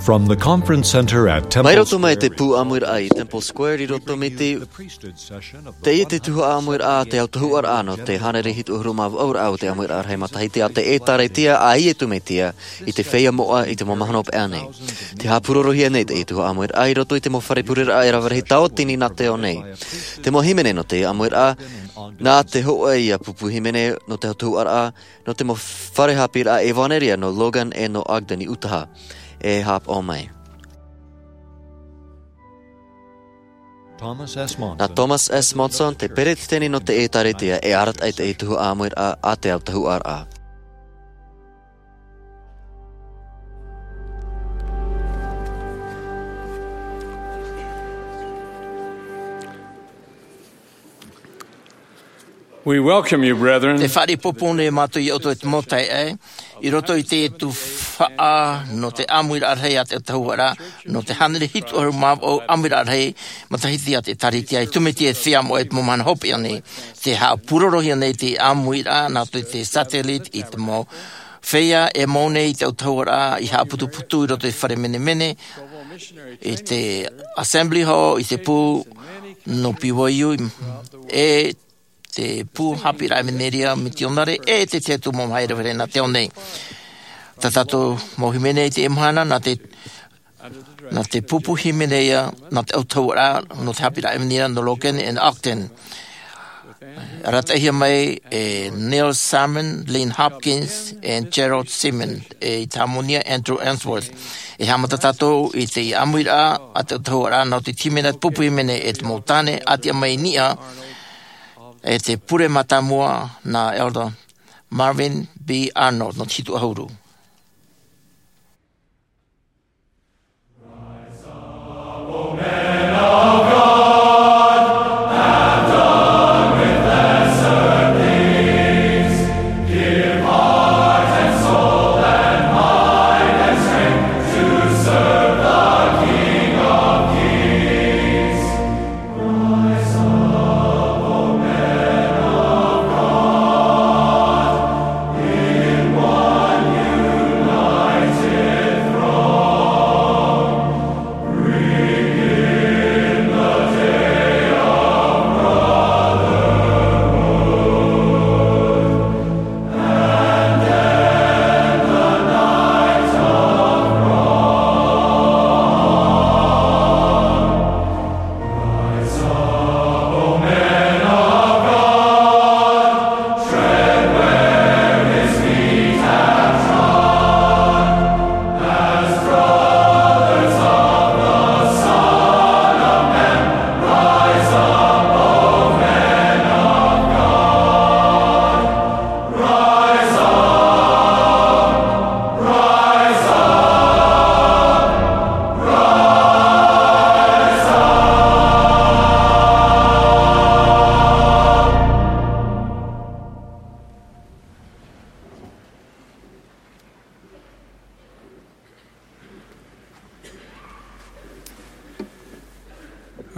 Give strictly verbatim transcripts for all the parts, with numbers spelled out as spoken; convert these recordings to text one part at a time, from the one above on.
From the conference center at Temple Mai roto mai Square te in pū ʻāmuiraʻa i Temple Square i roto mai te, Priesthood session of the teie te tuhaʻa ʻāmuiraʻa a te autahuʻaraʻa nō te hānere hitu ʻahuru mā vaʻu raʻa o te ʻāmuiraʻa rahi matahiti a te ʻĒtārētia a Iesu Mesia i te feiā moʻa i te mau mahana hopeʻa nei. Tē haʻapurorohia nei teie tuhaʻa ʻāmuiraʻa i roto i te mau fare pureraʻa e rave rahi tauatini nā te ao nei. Te mau hīmene nō teie ʻāmuiraʻa, nā te hōʻē ia pupu hīmene nō te autahuʻaraʻa, nō te mau fare haʻapiʻiraʻa ʻevanelia nō Logan e nō Ogden i Utaha, e haʻapaʻo mai. Thomas S. Monson. Nā Thomas S. Monson, te peretiteni nō te ʻĒtārētia, e arataʻi i teie tuhaʻa ʻāmuiraʻa a te autahuʻaraʻa. We welcome you, brethren. Tē fāriʻi pōpō nei mātou ia ʻoutou e te mau taeaʻe, i roto i te tuhaʻa nō te ʻāmuiraʻa rahi a te autahuʻaraʻa, nō te hānere hitu ʻahuru mā vaʻu ʻāmuiraʻa rahi matahiti a te ʻĒtārētia a Iesu Mesia i te feiā moʻa i te mau mahana hopeʻa nei. Tē haʻapurorohia nei te ʻāmuiraʻa nā roto i te satellite i te mau feiā e mau nei i te autahuʻaraʻa i haʻaputuputu i roto i te fare menemene, i te Assembly Hall, i te pū nō B Y U, e te pū haʻapiʻiraʻa ʻevanelia mitionare, e te tahi atu mau mahae rave rahi nā te ao nei. Tā tātou mau hīmene i teie mahana, nā te, nā te pupu hīmene ia, nā te autahuʻaraʻa nō te haʻapiʻiraʻa ʻevanelia nō Logan and Ogden. Arataʻihia mai e Neil Simon, Lynn Hopkins, and Gerald Simon, e i te hāmani ia Andrew Unsworth. E haʻamata tātou i te ʻāmuiraʻa a te autahuʻaraʻa nō te hīmene, te pupu hīmene e te mau tāne, ʻātiʻa mai i niʻa, e te pure mātāmua nā Elder Marvin B. Arnold, nō te hitu ʻahuru.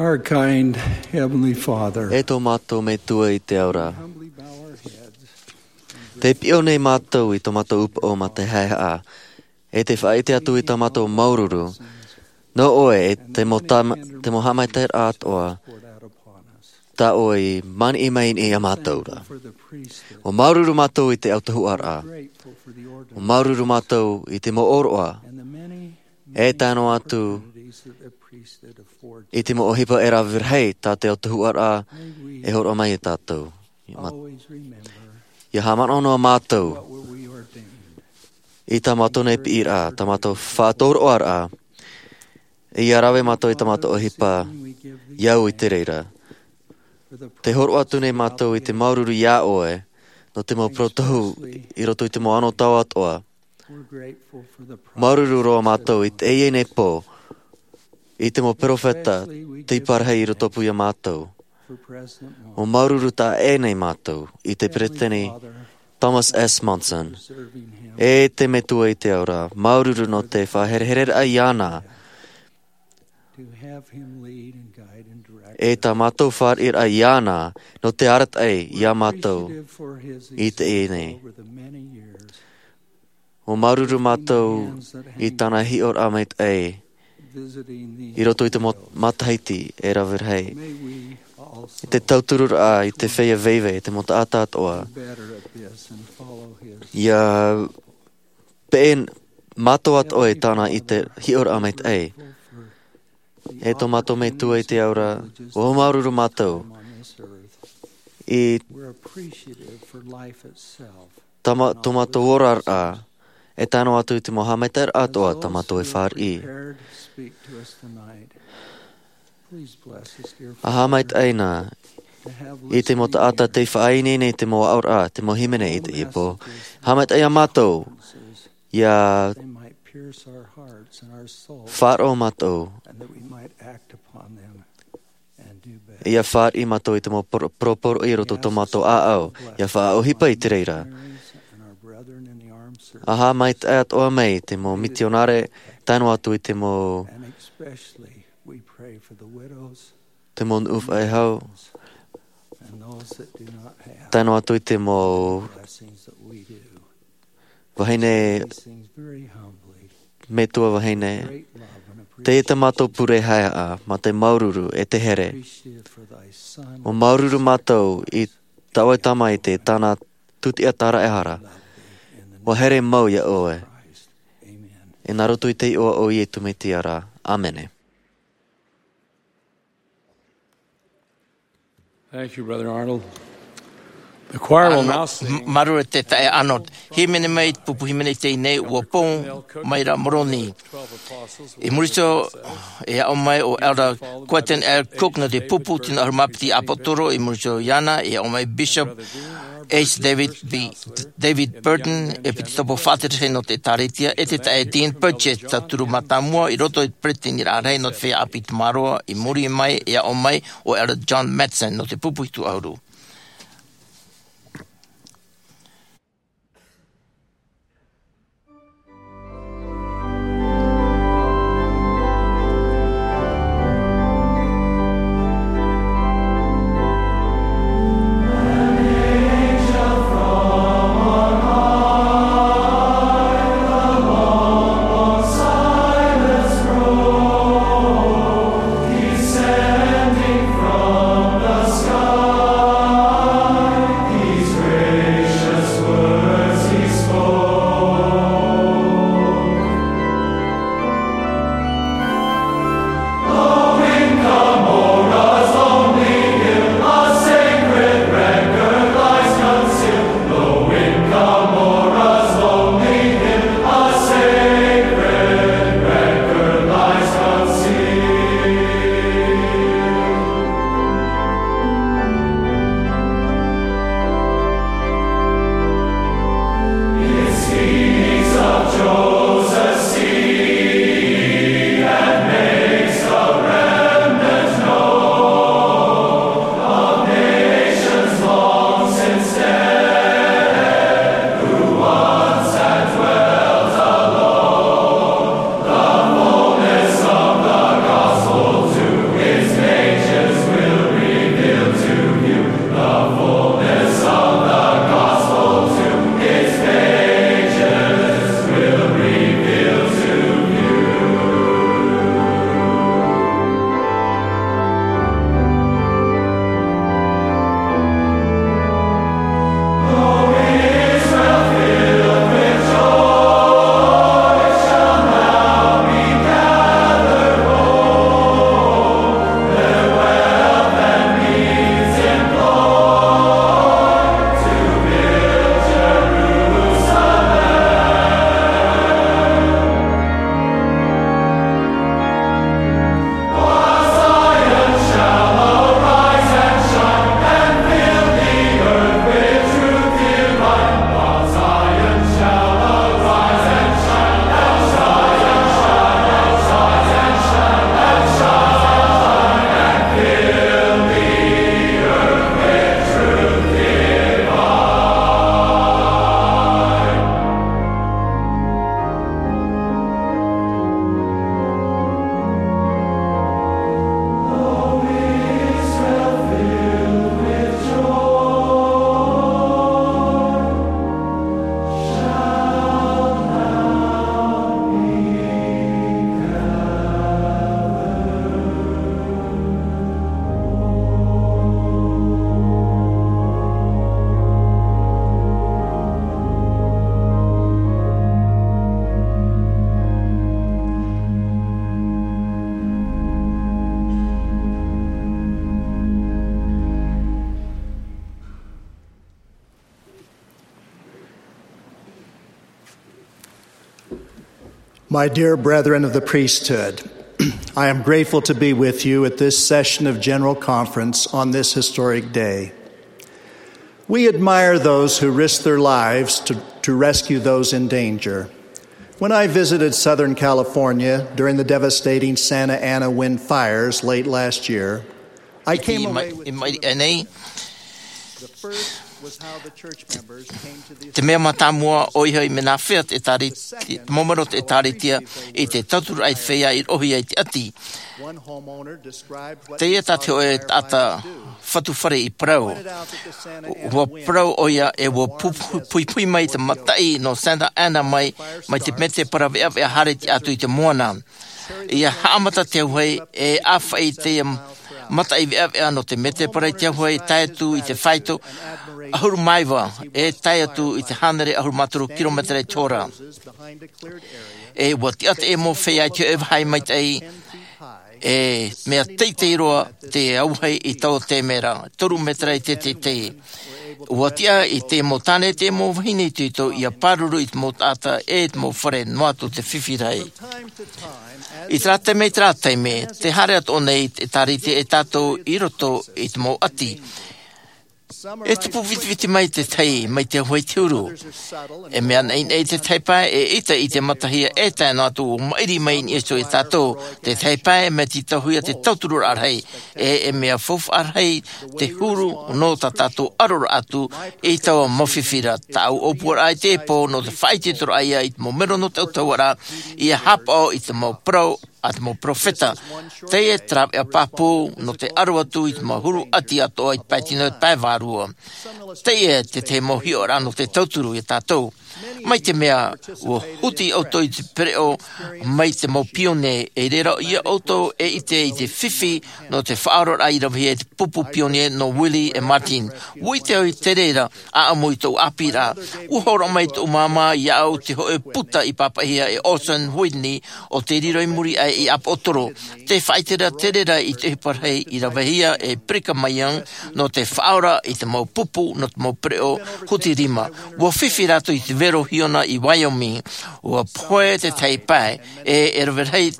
Our kind Heavenly Father, E tō mātou Metua i te ao ra. Tē piʻo nei mātou i tō mātou upoʻo mā te haʻehaʻa, e tē faʻaʻite atu i tā mātou māuruuru, nō ʻoe e te mau tam-, te mau haʻamaitaʻiraʻa atoʻa, tā ʻoe i maniʻi mai nei ia mātou ra. ʻUa māuruuru mātou i te autahuʻaraʻa. ʻUa māuruuru mātou i te mau ʻōroʻa, e tae noa atu i te mau ʻohipa e rave rahi tā te autahuʻaraʻa e hōroʻa mai ia tātou. ʻIa haʻamanaʻo noa mātou i tā mātou nei piʻiraʻa, tā mātou faʻatōroʻaraʻa, ʻia rave mātou i tā mātou ʻohipa, ʻia au i te reira. Tē hōroʻa atu nei mātou i te māuruuru iā ʻoe, nō te mau parau tohu i roto i te mau anotau atoʻa. Māuruuru roa mātou i teie nei pō, i te mau peropheta, tei parahi i rotopū iā mātou. ʻUa māuruuru taʻa ʻē nei mātou i te peretiteni Thomas S. Monson, e te Metua i te ao ra, māuruuru nō te faʻaherehereraʻa iāna, e tā mātou fāriʻiraʻa iāna, nō te arataʻi iā mātou i teie nei. ʻUa māuruuru mātou i tāna hiʻoraʻa maitaʻi i roto i te mo-, matahiti e rave rahi. I te tautururaʻa i te feiā vaivai, te mau taʻata atoʻa. ʻIa peʻe mātou atoʻa i tāna i te hiʻoraʻa maitaʻi. E tō mātou Metua i te ao ra, ʻua māuruuru mātou i tama-, tō mātou oraraʻa, e tae noa atu i te mau haʻamaitaʻiraʻa atoʻa tā mātou e fāriʻi. ʻA haʻamaitaʻi na i te mau taʻata tei faʻaineine i te mau aʻoraʻa, te mau hīmene i teie pō. Haʻamaitaʻi ia mātou, ʻia faʻaroʻo mātou, ʻia fāriʻi mātou i te mau poro-, poroporoʻi i roto i tō mātou ʻāʻau, ʻia faʻaʻohipa i te reira. ʻA haʻamaitaʻi atoʻa mai te mau mitionare, tae noa atu i te mau, te mau nuʻu faʻehau, tae noa atu i te mau vahine, metua vahine. Teie tā mātou pure haeaʻa, mā te māuruuru e te here. ʻUa māuruuru mātou i tā ʻoe Tamaiti, tāna tūtiʻa tāraʻehara. ʻUa here mau ia ʻoe. E nā roto i te iʻoa o Iesu Mesia ra. ʻĀmene. Thank you, Brother Arnold. The choir will now sing. Māuruuru te taeaʻe Arnold. Hīmene mai, pupu hīmene i teie nei, ʻUa Pou Mai Ra Moroni. I muri iho, e aʻo mai ʻo Elder Quentin L. Cook nō te pupu tino ʻahuru mā piti ʻāpōsetolo, i muri iho iāna, e aʻo mai Bishop H. David B. David Burton, ʻEpitokopo faʻaterehia nō te ʻĒkālesia, e te taeaʻe Dean Purchase, tauturu mātāmua i roto i te peresideniraʻa rahi nō te feiā ʻāpī Tamaroa, i muri mai, e aʻo mai ʻo Elder John Matson nō te pupu hitu ʻahuru. My dear brethren of the priesthood, I am grateful to be with you at this session of General Conference on this historic day. We admire those who risk their lives to, to rescue those in danger. When I visited Southern California during the devastating Santa Ana wind fires late last year, I came away with two memories. The first was how the church members came to the Te mea mātāmua ʻoia hoʻi, mea nāfea te ʻēkālesia, te mau mero o te ʻēkālesia i te tauturu ai te feiā i roʻohia i te ʻati. Teie tā te hōʻē taʻata fatu fare i parau. Ua parau ʻoia e ua pu-, pu-, puipui mai te mataʻi nō Santa Ana mai, mai te mētēpara veʻaveʻa haere tiʻa atu i te moana. ʻIa haʻamata te auahi e ʻāfaʻi te mataʻi veʻaveʻa nō te mētēpara i te auahi, tae atu i te faito ʻahuru mā iva, e tae atu i te hānere ʻahuru mā toru kilometera i te hora. E ua tiʻa te mau feiā i te hōʻē vāhi maitaʻi, e mea teitei roa te auahi i taua taime ra, toru mētera i te teitei. Ua tiʻa i te mau tāne, te mau vahine itoito ʻia pāruru i te mau taʻata e te mau fare, noa atu te fifi rahi. I terā taime, i terā taime, tē haere atoʻa nei te ʻēkālesia e tātou i roto i te mau ʻati. E tupu vitiviti mai te tahi, mai te auahi i te huru. E mea naʻinaʻi te tahi pae, e ʻaita i te matahia e tae noa atu ʻo maʻiri mai i niʻa iho ia tātou. Te tahi pae, mea tītauhia te tauturu rahi, e, e mea faufaʻa rahi te huru nō tā tātou ʻaroraʻa atu i taua mau fifi ra. Tāʻu ʻōpuaraʻa i teie pō nō te faʻaitoitoraʻa ia i te mau mero nō te ʻautahuʻaraʻa, ʻia haʻapaʻo i te mau parau a te mau peropheta. Teie te rāveʻa pāpū nō te ʻaro atu i te mau huru ʻati atoʻa i te pae tino, te pae vārua. Teie te tahi mau hiʻoraʻa nō te tauturu ia tātou. Mai te mea, ua huti ʻoutou i te pereʻoʻo mai te mau pionie, e reira ia ʻoutou e ʻite i te fifi nō te faʻaoraraʻa i ravehia e te pupu pionie nō Willie e Martin. Ua ʻite au i te reira ʻāʻamu i tōʻu ʻāpīraʻa. Ua hōroʻa mai tōʻu māmā iāʻu te hōʻē puta i pāpaʻihia e Orson Whitney, ʻo tē riro i muri aʻe i Apoʻotoro. Tē faʻaʻite ra te reira i te ʻohipa rahi i ravehia e Brigham Young nō te faʻaora i te mau pupu nō te mau pereʻoʻo huti rima. Ua fifi rātou i te vero hiona i Wyoming. Ua pohe te tahi pae, e, e rave rahi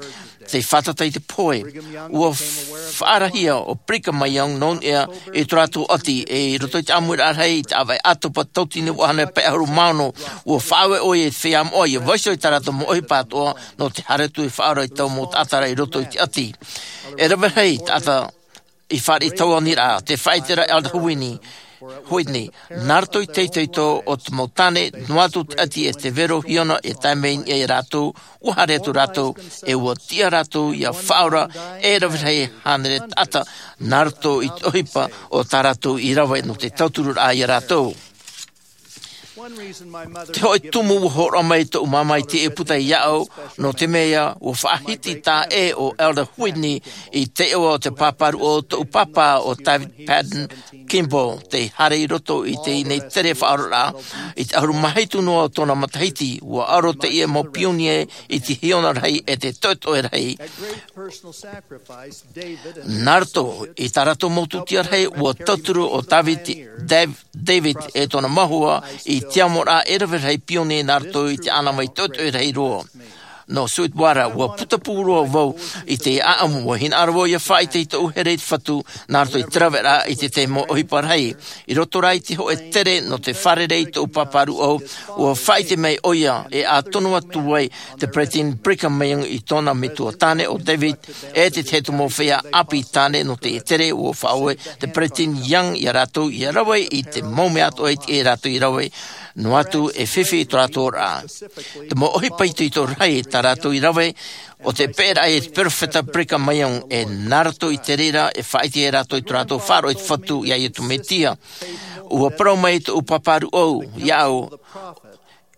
te fātata i te pohe. Ua faʻaarahia ʻo Brigham Young nō niʻa i tō rātou ʻati, e i roto i te ʻāmuiraʻa rahi, i te ʻāvaʻe ʻātopa tautini ʻahuru mā ono, ua faʻaue ʻoia i te feiā moʻa ʻia vaiiho i tā rātou mau ʻohipa atoʻa nō te haere atu e faʻaora i taua mau taʻata ra i roto i te ʻati. E rave rahi taʻata i fāriʻi i taua aniraʻa, tē faʻaʻite ra Elder Whitney, Whitney, nā roto i te itoito o te mau tāne, noa atu te ʻati e te vero hiona e tae mai i niʻa ia rātou, ua haere atu rātou, e ua tiʻa rātou ʻia faʻaora e rave rahi hānere taʻata, nā roto i te ʻohipa o tā rātou i rave nō te tautururaʻa ia rātou. Te hōʻē tumu ua hōroʻa mai tōʻu māmā i teie puta iāʻu, nō te mea ua faʻahiti taʻa ʻē ʻo Elder Whitney i te iʻoa o te pāpā ruʻau o tōʻu pāpā, ʻo David Patton Kimball, tei haere i roto i teie nei tere faʻaoraraʻa. I te ʻahuru mā hitu noa o tōna matahiti, ua aro teie mau pionie i te hiona rahi e te toetoe rahi. Nā roto i tā rātou mau tūtia rahi, ua tauturu ʻo David, Dav-, David e tōna mau hoa i te amoraʻa e rave rahi pionie nā roto i te ʻānāvai toetoe rahi roa. Nō Sweetwater, ua putapū roa vau i te ʻāʻamu, ua hinaʻaro vau ʻia faʻaʻite i tōʻu here i te Fatu, nā roto i te raveraʻa i te tahi mau ʻohipa rahi. I roto rā i te hōʻē tere nō te fārerei i tōʻu pāpā ruʻau, ua faʻaʻite mai ʻoia, e ʻā tonu atu ai te Peresideni Brigham Young i tōna metua tāne ʻo David, e te tahi atu mau feiā ʻāpī tāne nō teie tere, ua faʻaue te Peresideni Young ia rātou ʻia rave i te mau mea atoʻa i teie rātou i rave, noa atu e fifi i tō rātou oraraʻa. Te mau ʻohipa itoito rahi tā rātou i rave, ʻo te peʻeraʻa i te peropheta Brigham Young, e nā roto i te reira e faʻaʻite ai rātou i tō rātou faʻaroʻo i te Fatu iā Iesu Mesia. Ua parau mai tōʻu pāpā ruʻau iāʻu,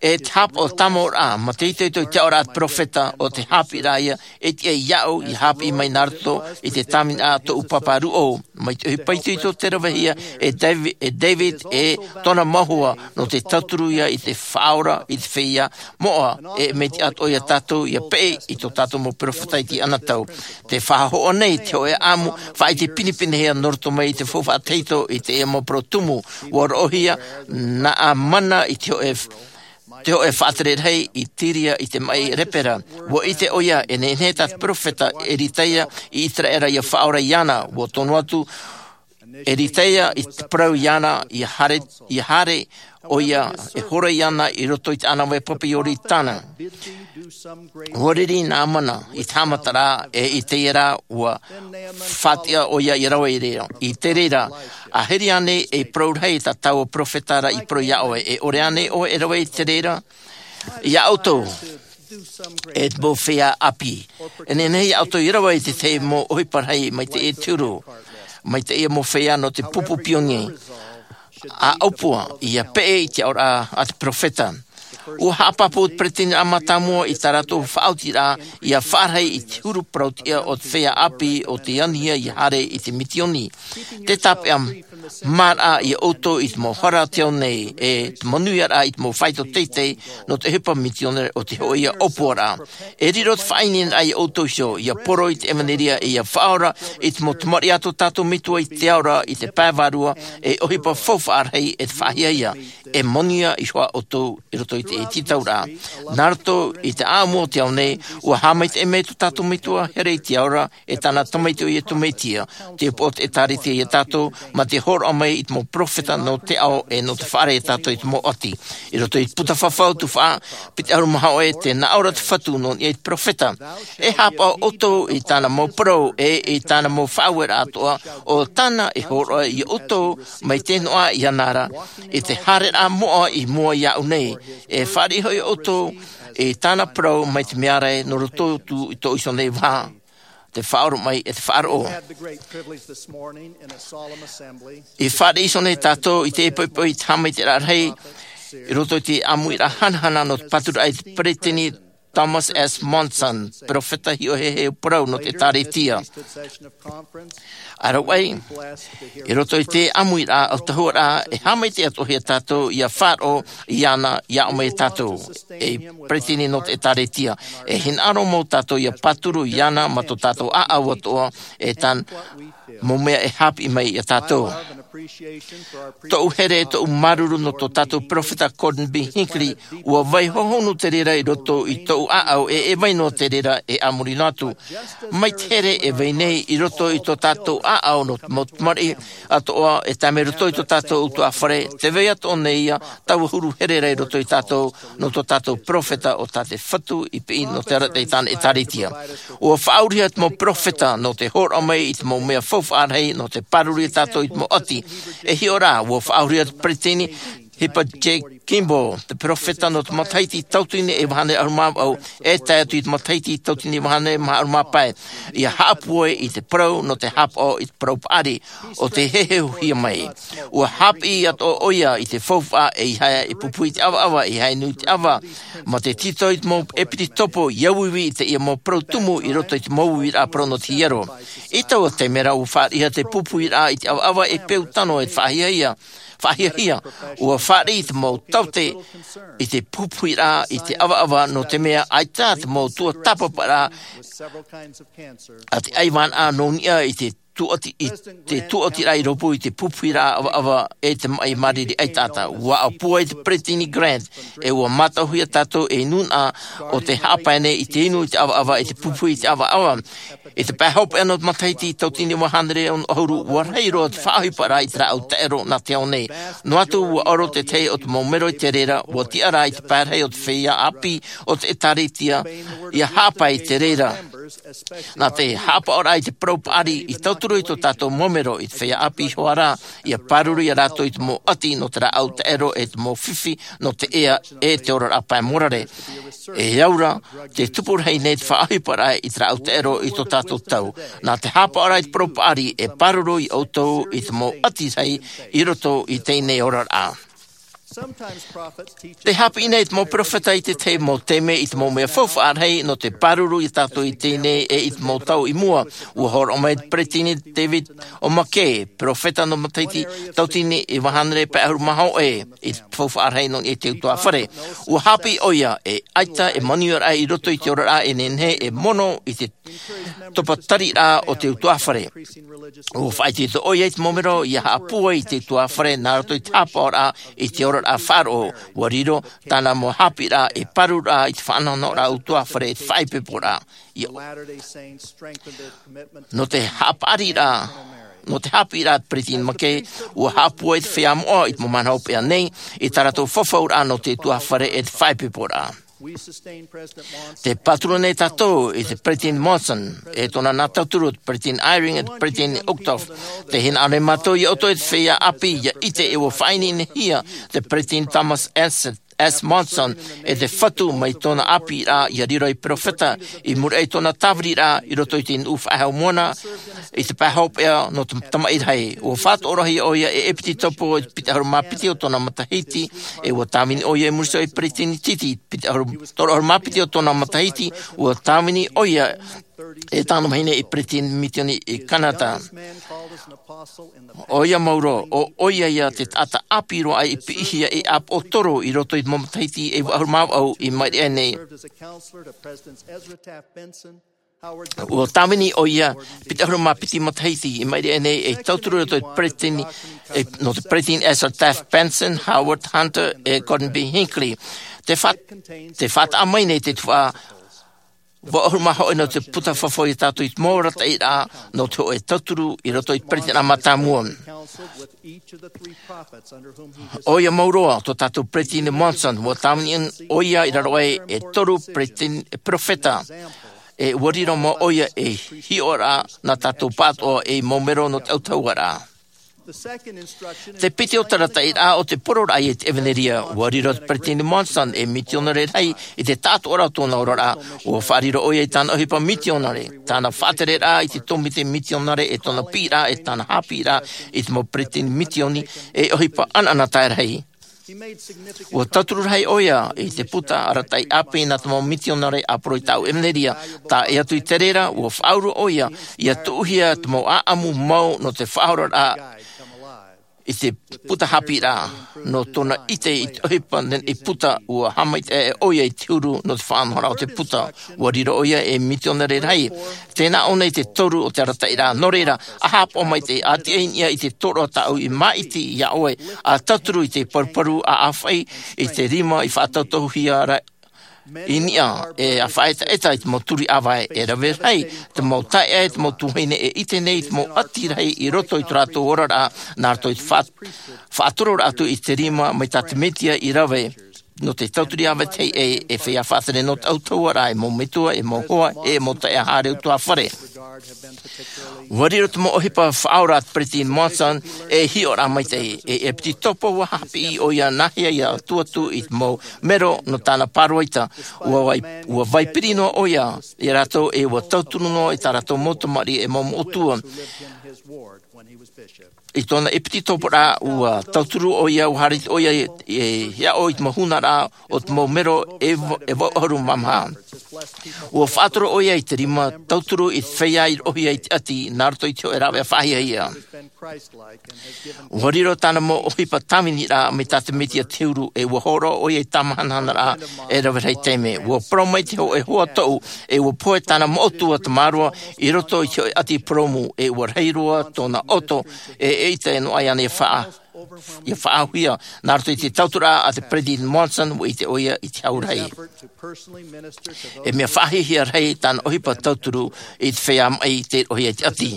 e te haʻapaʻo tāmau ra, mā te itoito i te aʻoraʻa a te peropheta, ʻo te haʻapiʻiraʻa ia e tiʻa iāʻu ʻia haʻapiʻi mai nā roto i te tāvini a tōʻu pāpā ruʻau. Mai te ʻohipa itoito tē ravehia e Davi-, e David e tōna mau hoa, nō te tauturu ia i te faʻaora i te feiā moʻa, e mea tiʻa atoʻa ia tātou ʻia peʻe i tō tātou mau peropheta i teie anotau. Tē faʻahoʻi nei te hōʻē ʻāʻamu faʻaʻite pinepinehia nō roto mai i te faufaʻa tahito i teie mau parau tumu. Ua roʻohia Naamana i te hōʻē f-, te hoʻe faʻatere rahi i Tiria i te maʻi lepera. Ua ʻite ʻoia e nehenehe tā te peropheta Eritaia i ʻĪteraʻera ʻia faʻaora iāna. Ua tono atu Eritaia i te parau iāna ʻia haere, ʻia haere ʻoia e horo iāna i roto i te ʻānāvai pape Ioritana. Ua riri Naamana i te haʻamataraʻa, e i teie rā ua faʻatiʻa ʻoia ʻia rave i reira. I te reira, ʻa hiri ānei e parau rahi tā taua peropheta ra i parau iā ʻoe, e ʻore ānei ʻoe e rave i te reira? Iā ʻoutou, e te mau feiā ʻāpī, e nehenehe iā ʻoutou ʻia rave i te tahi mau ʻohipa rahi mai teie te huru, mai teie mau feiā nō te pupu pionie, ʻa ʻōpua ʻia peʻe i te aʻoraʻa a te peropheta. Ua haʻapāpū te peresideniraʻa mātāmua i tā rātou faʻaotiraʻa ʻia faʻarahi i te huru parau-tiʻa o te feiā ʻāpī o tei anihia ʻia haere i te misioni. Te tāpeʻa māraʻa iā ʻoutou i te mau hara o te ao nei, e te manuiaraʻa i te mau faito teitei nō te ʻohipa misionare o te hōʻē ʻōpuaraʻa. E riro te faʻaineineraʻa iā ʻoutou iho, ʻia poro i te ʻevanelia, e ʻia faʻaora i te mau tamariʻi a tō tātou Metua i te ao ra, i te pae vārua, e ʻohipa faufaʻa rahi e te faʻahiahia. E manuia iho ā ʻoutou i roto i te tītauraʻa. Nā roto i te ʻāʻamu o te ao nei, ua haʻamaitaʻi mai tō tātou Metua here i te ao ra, e tāna Tamaiti ʻo Iesu Mesia, te ʻōpua o te ʻĒtārētia iā tātou, mā te hōroʻa mai i te mau peropheta nō te ao, e nō te faʻaara iā tātou i te mau ʻati. I roto i te puta fafau tuhaʻa piti ʻahuru mā hōʻē, tē nā ʻō ra te Fatu nō niʻa i te peropheta. E haʻapaʻo ʻoutou i tāna mau parau, e i tāna mau faʻaueraʻa atoʻa, ʻo tāna e hōroʻa iā ʻoutou mai te noaʻa iāna ra, i te haereraʻa moʻa i mua iāʻu nei, e fāriʻi hoʻi ʻoutou i tāna parau mai te mea ra nō roto atu i tō ʻoutou nei vaha. Te faʻaoromaʻi e te faʻaroʻo. Had the great privilege this morning in a solemn assembly. I fāriʻi iho nei tātou i te poʻipoʻi i te haʻamaitaʻiraʻa rahi, i roto i te ʻāmuiraʻa hanahana nō te pāturaʻa i te peresideni Thomas S. Monson, peropheta hiʻo heheu parau nō te ʻĒtārētia. ʻA rave, i roto i te ʻāmuiraʻa autahuʻaraʻa, e haʻamaitaʻi atoʻa hia tātou ʻia faʻaroʻo iāna, ʻia ʻō mai iā tātou, ei peresideni nō te ʻĒtārētia, e hinaʻaro mau tātou ʻia pāturu iāna mā tō tātou ʻāʻau atoʻa, e tāna mau mea e haʻapiʻi mai iā tātou. Tōʻu here, tōʻu māuruuru nō tō tātou peropheta Gordon B. Hinckley, ʻua vai hohonu te reira i roto i tōʻu ʻāʻau, e, e vai noa te reira e a muri noa atu. Mai te here e vai nei i roto i tō tātou ʻāʻau nō te mau tamariʻi atoʻa, e tae mai roto i tō tātou ʻutuāfare, tē vai atoʻa nei ia taua huru here ra i roto ia tātou, nō tō tātou peropheta ʻo tā te Fatu i piʻi nō te arataʻi i tāna ʻĒtārētia. ʻUa faʻaurihia te mau peropheta nō te hōroʻa mai i te mau mea faufaʻa rahi nō te pāruru ia tātou i te mau ʻati. E hiʻo rā, ʻua faʻaurihia te peresideni Heber J. Kimball, te peropheta nō te matahiti tauatini e vaʻu ʻahuru mā vaʻu, e tae atu i te matahiti tauatini e vaʻu ʻahuru mā pae, ʻia haʻapūai i te parau nō te haʻapaʻo i te parau paʻari ʻo tē heheuhia mai. ʻUa haʻapiʻi atoʻa ʻoia i te faufaʻa e ʻeiaha e pupu i te ʻavaʻava, ʻeiaha e nui i te ʻava, mā te tītau i te mau ʻepitopo ʻia uiui i teie mau parau tumu i roto i te mau uiraʻa parau nō te hiero. I taua taime ra ʻua fāriʻihia te pupuiraʻa i te ʻavaʻava e peu tano e faʻahiahia, faʻahiahia, ʻua fāriʻi i te mau taote i te pupuiraʻa i te ʻavaʻava nō te mea ʻaita te mau tuatāpaparaʻa a te ʻaivānaʻa nō niʻa i te tuati-, i te tuatiraʻa i rōpū i te pupuiraʻa ʻavaʻava e te maʻi māriri ʻaitaʻata. ʻUa ʻōpua ai te peresideni Grant, e ʻua mātauhia tātou ei nūnaʻa ʻo tē haʻapae nei i te inu i te ʻavaʻava e te pupu i te ʻavaʻava. I te pae hopeʻa nō te matahiti tauatini e vaʻu ʻahuru, ʻua rahi roa te faʻaʻohiparaʻa i te rāʻau taʻero nā te ao nei. Noa atu ʻua ʻoro te tahi o te mau mero i te reira, ʻua tiʻa rā i te pae rahi o te feiā ʻāpī o te ʻĒtārētia, ʻia haʻapae i te reira. Nā te haʻapaʻoraʻa i te parau paʻari i tauturu i tō tātou mau mero i te feiā ʻāpī iho ā rā, ʻia pāruru ia rātou i te mau ʻati nō te rāʻau taʻero e te mau fifi nō te ea e te oraraʻa pae mōrare. E au ra, tē tupu rahi nei te faʻaʻohiparaʻa i te rāʻau taʻero i tō tātou tau. Nā te haʻapaʻoraʻa i te parau paʻari e pāruru ia ʻoutou i te mau ʻati rahi i roto i teie nei oraraʻa. Te haʻapiʻi nei te mau peropheta i te tahi mau taime i te mau mea faufaʻa rahi nō te pāruru ia tātou i teie nei e i te mau tau i mua. ʻUa hōroʻa mai te peresideni David O. McKay, peropheta nō te matahiti tauatini e vaʻu ʻahuru mā hōʻē, i te faufaʻa rahi nō niʻa i te ʻutuāfare. ʻUa haʻapiʻi ʻoia, e ʻaita e manuiaraʻa i roto i te oraraʻa e nehenehe e mono i te topa tariraʻa o te ʻutuāfare. ʻUa faʻaitoito ʻoia i te mau mero ʻia haʻapūai i te ʻutuāfare nā roto i te haʻapaʻoraʻa i te ora faʻaroʻo, ua riro tāna mau haʻapiʻiraʻa ei pārururaʻa i te faʻanahonahoraʻa ʻutuāfare e te faʻaipoiporaʻa. Ia, nō te haʻapaʻariraʻa, nō te haʻapiʻiraʻa a te Peresideni McKay, ua haʻapūai te feiā moʻa i te mau mahana hopeʻa nei i tā rātou fafauraʻa nō te ʻutuāfare e te faʻaipoiporaʻa. Te pāturu nei tātou i te Peresideni Monson, e tōna nā tauturu, te Peresideni Eyring, e te Peresideni Uchtdorf. Tē hinaʻaro nei mātou ia ʻoutou e te feiā ʻāpī, ia ʻite ē ua faʻaineinehia te Peresideni Thomas S. S. Monson e te Fatu mai tōna ʻāpīraʻa, ia riro ei perofeta, i muri aʻe i tōna tāviriraʻa i roto i te nuʻu faʻehau moana, i te pae hopeʻa nō te tamaʻi rahi. Ua faʻatoʻorahia ʻoia e ʻepitetopo i te piti ʻahuru mā piti o tōna matahiti, e ua tāvini ʻoia i muri iho i te Peresideni Titi, piti ʻahuru, toru ʻahuru mā piti o tōna matahiti, ua tāvini ʻoia e tāna vahine ei Peresideni Mitioni i Kanata. ʻOia mau roa, ʻo ʻoia ia te taʻata ʻāpī roa aʻe i piʻihia ei ʻāpoʻotoro i roto i te mau matahiti e iva ʻahuru mā vaʻu i maʻiri aʻe nei. Ua tāvini ʻoia piti ʻahuru mā piti matahiti i maʻiri aʻe nei, ei tauturu i roto i te Peresideni, e, nō te Peresideni Ezra Taft Benson, Howard Hunter, e Gordon B. Hinckley. Te fa-, te faʻataʻa mai nei te tuhaʻa vaʻu ʻahuru mā hōʻē nō te puta fafau ia tātou i te mau arataʻiraʻa nō te hōʻē tauturu i roto i te Peresideni mātāmua. ʻOia mau roa, tō tātou Peresideni Monson, ua tāvini ʻoia i raro aʻe e toru peresideni, e perofeta, e ua riro mau ʻoia ei hiʻoraʻa nā tātou pāʻatoʻa ei mau mero nō te ʻautahuʻaraʻa. Te piti o te arataʻiraʻa ʻo te poroʻraʻa i te ʻevanelia, ua riro te Peresideni Monson ei mitionare rahi i te taʻatoʻaraʻa o tōna oraraʻa, ua faʻariro ʻoia i tāna ʻohipa mitionare, tāna faʻatereraʻa i te tōmite mitionare e tōna piʻiraʻa e tāna haʻapiʻiraʻa i te mau peresideni mitioni, ei ʻohipa ʻanaʻanatae rahi. Ua tauturu rahi ʻoia i te puta arataʻi ʻāpī nā te mau mitionare ʻāporo i tāʻu ʻevanelia, tae atu i te reira, ua faʻauru ʻoia, ia tuʻuhia te mau ʻāʻamu mau nō te faʻaoraraʻa i te puta haʻapiʻiraʻa, nō tōna ʻite i te ʻohipa nei i puta, ua haʻamaitaʻi ʻoia i te huru nō te faʻanahoraʻa o te puta. Ua riro ʻoia ei mitionare rahi. Tē nā ʻō nei te toru o te arataʻiraʻa, nō reira, ʻa haʻapaʻo maitaʻi, ʻa tiʻa i niʻa i te tōroʻa tāʻu i māʻiti iā ʻoe, ʻa tauturu i te paruparu, ʻa ʻāfaʻi i te rima i faʻatautauhia ra i niʻa, e ʻa faʻaetaeta i te mau turi ʻāvae, e rave rahi te mau taeaʻe, te mau tuahine e ʻite nei i te mau ʻati rahi i roto i tō rātou oraraʻa, nā roto i te faʻa-, faʻatororaʻa atu i te rima mai tā te Mesia i rave. Nō te tauturu ʻāvae teie, e feiā faʻatere nō te ʻautahuʻaraʻa, e mau metua, e mau hoa, e mau taeaʻe haere ʻutuāfare. Ua riro te mau ʻohipa faʻaora a te Peresideni Monson ei hiʻoraʻa maitaʻi, e ʻepitetopo ua haʻapiʻi ʻoia nāhea ia tuʻu atu i te mau mero nō tāna pāroita. Ua vai, ua vai piri noa ʻoia ia rātou, e ua tauturu noa i tā rātou mau tamariʻi e mau moʻotua. I tōna ʻepitetoporaʻa, ua tauturu ʻoia, ua haere ʻoia e, e hiaʻo i te mau hunaraʻa o te mau mero e va-, e vaʻu ʻahuru mā maha. Ua faʻatoro ʻoia i te rima tauturu i te feiā i roʻohia i te ʻati, nā roto i te hōʻē rāveʻa faʻahiahia. Ua riro tāna mau ʻohipa tāviniraʻa mai tā te Mesia te huru, e ua hōroʻa ʻoia i te tāmahanahanaraʻa e rave rahi taime. Ua parau mai te hōʻē hoa toʻu, e ua pohe tāna moʻotua tamaroa i roto i te hōʻē ʻati purōmu, e ua rahi roa tōna ʻoto, e, eʻita e noaʻa iāna ia faʻa-, ia faʻaauhia. Nā roto i te tauturu a te Peresideni Monson, ua ʻite ʻoia i te hau rahi. E mea faʻahiahia rahi tāna ʻohipa tauturu i te feiā maʻi tei roʻohia i te ʻati.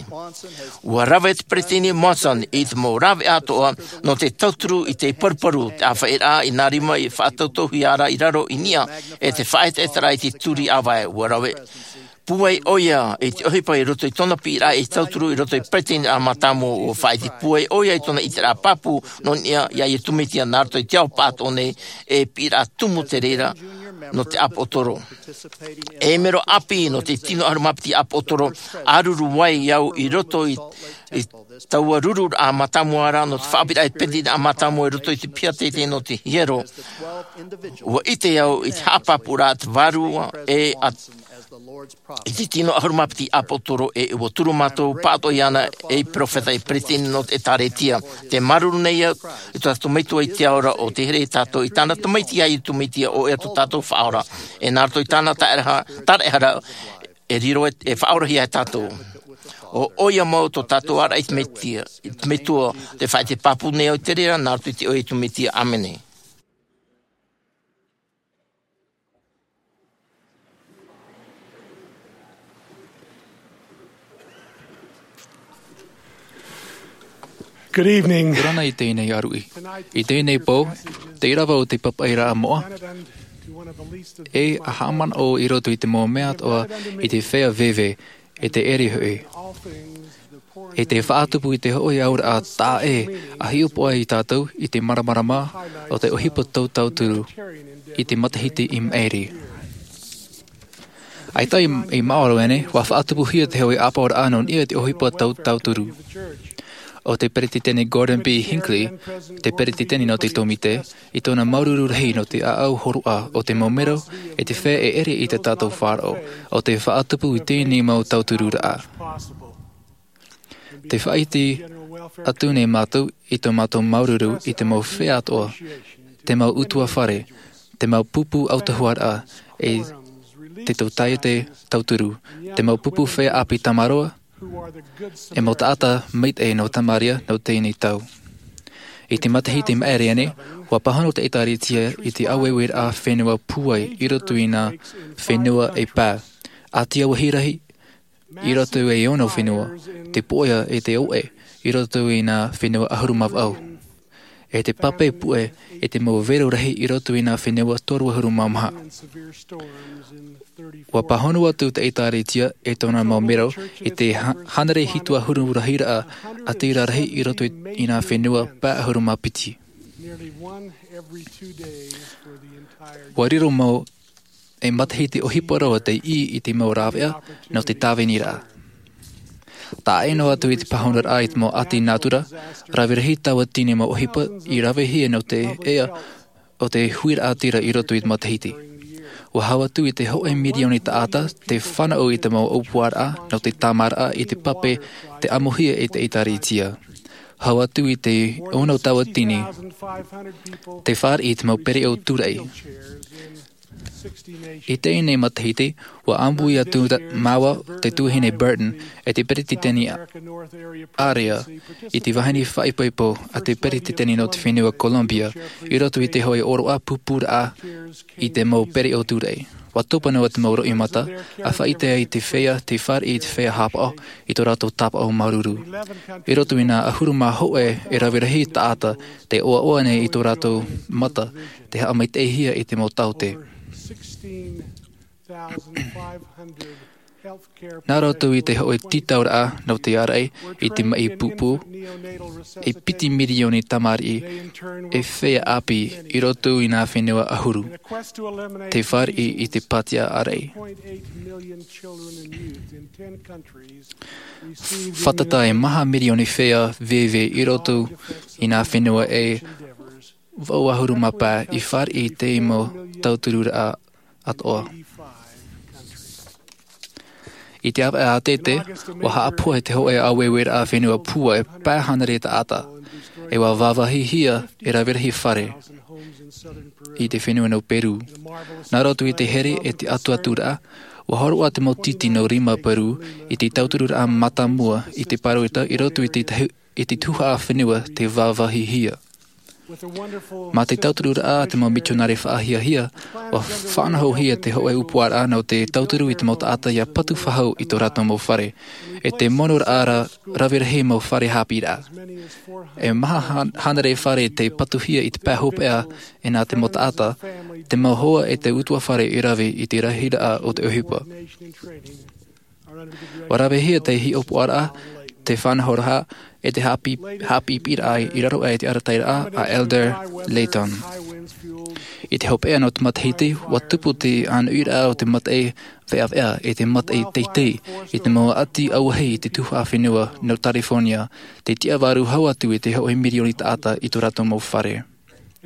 Ua rave te Peresideni Monson i te mau rāveʻa atoʻa nō te tauturu i te paruparu, te ʻāfaʻiraʻa i nā rima i faʻatautauhia ra i raro i niʻa, e te faʻaetaetaraʻa i te turi ʻāvae. Ua rave pūai ʻoia i te ʻohipa i roto i tōna piʻiraʻa ei tauturu i roto i te Peresideni mātāmua. Ua faʻaʻite pūai ʻoia i tōna ʻiteraʻa pāpū nō niʻa iā Iesu Mesia nā roto i te ao pāʻatoʻa nei, e piʻiraʻa tumu te reira nō te ʻāpoʻotoro. E mero ʻāpī nō te tino ʻahuru mā piti ʻāpoʻotoro, ʻāruru ai au i roto i, i taua rururaʻa mātāmua ra nō te faʻaʻāpīraʻa i te Peresideni mātāmua i roto i te piha teitei nō te hiero. Ua ʻite au i te haʻapāpūraʻa a te Vārua e a, i te tino ʻahuru mā piti ʻāpoʻotoro, e ua turu mātou pāʻatoʻa iāna ei perofeta, ei peresideni nō te ʻĒtārētia. Tē māuruuru nei au i tō tātou Metua i te ao ra, ʻo tē here ia tātou i tāna Tamaiti, ʻo Iesu Mesia, ʻo ia tō tātou Faʻaora. E nā roto i tāna tāraʻehara, tāraʻehara, e riro e, e faʻaorahia e tātou. ʻO, ʻoia mau tō tātou āraʻi i te Mesia, i te Metua, tē faʻaʻite pāpū nei au i te reira, nā roto i te iʻoa o Iesu Mesia. ʻĀmene. Good evening. Orana i teie nei aruʻi. I teie nei pō, te ʻīrava o te papaʻiraʻa moʻa, e haʻamanaʻo i roto i te mau mea atoʻa i te feiā veve, e te ʻere hoʻi. E te faʻatupu i te hoʻi auraʻa taʻa ʻē, ʻa hiʻopoʻa ia tātou i te māramarama o te ʻohipa tautauturu i te matahiti i maʻiri. ʻAita i, i maoro ānei, ʻua faʻatupuhia te hoʻi ʻāpoʻoraʻa nō niʻa i te ʻohipa tautauturu. ʻO te Peretiteni Gordon B. Hinckley, te Peretiteni nō te Tōmite, i tōna māuruuru rahi nō te ʻāʻau hōroʻa o te mau mero, e te feiā e ʻere i tā tātou faʻaroʻo, ʻo te faʻatupu i teie nei mau tautururaʻa. Tē faʻaʻite atu nei mātou i tō mātou māuruuru i te mau feiā atoʻa, te mau ʻutuāfare, te mau pupu autahuʻaraʻa, e te tōtaiete tauturu, te mau pupu feiā ʻāpī tamaroa, e mau taʻata maitaʻi nō Samaria nō teie nei tau. I te matahiti i maʻiri ānei, ʻua pāhono te ʻĒtārētia i te ʻāueueraʻa fenua pūai i roto i nā fenua e pae. ʻĀtia vāhi rahi i roto i te ono fenua, te pōʻoa e te ʻoʻe i roto i nā fenua ʻahuru mā vaʻu, e te pape puʻe e te mau vero rahi i roto i nā fenua toru ʻahuru mā maha. ʻUa pāhono atu te ʻĒtārētia e tōna mau mero i te ha-, hānere hitu ʻahuru rahiraʻa ʻātīrā rahi i roto i, i nā fenua pae ʻahuru mā piti. ʻUa riro mau e matahiti ʻohipa roa tei ʻī i te mau rāveʻa nō te tāviniraʻa. Taʻa ʻē noa atu i te pāhonoraʻa i te mau ʻati nātura, rave rahi tauatini mau ʻohipa i ravehia nō te ea o te huiraʻatira i roto i te matahiti. ʻUa hau atu i te hōʻē mirioni taʻata te fānaʻo i te mau ʻōpuaraʻa nō te tāmāraʻa i te pape tei ʻamuhia e te ʻĒtārētia. Hau atu i te ono tauatini te fāriʻi i te mau pereʻo tūraʻi. I teie nei matahiti, ʻua ʻāmui atu ra-, māua te tuahine Burton, e te peretiteni a-, ʻārea, i te vahine faʻaipoipo a te peretiteni nō te fenua Colombia, i roto i te hōʻē ʻōroʻa pupuraʻa i te mau pereʻo tūraʻi. ʻUa topa noa te mau roimata, ʻa faʻaʻite ai te feiā, tei fāriʻi i te feiā haʻapaʻo, i tō rātou tāpaʻo māuruuru. I roto i nā ʻahuru mā hōʻē e rave rahi taʻata, tē ʻoaʻoa nei i tō rātou mata, tē haʻamaitaʻihia i te mau taote. Nā roto i te hōʻē tītauraʻa nō te ārai i te maʻi pūpū, e piti mirioni tamariʻi e feiā ʻāpī i roto i nā fenua ʻahuru, tē fāriʻi i te pātiaʻa ārai. Fātata e maha mirioni feiā veve i roto i nā fenua e vaʻu ʻahuru mā pae i fāriʻi i te mau tautururaʻa atoʻa. I te ʻāvaʻe ʻātete, ʻua haʻapohe te hōʻē ʻāueueraʻa fenua pūai e pae hānere taʻata, e ʻua vāvāhihia e rave rahi fare i te fenua nō Peru. Nā roto i te here e te atuaturaʻa, ʻua hōroʻa te mau tītī nō rima Peru i te tautururaʻa mātāmua i te pāroita i roto i te tahi-, i te tuhaʻa fenua tei vāvāhihia. Mā te tautururaʻa a te mau mitionare faʻahiahia, ʻua faʻanahohia te hōʻē ʻōpuaraʻa nō te tauturu i te mau taʻata ʻia patu faʻahou i tō rātou mau fare. E te monoraʻa ra-, rave rahi mau fare haʻapiʻiraʻa. E maha hā-, hānere fare tei patuhia i te pae hopeʻa, e nā te mau taʻata, te mau hoa e te ʻutuāfare i rave i te rahiraʻa o te ʻohipa. ʻUa ravehia te hiʻopoʻaraʻa, te faʻanahoraʻa, e te haʻapi-, haʻapiʻiraʻa i raro aʻe i te arataʻiraʻa a Elder Layton. I te hopeʻa nō te matahiti, ʻua tupu te ʻānuʻiraʻa o te mataʻi veʻaveʻa, e te mataʻi teitei, i te mau ʻati auahi i te tuhaʻa fenua nō California, tei tiʻa vārua hau atu i te hōʻē mirioni taʻata i tō rātou mau fare.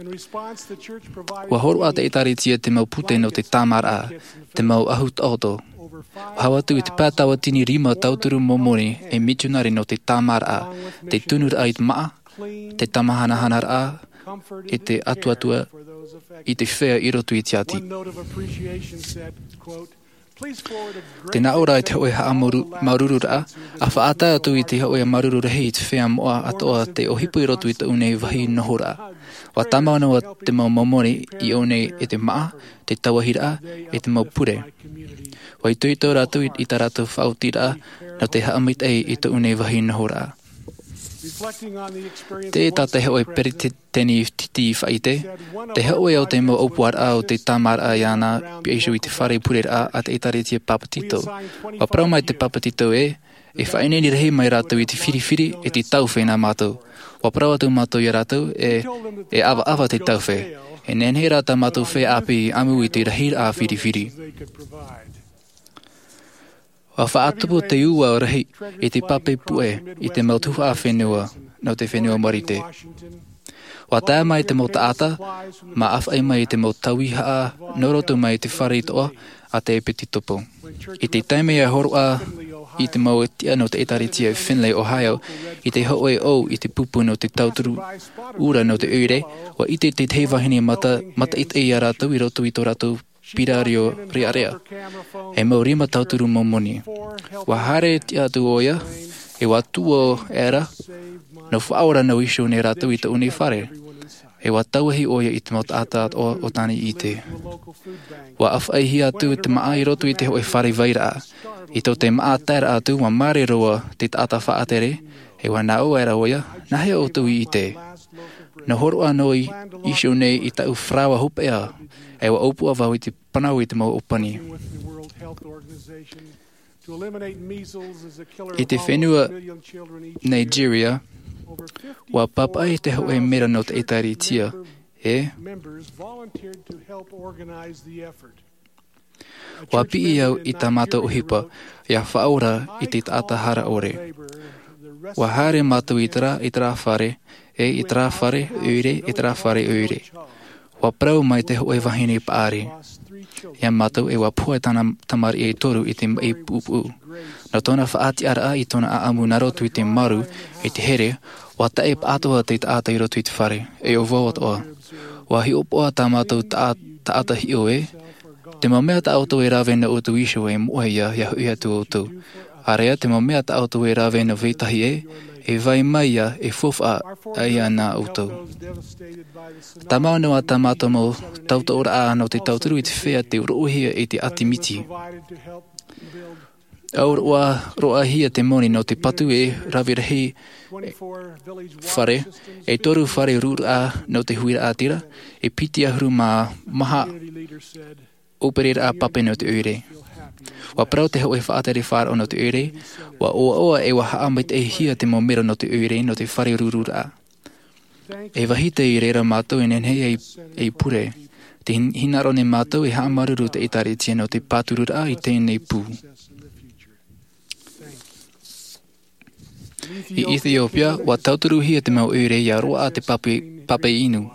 ʻUa hōroʻa te ʻĒtārētia te mau pūtē nō te tāmāraʻa, te mau ʻahu taʻoto. ʻUa hau atu i te pae tauatini rima tauturu Momoni e mitionare nō te tāmāraʻa, te tunuraʻa i te māʻa, te tāmāhanahanaraʻa, e te atuatua i te feiā i roto i te ʻati. Te nā ʻō ra i te hōʻē haʻamāuruururaʻa, ʻa faʻatae atu i te hōʻē māuruuru rahi i te feiā moʻa atoʻa tei ʻohipa i roto i tōʻu nei vāhi nohoraʻa. ʻUa tāmau noa te mau Momoni i ʻō nei e te māʻa, te tauahiraʻa, e te mau pure. ʻUa itoito rātou i, i tā rātou faʻaotiraʻa nō te haʻamaitaʻi i tōʻu nei vāhi nohoraʻa. Tē tātaʻi hoʻi peretiteni titi i faʻaʻite, te hoʻē o te mau ʻōpuaraʻa o te tāmāraʻa iāna piha iho i te fare pureraʻa a te ʻēkālesia Papetito. ʻUa parau mai te Papetito ē, e faʻaineine rahi mai rātou i te firifiri e te taufe nā mātou. ʻUa parau atu mātou iā rātou e, e ʻavaʻava te taufe. E nehenehe rā tā mātou feiā ʻāpī i ʻamu i te rahiraʻa firifiri. ʻUa faʻatupu te ua rahi i te pape puʻe i te mau tuhaʻa fenua nō te fenua Marite. ʻUa tae mai te mau taʻata, mā ʻāfaʻi mai i te mau tauihaʻa nō roto mai i te fare toʻa a te ʻēpitokopo. I te taime ʻua hōroʻa i te mau tiʻa nō te ʻēkālesia i Findlay, Ohio, i te hoʻē ʻō i te pupu nō te tauturu ʻura nō te ʻoire, ʻua ʻite te tahi vahine mata, mataʻitaʻi iā rātou i roto i tō rātou pīrārio rearea. E mau rima tauturu mau moni. ʻUa haere tiʻa atu ʻoia, e ʻua tuō ʻera, nō faʻaora noa iho nei rātou i tōʻu nei fare. E ʻua tauahi ʻoia i te mau taʻata atoʻa o tāna i ʻite. ʻUa ʻāfaʻihia atu te māʻa i roto i te hoʻē fare vairaʻa. I tō te māʻa taeraʻa atu, ʻua māere roa te taʻata faʻatere, e ʻua nā ʻō ʻera ʻoia, nāhea ʻoutou i ʻite? Nō hōroʻa noa i, iho nei i tāʻu faraoa hopeʻa, e ʻua ʻōpua vau i te panau i te mau ʻōpani. I te fenua Nigeria, ʻua pāpaʻi te hoʻē mera nō te ʻēkālesia, e ʻua piʻi au i tā mātou ʻohipa, ʻia faʻaora i te taʻata hara ʻore. ʻUa haere mātou i terā, i terā fare, e i terā fare ʻoire, i terā fare ʻoire. ʻUa parau mai te hoʻē vahine paʻari iā mātou e ʻua pohe tāna tamariʻi e toru i te maʻi puʻupuʻu. Nō tōna faʻatiʻaraʻa i tōna ʻaʻamu nā roto i te maru, i te here, ʻua taʻe paʻatoʻa te taʻata i roto i te fare, e ʻo vau atoʻa. ʻUa hiʻopoʻa tā mātou taʻa-, taʻata hiʻo ē, te mau mea tā ʻoutou e rave nō ʻoutou iho e moʻe ia, ʻia hoʻi atu ʻoutou. ʻĀreʻa te mau mea tā ʻoutou e rave nō vetahi ē, e vai mai ia e faufaʻa ai nā ʻoutou. Tāmau noa tā mātou mau tautooraʻa nō te tauturu i te feiā tei roʻohia i te ʻati miti. ʻAuroʻa, roʻohia te moni nō te patu e rave rahi fare, e toru fare rururaʻa nō te huiraʻatira, e piti ʻahuru mā maha ʻōpereraʻa pape nō te ʻoire. ʻUa parau te hoʻē faʻatere faʻaroʻo nō te ʻoire, ʻua ʻoaʻoa e ʻua haʻamaitaʻihia te mau mero nō te ʻoire nō te fare rururaʻa. E vāhi tei reira mātou e nehenehe ei, ei pure. Tē hin-, hinaʻaro nei mātou e haʻamāuruuru te ʻēkālesia nō te pātururaʻa i teie nei pū. I Ethiopia, ʻua tauturuhia te mau ʻoire ʻia roaʻa te pape, pape inu.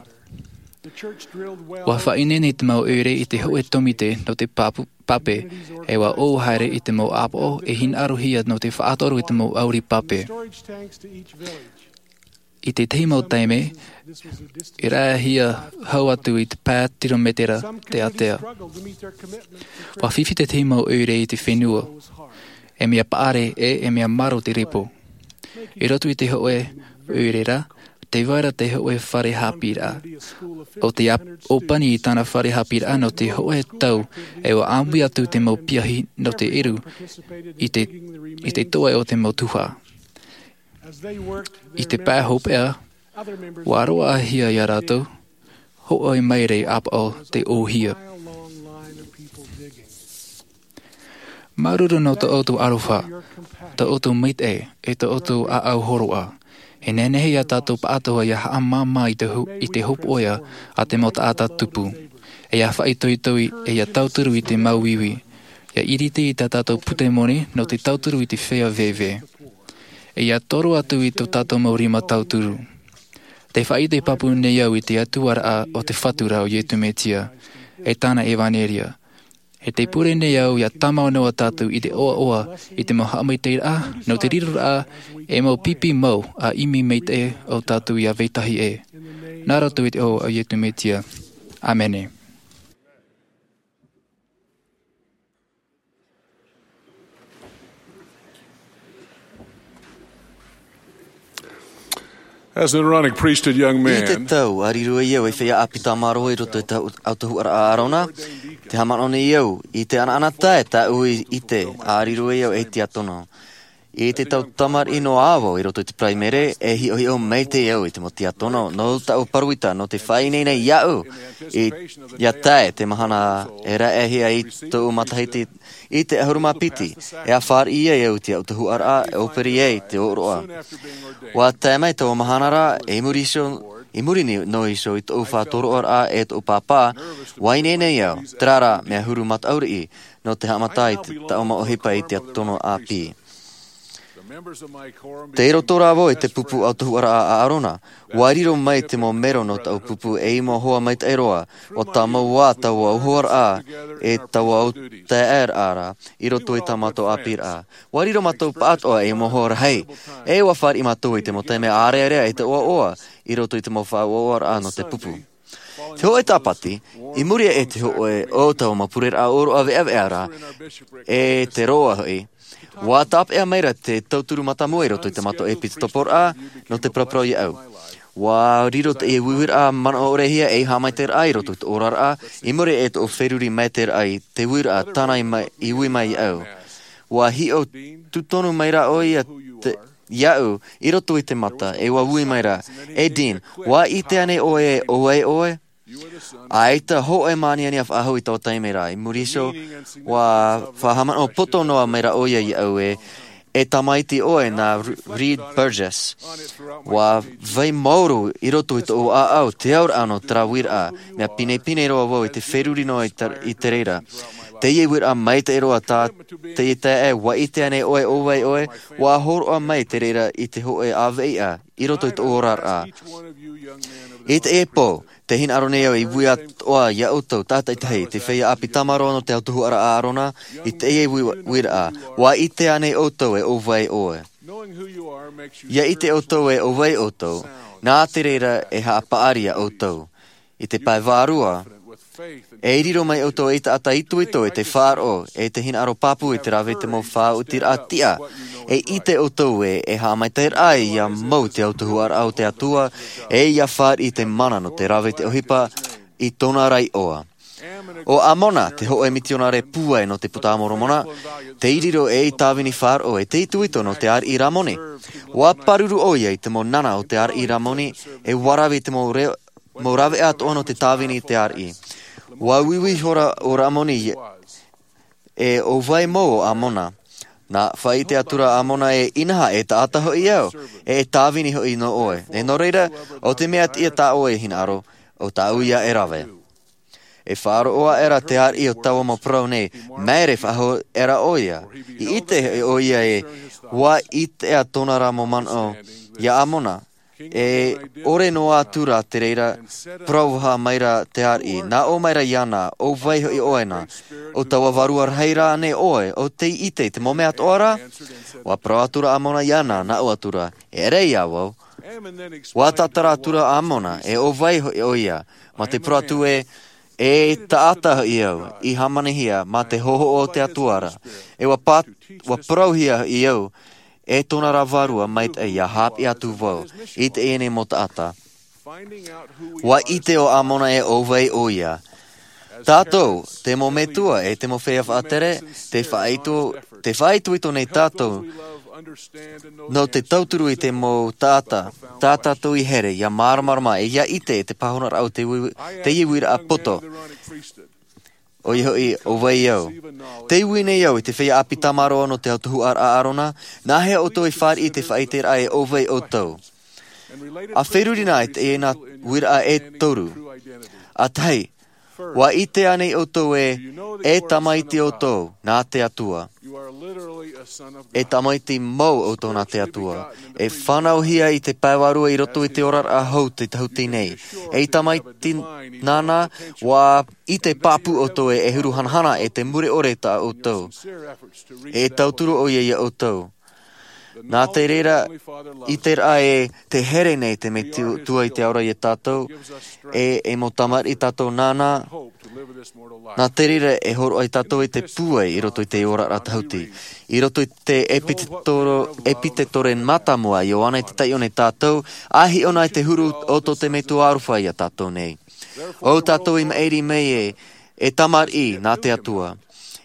ʻUa faʻaineine te mau ʻoire i te hoʻē tōmite nō te papu-, pape, e ʻua ʻō haere i te mau ʻāpoʻo e hinaʻarohia nō te faʻatoro i te mau ʻauri pape. I te tahi mau taime, i rāʻau hau atu i te pae tirometera te ātea. ʻUa fifi te tahi mau ʻoire i te fenua, e mea paʻari ē, e mea marō te repo. I roto i te hoʻē ʻoire ra, tē vai ra te hoʻē fare haʻapiʻiraʻa. ʻO te ap-, ʻōpani i tāna fare haʻapiʻiraʻa nō te hoʻē tau, e ʻua ʻāmui atu te mau piahi nō te ʻeru i te, i te toe o te mau tuhaʻa. I te pae hopeʻa, ʻua roaʻahia ia rātou, hōʻē maere ʻāpoʻo tei ʻōhia. Māuruuru nō tō ʻoutou aroha, tō ʻoutou maitaʻi, e tō ʻoutou ʻāʻau hōroʻa. E nehenehe ia tātou pāʻatoʻa ʻia haʻamāmā i te ho-, i te hopoiʻa a te mau taʻata tupu. E ʻia faʻaitoito, e ʻia tauturu i te māuiui. ʻIa ʻiriti i tā tātou pūtē moni nō te tauturu i te feiā veve. E ʻia toro atu i tō tātou mau rima tauturu. Tē faʻaʻite pāpū nei au i te Atua raʻa o te Fatu ra ʻo Iesu Mesia, e tāna ʻevanelia. E tē pure nei au ʻia tāmau noa tātou i te ʻoaʻoa i te mau haʻamaitaʻiraʻa, nō te riroraʻa, e mau pipi mau a ʻimi maitaʻi ʻo tātou ʻia vetahi ē. Nā roto i te iʻoa o Iesu Mesia. ʻĀmene. As an Aaronic priesthood young man, I te tau, a riro ai au ei feiā ʻāpī tāmāroa i roto i te Autahuʻaraʻa a ʻĀrona, tē haʻamanaʻo nei au i te ʻanaʻanatae tāʻu i ʻite, a riro ai au ei tiakono. I te tau tamariʻi noa vau i roto i te paraimere, e hiʻohiʻo maitaʻi au i te mau tiakono nō taʻu parau ita nō te faʻaineine iāʻu i, ia tae te mahana e raʻehia i tōʻu matahiti i te ʻahuru mā piti, e fāriʻi ai au i te ʻautuhuʻaraʻa e ʻōpere ai te ʻōroʻa. ʻUa tae mai taua mahana rā, i muri iho, i muri ni-, noa iho i tōʻu faʻatoroʻaraʻa e tōʻu pāpā, ʻua ineine au, terā rā, mea huru mataʻu riʻi, nō te haʻamata i te, taʻu mau ʻohipa i te tiakono ʻāpī. Tei roto rā vau i te pupu ʻautuhuʻaraʻa a ʻĀrona, ʻua riro mai te mau mero nō taʻu pupu e i mau hoa maitaʻi roa, ʻua tāmau ā taua ʻautuhuʻaraʻa e taua ʻautaeaʻeraʻa i roto i tā mātou ʻāpīraʻa. ʻUa riro mātou pāʻatoʻa ei mau hoa rahi, e ʻua fāriʻi mātou i te mau taime ʻārearea e te ʻoaʻoa i roto i te mau faʻaʻoaʻoaraʻa nō te pupu. Te hōʻē Tāpati, i muri aʻe i te hōʻē o taua mau pureraʻa ʻōroʻa veʻaveʻa ra, e te roa hoʻi, ʻua tāpeʻa mai ra te tauturu mātāmua i roto i tā mātou ʻēpitekoporaʻa nō te paraparau iāʻu. ʻUa riro teie uiuiraʻa manaʻo ʻore hia ei haʻamaitaʻiraʻa i roto i tōʻu oraraʻa, i muri aʻe i tōʻu feruri maitaʻiraʻa i te uiraʻa tāna i mai, i ui mai iāʻu. ʻUa hiʻo tūtonu mai ra ʻoia te, iāʻu i roto i te mata, e ʻua ui mai ra, "E Dean, ʻua ʻite ānei ʻoe ʻo vai ʻoe?" ʻAita hōʻē mau aniani faʻahou i taua taime ra, i muri iho, ʻua faʻahaʻamanaʻo poto noa mai ra ʻoia iāʻu ē, "E tamaiti ʻoe nā Re-, Reed Burgess." ʻUa vai maoro i roto i tōʻu ʻāʻau te auraʻa nō terā uiraʻa, mea pinepine roa vau i te feruri noa i te, i te reira. Teie uiraʻa maitaʻi roa tā, teie taeaʻe, "ʻUa ʻite ānei ʻoe ʻo vai ʻoe?" ʻUa hōroʻa mai te reira i te hōʻē ʻāvaʻe i roto i tōʻu oraraʻa. I teie pō, tē hinaʻaro nei au i ui atoʻa iā ʻoutou tātaʻitahi, te feiā ʻāpī tamaroa nō te ʻautuhuʻaraʻa a ʻĀrona, i teie ui-, uiraʻa, "ʻUa ʻite ānei ʻoutou ē ʻo vai ʻoe?" ʻIa ʻite ʻoutou ē ʻo vai ʻoutou, nā te reira e haʻapaʻari iā ʻoutou. I te pae vārua, e riro mai ʻoutou ei taʻata itoito i te faʻaroʻo, e te hinaʻaro pāpū i te rave i te mau faʻaotiraʻa tiʻa. E ʻite ʻoutou ē, e haʻamaitaʻiraʻa ïa mau te ʻautuhuʻaraʻa o te Atua, e ʻia fāriʻi i te mana nō te rave i te ʻohipa i tōna ra iʻoa. ʻO Amona, te hōʻē mitionare pūai nō te Puta a Moromona, tei riro ei tāvini faʻaroʻo, e te itoito nō te ariʻi Ramoni. ʻUa pāruru ʻoia i te mau nana o te ariʻi Ramoni, e ʻua rave i te mau re-, mau rāveʻa atoʻa nō te tāvini i te ariʻi. ʻUa uiui ihora ʻo Ramoni, e ʻo vai mau ʻo Amona. Nā, faʻaʻite atu ra Amona ē, inaha, e taʻata hoʻi au, e, e tāvini hoʻi nō ʻoe. E nō reira, ʻo te mea tiʻa tā ʻoe e hinaʻaro, ʻo tāʻu ïa e rave. E faʻaroʻo aʻera te ariʻi o taua mau parau nei, māere faʻahou aʻera ʻoia. I ʻite hoʻi ʻoia ē, ʻua ʻite ā tōna ra mau manaʻo iā Amona. E ʻore noa atu ra te reira, parau faʻahou mai ra te ariʻi, nā ʻō mai ra iāna, ʻo vai hoʻi ʻoe na, ʻo taua vārua rahi rānei ʻoe, ʻo tei ʻite i te mau mea atoʻa ra? ʻUa parau atu ra Amona iāna, nā ʻō atu ra, eʻere iā vau. ʻUa tātara atu ra Amona, e ʻo vai hoʻi ʻoia, mā te parau atu ē, e taʻata hoʻi au, i hāmanihia mā te hōhoʻa o te Atua ra, e ʻua pā-, ʻua parauhia hoʻi au, e tōna ra vārua maitaʻi ʻia haʻapiʻi atu vau, i teie nei mau taʻata. ʻUa ʻite ʻo Amona ē ʻo vai ʻoia. Tātou, te mau metua, e te mau feiā faʻatere, te faʻaito-, te faʻaitoito nei tātou, nō te tauturu i te mau taʻata, tā tātou i here, ʻia māramarama, e ʻia ʻite i te pāhonoraʻa o te ui-, teie uiraʻa poto. ʻOia hoʻi, ʻo vai au. Tē ui nei au i te feiā ʻāpī tamaroa nō te ʻautuhuʻaraʻa a ʻĀrona, nāhea ʻoutou i fāriʻi i te faʻaʻiteraʻa ē ʻo vai ʻoutou. ʻA feruri na i teie nā uiraʻa e toru. ʻA tahi, ʻua ʻite ānei ʻoutou ē, e tamaiti ʻoutou, nā te Atua. E tamaiti mau ʻoutou nā te Atua. E fānauhia i te pae vārua i roto i te oraraʻa hou te tahuti nei. E tamaiti nāna, ʻua ʻite pāpū ʻoutou ē e huru hanahana e te mure ʻore tā ʻoutou. E tauturu ʻoia iā ʻoutou. Nā te reira, ʻiteraʻa ē te here nei te Metua i te ao ra iā tātou, e, e mau tamariʻi tātou nāna, nā te reira e hōroʻa ai tātou i te pūai i roto i te oraraʻa tahuti. I roto i te ʻEpitetoro-, ʻEpitetore mātāmua a Ioane te taiʻo nei tātou, ʻa hiʻo na i te huru o tō te Metua aroha iā tātou nei. ʻO tātou i maʻiri mai ē, e tamariʻi nā te Atua.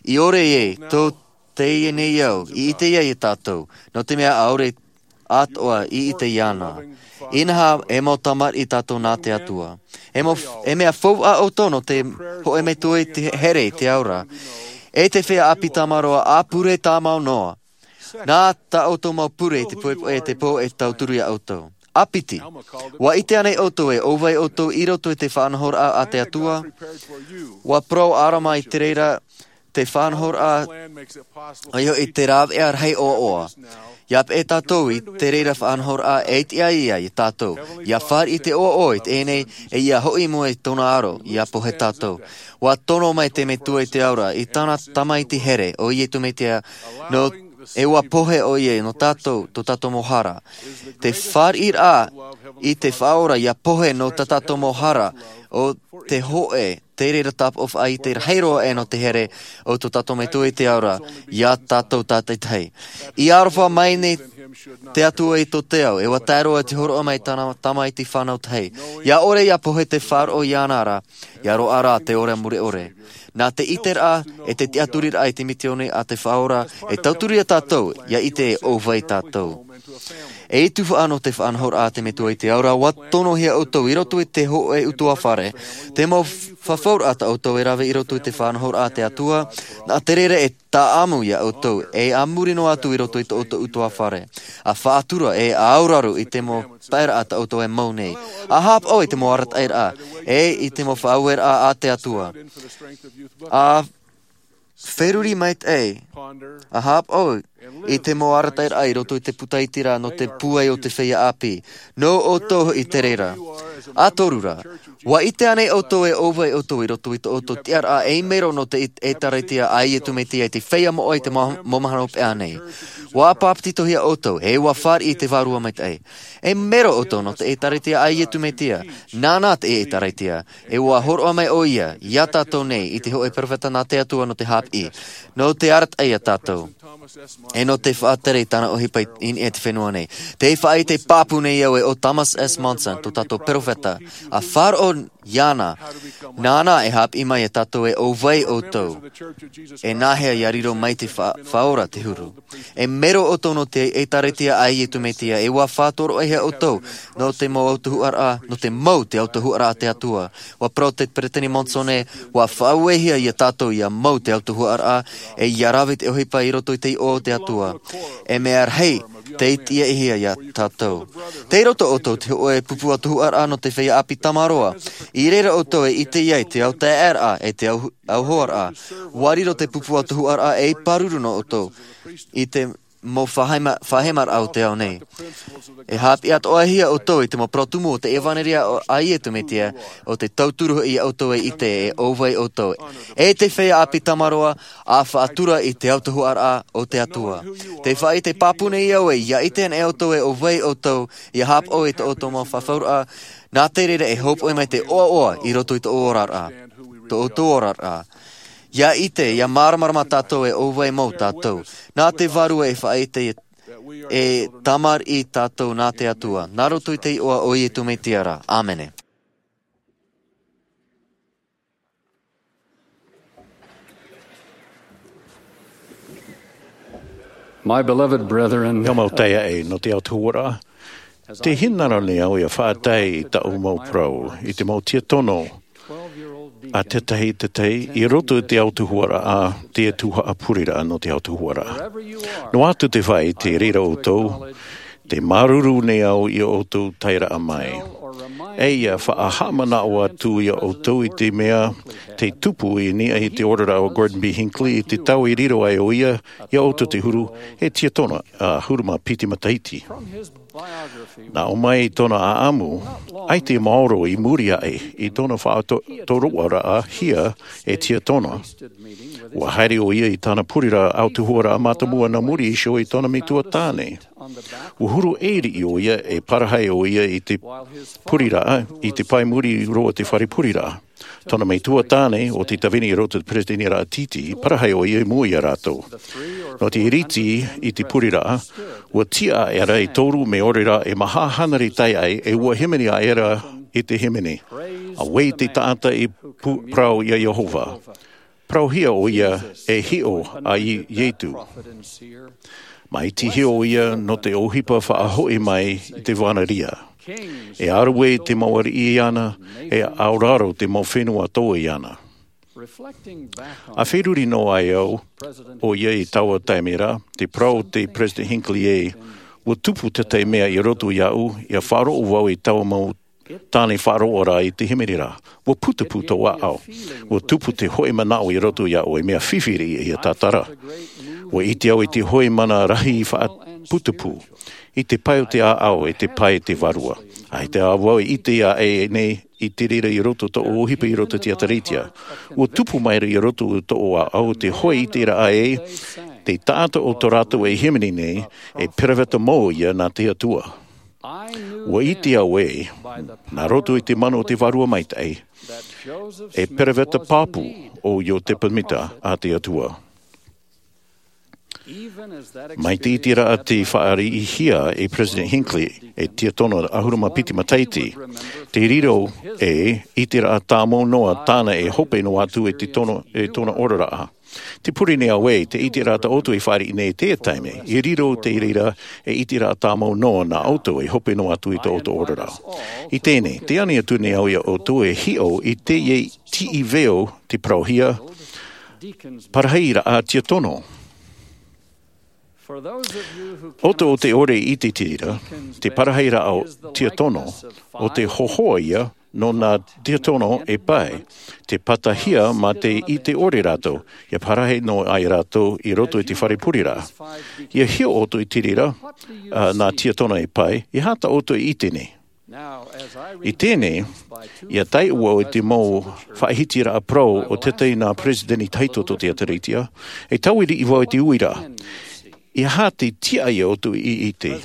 I ʻore ē, tō Teie nei au i ʻite ai e tātou, nō te mea ʻaore atoʻa i ʻite iāna. Inaha e mau tamariʻi tātou nā te Atua. E mau e mea faufaʻa ʻoutou nō te hoʻe metua i te here i te ao ra, e te feiā ʻāpī tamaroa ʻa pure tāmau noa. Nā tā ʻoutou mau pure i te poʻipoʻi e te pō e tauturu iā ʻoutou. ʻA piti, ua ʻite ānei ʻoutou e ʻōvai ʻoutou i roto i te faʻanahoraʻa a te Atua? Ua parau ʻarama i te reira te faʻanahoraʻa ʻo ia hoʻi te rāveʻa rahi ʻoaʻoa. Ia peʻe tātou i te reira faʻanahoraʻa e tiʻa ai ia tātou ia fāriʻi te ʻoaʻoa i teie nei, e ia hoʻi i mua i tōna aro ia pohe tātou. Ua tono mai te metua i te ao ra i tāna tamaiti here ʻo iesu mesia, nō e ua pohe ʻo ia nō tātou tō tātou mau hara. Te fāriʻiraʻa i te faʻaora ia pohe nō tā tātou mau hara, ʻo te hoʻe te reira tāpaʻo faʻaite rahi roa ʻe nō te here o tō tātou metua i te ao ra iā tātou tātaitahi. I aroha mai nei te Atua i tō te ao, e ua tae roa te hōroʻa mai tāna tamaiti fānau tahi. Ia ʻore ia pohe te faʻaroʻo iāna ra, ia roaʻa rā te ora mure ʻore. Nā te ʻiteraʻa e te tiʻaturiraʻa i te misiōni a te Faʻaora e tauturu iā tātou ia ʻite e ʻōvai tātou. E tuhaʻa nō te faʻanahoraʻa a te metua i te ao ra, ua tonohia ʻoutou i roto i te hoʻe ʻutuāfare. Te mau fafauraʻa tā ʻoutou e rave i roto i te faʻanahoraʻa a te Atua, nā te reira e tāʻamu iā ʻoutou e a muri noa atu i roto i tō ʻoutou ʻutuāfare, a faʻatura e a auraro i te mau paeraʻa tā ʻoutou e mau nei, a hāpaʻo i te mau arataʻiraʻa e i te mau faʻaueraʻa a te Atua, a feruri maitaʻi, a hāpaʻo i te mau arataʻiraʻa i roto i te puta iti ra nō te pūai o te feiā ʻāpī. Nō ʻoutou hoʻi te reira. A toru ra, ua ʻite ānei ʻoutou e ʻōvai ʻoutou i roto i tō ʻoutou tiʻaraʻa ei mero nō te ʻēkālesia a iesu mesia i te feiā moʻa i te mau mahana hopeʻa nei? Ua papetitohia ʻoutou e ua fāriʻi i te vārua maitaʻi. E mero ʻoutou nō te ʻēkālesia a iesu mesia. Nāna te ʻēkālesia e ua hōroʻa mai ʻo ia iā tātou nei i te hoʻe peropheta nā te Atua nō te hāpiʻi, nō te arataʻi iā tātou, e nō te faʻatere i tāna ʻohipa i niʻa i te fenua nei. Te faʻaʻite pāpū nei au e ʻo Thomas S. Monson, tō tātou peropheta, a faʻaroʻo iāna. Nāna e hāpiʻi mai iā tātou e ʻōvai ʻoutou, e nāhea ia riro mai te fa-, faʻaora te huru. E mero ʻoutou nō te ʻēkālesia a iesu mesia, e ua faʻatoroʻahia ʻoutou nō te mau autahuʻaraʻa, nō te mau te autahuʻaraʻa a te Atua. Ua parau te peresideni Monson, ua faʻauehia iā tātou ia mau te autahuʻaraʻa, e ia rave te ʻohipa i roto i te iʻoa o te Atua. E mea rahi tei tiaʻihia iā tātou. Tei roto ʻoutou te hoʻe pupu autahuʻaraʻa nō te feiā ʻāpī tamaroa. I reira ʻoutou e ʻite ai te autaeaʻeraʻa e te au-, auhoaraʻa. Ua riro te pupu autahuʻaraʻa ei pāruru nō ʻoutou i te mau fāhema-, fāhemaraʻa o te ao nei. E hāpiʻi atoʻahia ʻoutou i te mau parau tumu o te ʻevanelia a iesu mesia, ʻo te tauturu hoʻi iā ʻoutou e ʻite e ʻōvai ʻoutou, e te feiā ʻāpī tamaroa, a faʻatura i te autahuʻaraʻa o te Atua. Te faʻaʻite pāpū nei au e ia ʻite anaʻe ʻoutou e ʻōvai ʻoutou ia hāpaʻo i tō ʻoutou mau fafauraʻa, nā te reira e hōpoʻi mai te ʻoaʻoa i roto i tō ʻoutou oraraʻa. Tō ʻoutou oraraʻa. Ia ʻite, ia māramarama tātou e ʻōvai mau tātou. Nā te Vārua e faʻaʻite e tamariʻi tātou nā te Atua. Nā roto i te iʻoa o iesu mesia ra. ʻĀmene. My beloved brethren, e au mau taeaʻe nō te autahuʻaraʻa, tē hinaʻaro nei au ia faʻatae i taʻu mau parau i te mau tiatono a tētahi tētahi i roto i te autahuʻaraʻa, te tuhaʻa pureraʻa nō te autahuʻaraʻa. Noa atu te faʻaʻite i reira ʻoutou, tē māuruuru nei au ia ʻoutou taeraʻa mai. E ia faʻahaʻamanaʻo atu ia ʻoutou i te mea tei tupu i niʻa i te oraraʻa o Gordon B. Hinckley i te tau i riro ai ʻo ia ia ʻoutou te huru, e tiatona ʻahuru mā piti matahiti. Nā ʻō mai i tōna ʻaʻamu, ʻaita i maoro i muri aʻe i tōna faʻato-, tōroʻaraʻahia e tiatona, ua haere ʻo ia i tāna pureraʻa autahuʻaraʻa mātāmua nā muri iho i tōna metua tāne. Ua huru ʻē riʻi ʻo ia e parahi ʻo ia i te pureraʻa, i te pae muri roa o te fare pureraʻa. Tōna metua tāne, ʻo te tāvini i roto i te peretiteni raʻatiti, parahi ʻo ia i mua ia rātou. Nō te iriti i te pureraʻa, ua tiʻa aʻera e toru mea ʻore rā e maha hānere taeaʻe, e ua hīmene aʻera i te hīmene. Auē te taʻata i pu-, parau iā Iehova. parauhia ʻo ia e hiʻo a Iesu. Māʻitihia ʻo ia nō te ʻohipa faʻahoʻi mai i te vānaria. E ʻāruʻe te mau ariʻi iāna, e aoraro te mau fenua tō iāna. A feruri noa ai au ʻo ia i taua taime ra, te parau o te Peresideni Hinckley ē, ua tupu te tahi mea i roto iāʻu, ʻia faʻaroʻo vau i taua mau tāne faʻaroʻo ra i te hīmene ra. Ua putupū tō ʻāʻau. Ua tupu te hoʻi manaʻo i roto iāʻu, e mea fifi riʻi ia tātara. Ua ʻite au i te hoʻi mana rahi faʻaputupū, i te pae o te ʻāʻau, e te pae o te vārua. ʻAita vau e ʻite ʻē nei i te reira i roto tōʻu ʻohipa i roto i te ʻēkālesia. Ua tupu mai ra i roto tōʻu ʻāʻau te hoʻi i te raʻa ē, te taʻata o tō rātou e hīmene nei, e peroveta mau ia nā te Atua. Ua ʻite au ē, nā roto i te mana o te Vārua Maitaʻi, e peroveta pāpū ʻo Iotepa Smith a te Atua. Mai te ʻiteraʻa tei fāriʻihia e Peresideni Hinckley, e Tiatona ʻahuru mā piti matahiti, te riro e ʻiteraʻa tāmau noa tāna e hope noa atu i te tono, e tōna oraraʻa. Te pure nei au ē, te ʻiteraʻa tā ʻoutou i fāriʻi nei i teie taime, i riro te reira e ʻiteraʻa tāmau noa nā ʻoutou e hope noa atu i tō ʻoutou oraraʻa. I teie nei, tē ani atu nei au ia ʻoutou e hiʻo i teie tiʻi veo tei parauhia, parahiraʻa tiakono. ʻOutou tē ʻore i te reira, te parahiraʻa tiakono, ʻo te hōhoʻa ia nō nā tiakono e pae, tē patahia mā te ʻite ʻore rātou, ʻia parahi noa ai rātou i roto i te fare pureraʻa. ʻIa hiʻo ʻoutou i te reira, ā, nā tiakono e pae, e aha tā ʻoutou e ʻite nei? I teie nei, ʻia tae au i te mau faʻahitiraʻa parau o te tahi nā Peresideni tahito tō te ʻēkālesia, e taui riʻi vau i te uiraʻa. E aha te tiʻa ia ʻoutou i ʻite?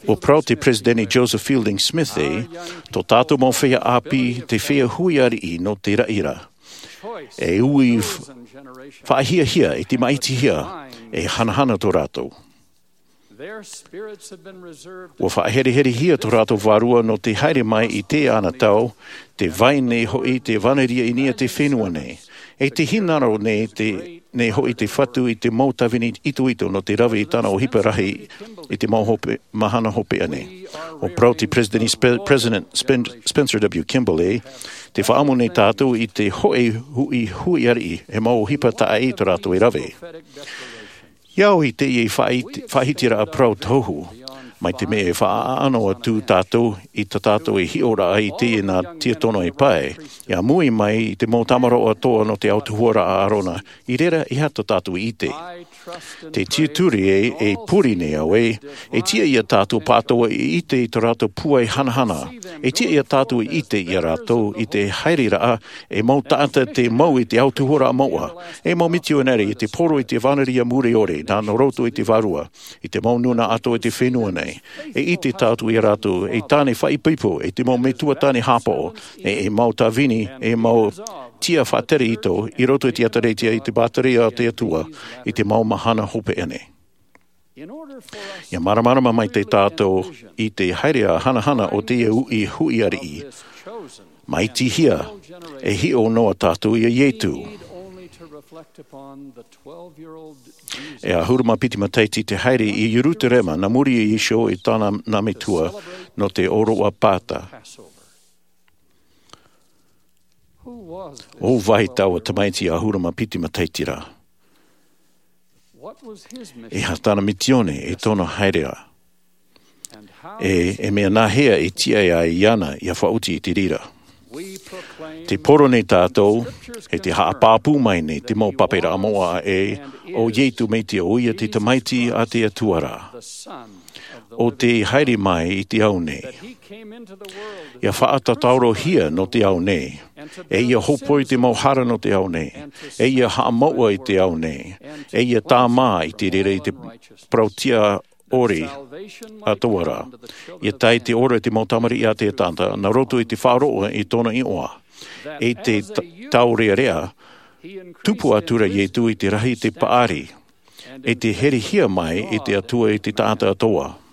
ʻUa parau te Peresideni Joseph Fielding Smith ē, tō tātou mau feiā ʻāpī te feiā hui ariʻi nō te raʻi ra. E ui f-, faʻahiahia, e te māʻitihia, e hanahana tō rātou. ʻUa faʻahereherehia tō rātou vārua nō te haere mai i te anotau, tē vai nei hoʻi te vānaria i niʻa i te fenua nei. E tē hinaʻaro nei te, nei hoʻi te Fatu i te mau tāvini itoito nō te rave i tāna ʻohipa rahi i te mau hope, mahana hopeʻa nei. ʻUa parau te Peresideni Spe-, President Spen-, Spencer W. Kimball ē, tē faʻaʻamu nei tātou i te hōʻē hui, hui ariʻi, e mau ʻohipa tāʻaʻe tō rātou e rave. ʻIa au i teie faʻahiti-, faʻahitiraʻa parau tohu, mai te mea e faʻaʻano atu tātou i tā tātou e hiʻoraʻa i teie nā tiakono e pae, ʻia mui mai i te mau tamaroa atoʻa nō te autahuʻaraʻa a ʻĀrona, i reira e aha tā tātou e ʻite. Te tiʻaturi ē, e pure nei au ē, e tiʻa ia tātou pāʻatoʻa i ʻite i tō rātou pūai hanahana, e tiʻa ia tātou i ʻite ia rātou i te haereraʻa e mau taʻata tei mau i te autahuʻaraʻa moʻa, e mau mitionare i te poro i te vānaria mure ʻore, nā roto i te vārua, i te mau nūnaʻa atoʻa i te fenua nei. E ʻite tātou ia rātou, e tāne faʻaipoipo, e te mau metua tāne hāpaʻo, e, e mau tāvini, e mau tiʻa faʻatere ito, i roto i te ʻēkālesia, i te pātireia a te Atua, i te mau mahana hopeʻa nei. ʻIa māramarama maitaʻi tātou i te haereʻa hanahana o teie hui, hui ariʻi. Māʻitihia, e hiʻo noa tātou ia Iesu. E ʻahuru mā piti matahiti te haere i Ierutarema, nā muri iho i tāna nā metua, nō te ʻōroʻa Pāta. ʻO vai taua tamaiti ʻahuru mā piti matahiti ra? E aha tāna misiōni, e tōna haereʻa? E, e mea nāhea e tiʻa ai iāna ʻia faʻaoti i te reira? Tē poro nei tātou, e tē haʻapāpū mai nei te mau pape ra moʻa ē, ʻo Iesu Mesia ʻoia te Tamaiti a te Atua ra. ʻO tē haere mai i te ao nei. ʻIa faʻatatarohia nō te ao nei. E ʻia hōpoi te mau hara nō te ao nei. E ʻia haʻamāuʻa i te ao nei. E ʻia tāmā i te reira i te parau tiʻa ʻore atoʻa ra. ʻIa tae te ora i te mau tamariʻi a te taʻata, nā roto i te faʻaroʻo i tōna iʻoa. E te ta-, tāurearea, tupu atu ra Iesu i te rahi i te paʻari. E te herehia mai i te Atua i te taʻata atoʻa.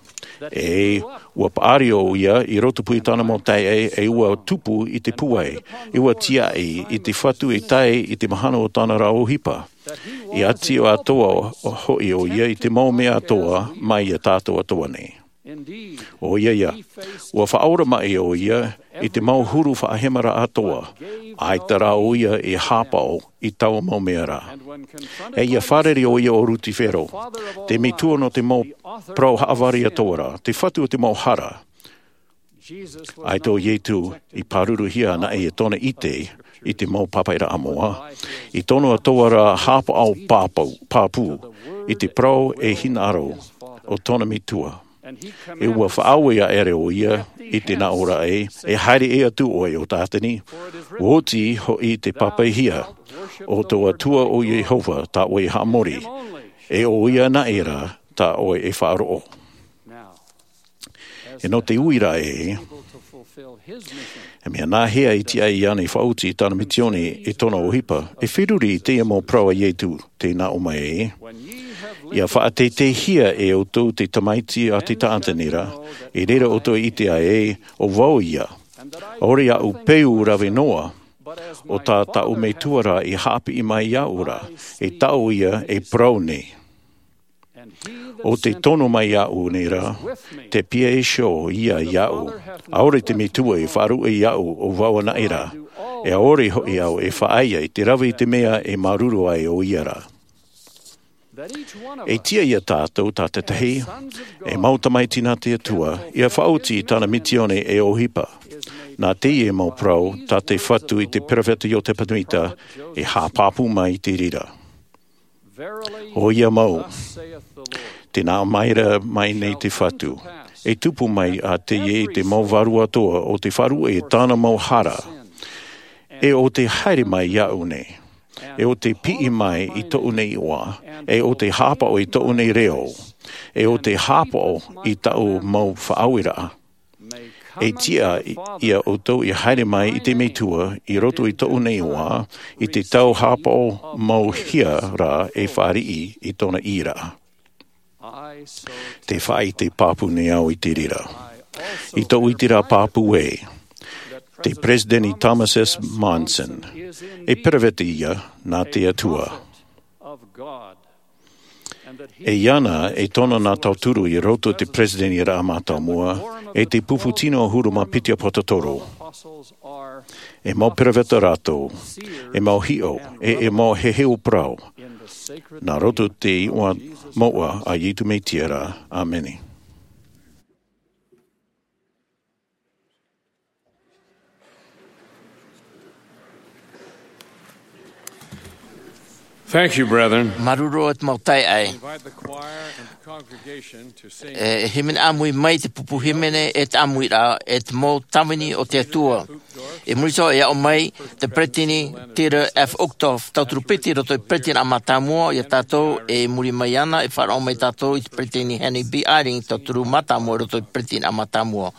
E ua paʻari ʻoia i roto pū i tāna mau taeaʻe, e ua tupu i te pūai, e ua tiaʻi i te Fatu e tae i te mahana o tāna ra ʻohipa. I ʻati atoʻa hoʻi ʻoia i te mau mea atoʻa mai iā tātou atoʻa nei. ʻOia ia, ua faʻaora maʻi ʻoia i te mau huru faʻahemaraʻa atoʻa, ʻaita rā ʻoia i hāpaʻo i taua mau mea ra. E ia fārerei ʻoia ʻo Rutifero, te metua nō te mau parau haʻavare atoʻa ra, te Fatu o te mau hara. ʻAita ʻo Ietu i pāruruhia anaʻe i tōna ʻite i te mau pāpaʻiraʻa moʻa, i tōna atoʻa ra hāpaʻo pāpū, pāpū i te parau e hinaʻaro o tōna metua. E ua faʻaue aʻera ʻoia i te nā ʻō ra ē, e haere ʻē atu ʻoe ʻo Tātani, ua oti hoʻi te pāpaʻihia, ʻo tō Atua ʻo Iehova tā ʻoe e haʻamori, e ʻo ia anaʻe rā tā ʻoe e faʻaroʻo. E nō te uiraʻa ē, e mea nāhea e tiʻa iāna e faʻaoti i tāna misioni e tōna ʻohipa, e feruri i teie mau parau a Ietu, tē nā ʻō mai ē, ia faʻateiteihia e ʻoutou te tamaiti a te taʻata nei ra, i reira ʻoutou e ʻite ai ē, ʻo vau ia. ʻAore aʻu peu rave noa, ʻo tā taʻu metua ra i haʻapiʻi mai iāʻu ra, e taʻu ia e parau nei. ʻO tē tono mai iāʻu nei ra, tē pīhaʻi iho ia iāʻu. ʻAore te metua e faʻaruʻe iāʻu ʻo vau anaʻe ra, e ʻaore hoʻi au e faʻaea i te rave i te mea e māuruuru ai ʻoia ra. E tiʻa iā tātou tātaʻitahi, e mau tamaiti nā te Atua, ia faʻaoti i tāna misioni e ʻohipa. Nā teie mau parau tā te Fatu i te peropheta Iotepa Tēmita, e haʻapāpū mai i te reira. ʻOia mau, tē nā ʻō mai ra mai nei te Fatu, e tupu mai ā teie i te mau vārua atoʻa ʻo tē faʻaruʻe i tāna mau hara, e ʻo tē haere mai iāʻu nei, e ʻo tē piʻi mai i tōʻu nei iʻoa, e ʻo tē hāpaʻo i tōʻu nei reo, e ʻo tē hāpaʻo i tāʻu mau faʻaueraʻa. E tiʻa iā ʻoutou ia haere mai i te metua i roto i tōʻu nei iʻoa, i te tau hāpaʻo mau hia rā e fāriʻi i tōna ʻīraʻa. Tē faʻaʻite pāpū nei au i te reira. I tōʻu ʻiteraʻa pāpū ē, te Peresideni Thomas S. Monson, e peropheta ia nā te Atua. E iāna e tono nā tauturu i roto i te Peresideniʻa Mātāmua, e te pupu tino ʻahuru mā piti ʻāpōsetolo. E mau peropheta rātou, e mau hiʻo, e, e mau heheu parau, nā roto i te iʻoa moʻa a Iesu Mesia ra. ʻĀmene. Thank you, brethren. Māuruuru e te mau taeaʻe. Invite the choir and the congregation to sing. E, e hīmene ʻāmui mai te pupu hīmene e te ʻāmuiraʻa, e te mau tāvini o te Atua. I muri iho e aʻo mai te Peresideni Dieter F. Uchtdorf, tauturu piti i roto i te Peresideniʻa Mātāmua ia tātou, e i muri mai iāna e faʻaroʻo mai tātou i te Peresideni Henry B. Eyring, tauturu mātāmua i roto i te Peresideniʻa Mātāmua.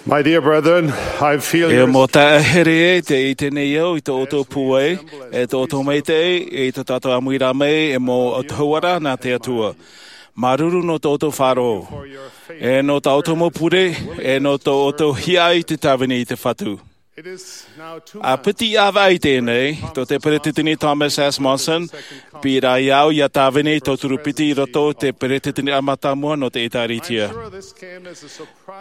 My dear brethren, I feel E your mau taeaʻe here, tē ʻite nei au i tō ʻoutou pūai, e tō ʻoutou maitaʻi, e tō tātou ʻāmuiraʻa mai, e mau ʻautuhauaraʻa nā te Atua. Māuruuru nō tō ʻoutou faʻaroʻo. E nō tā ʻoutou mau pure, e nō tō ʻoutou hiaʻai i te tāvini i te Fatu. ʻA piti ʻāvaʻe i teie, tō te Peresideni Thomas S. Monson, piʻi ra iāʻu ʻia tāvini tauturu piti i roto i te Peresideni mātāmua nō te ʻĒtārētia.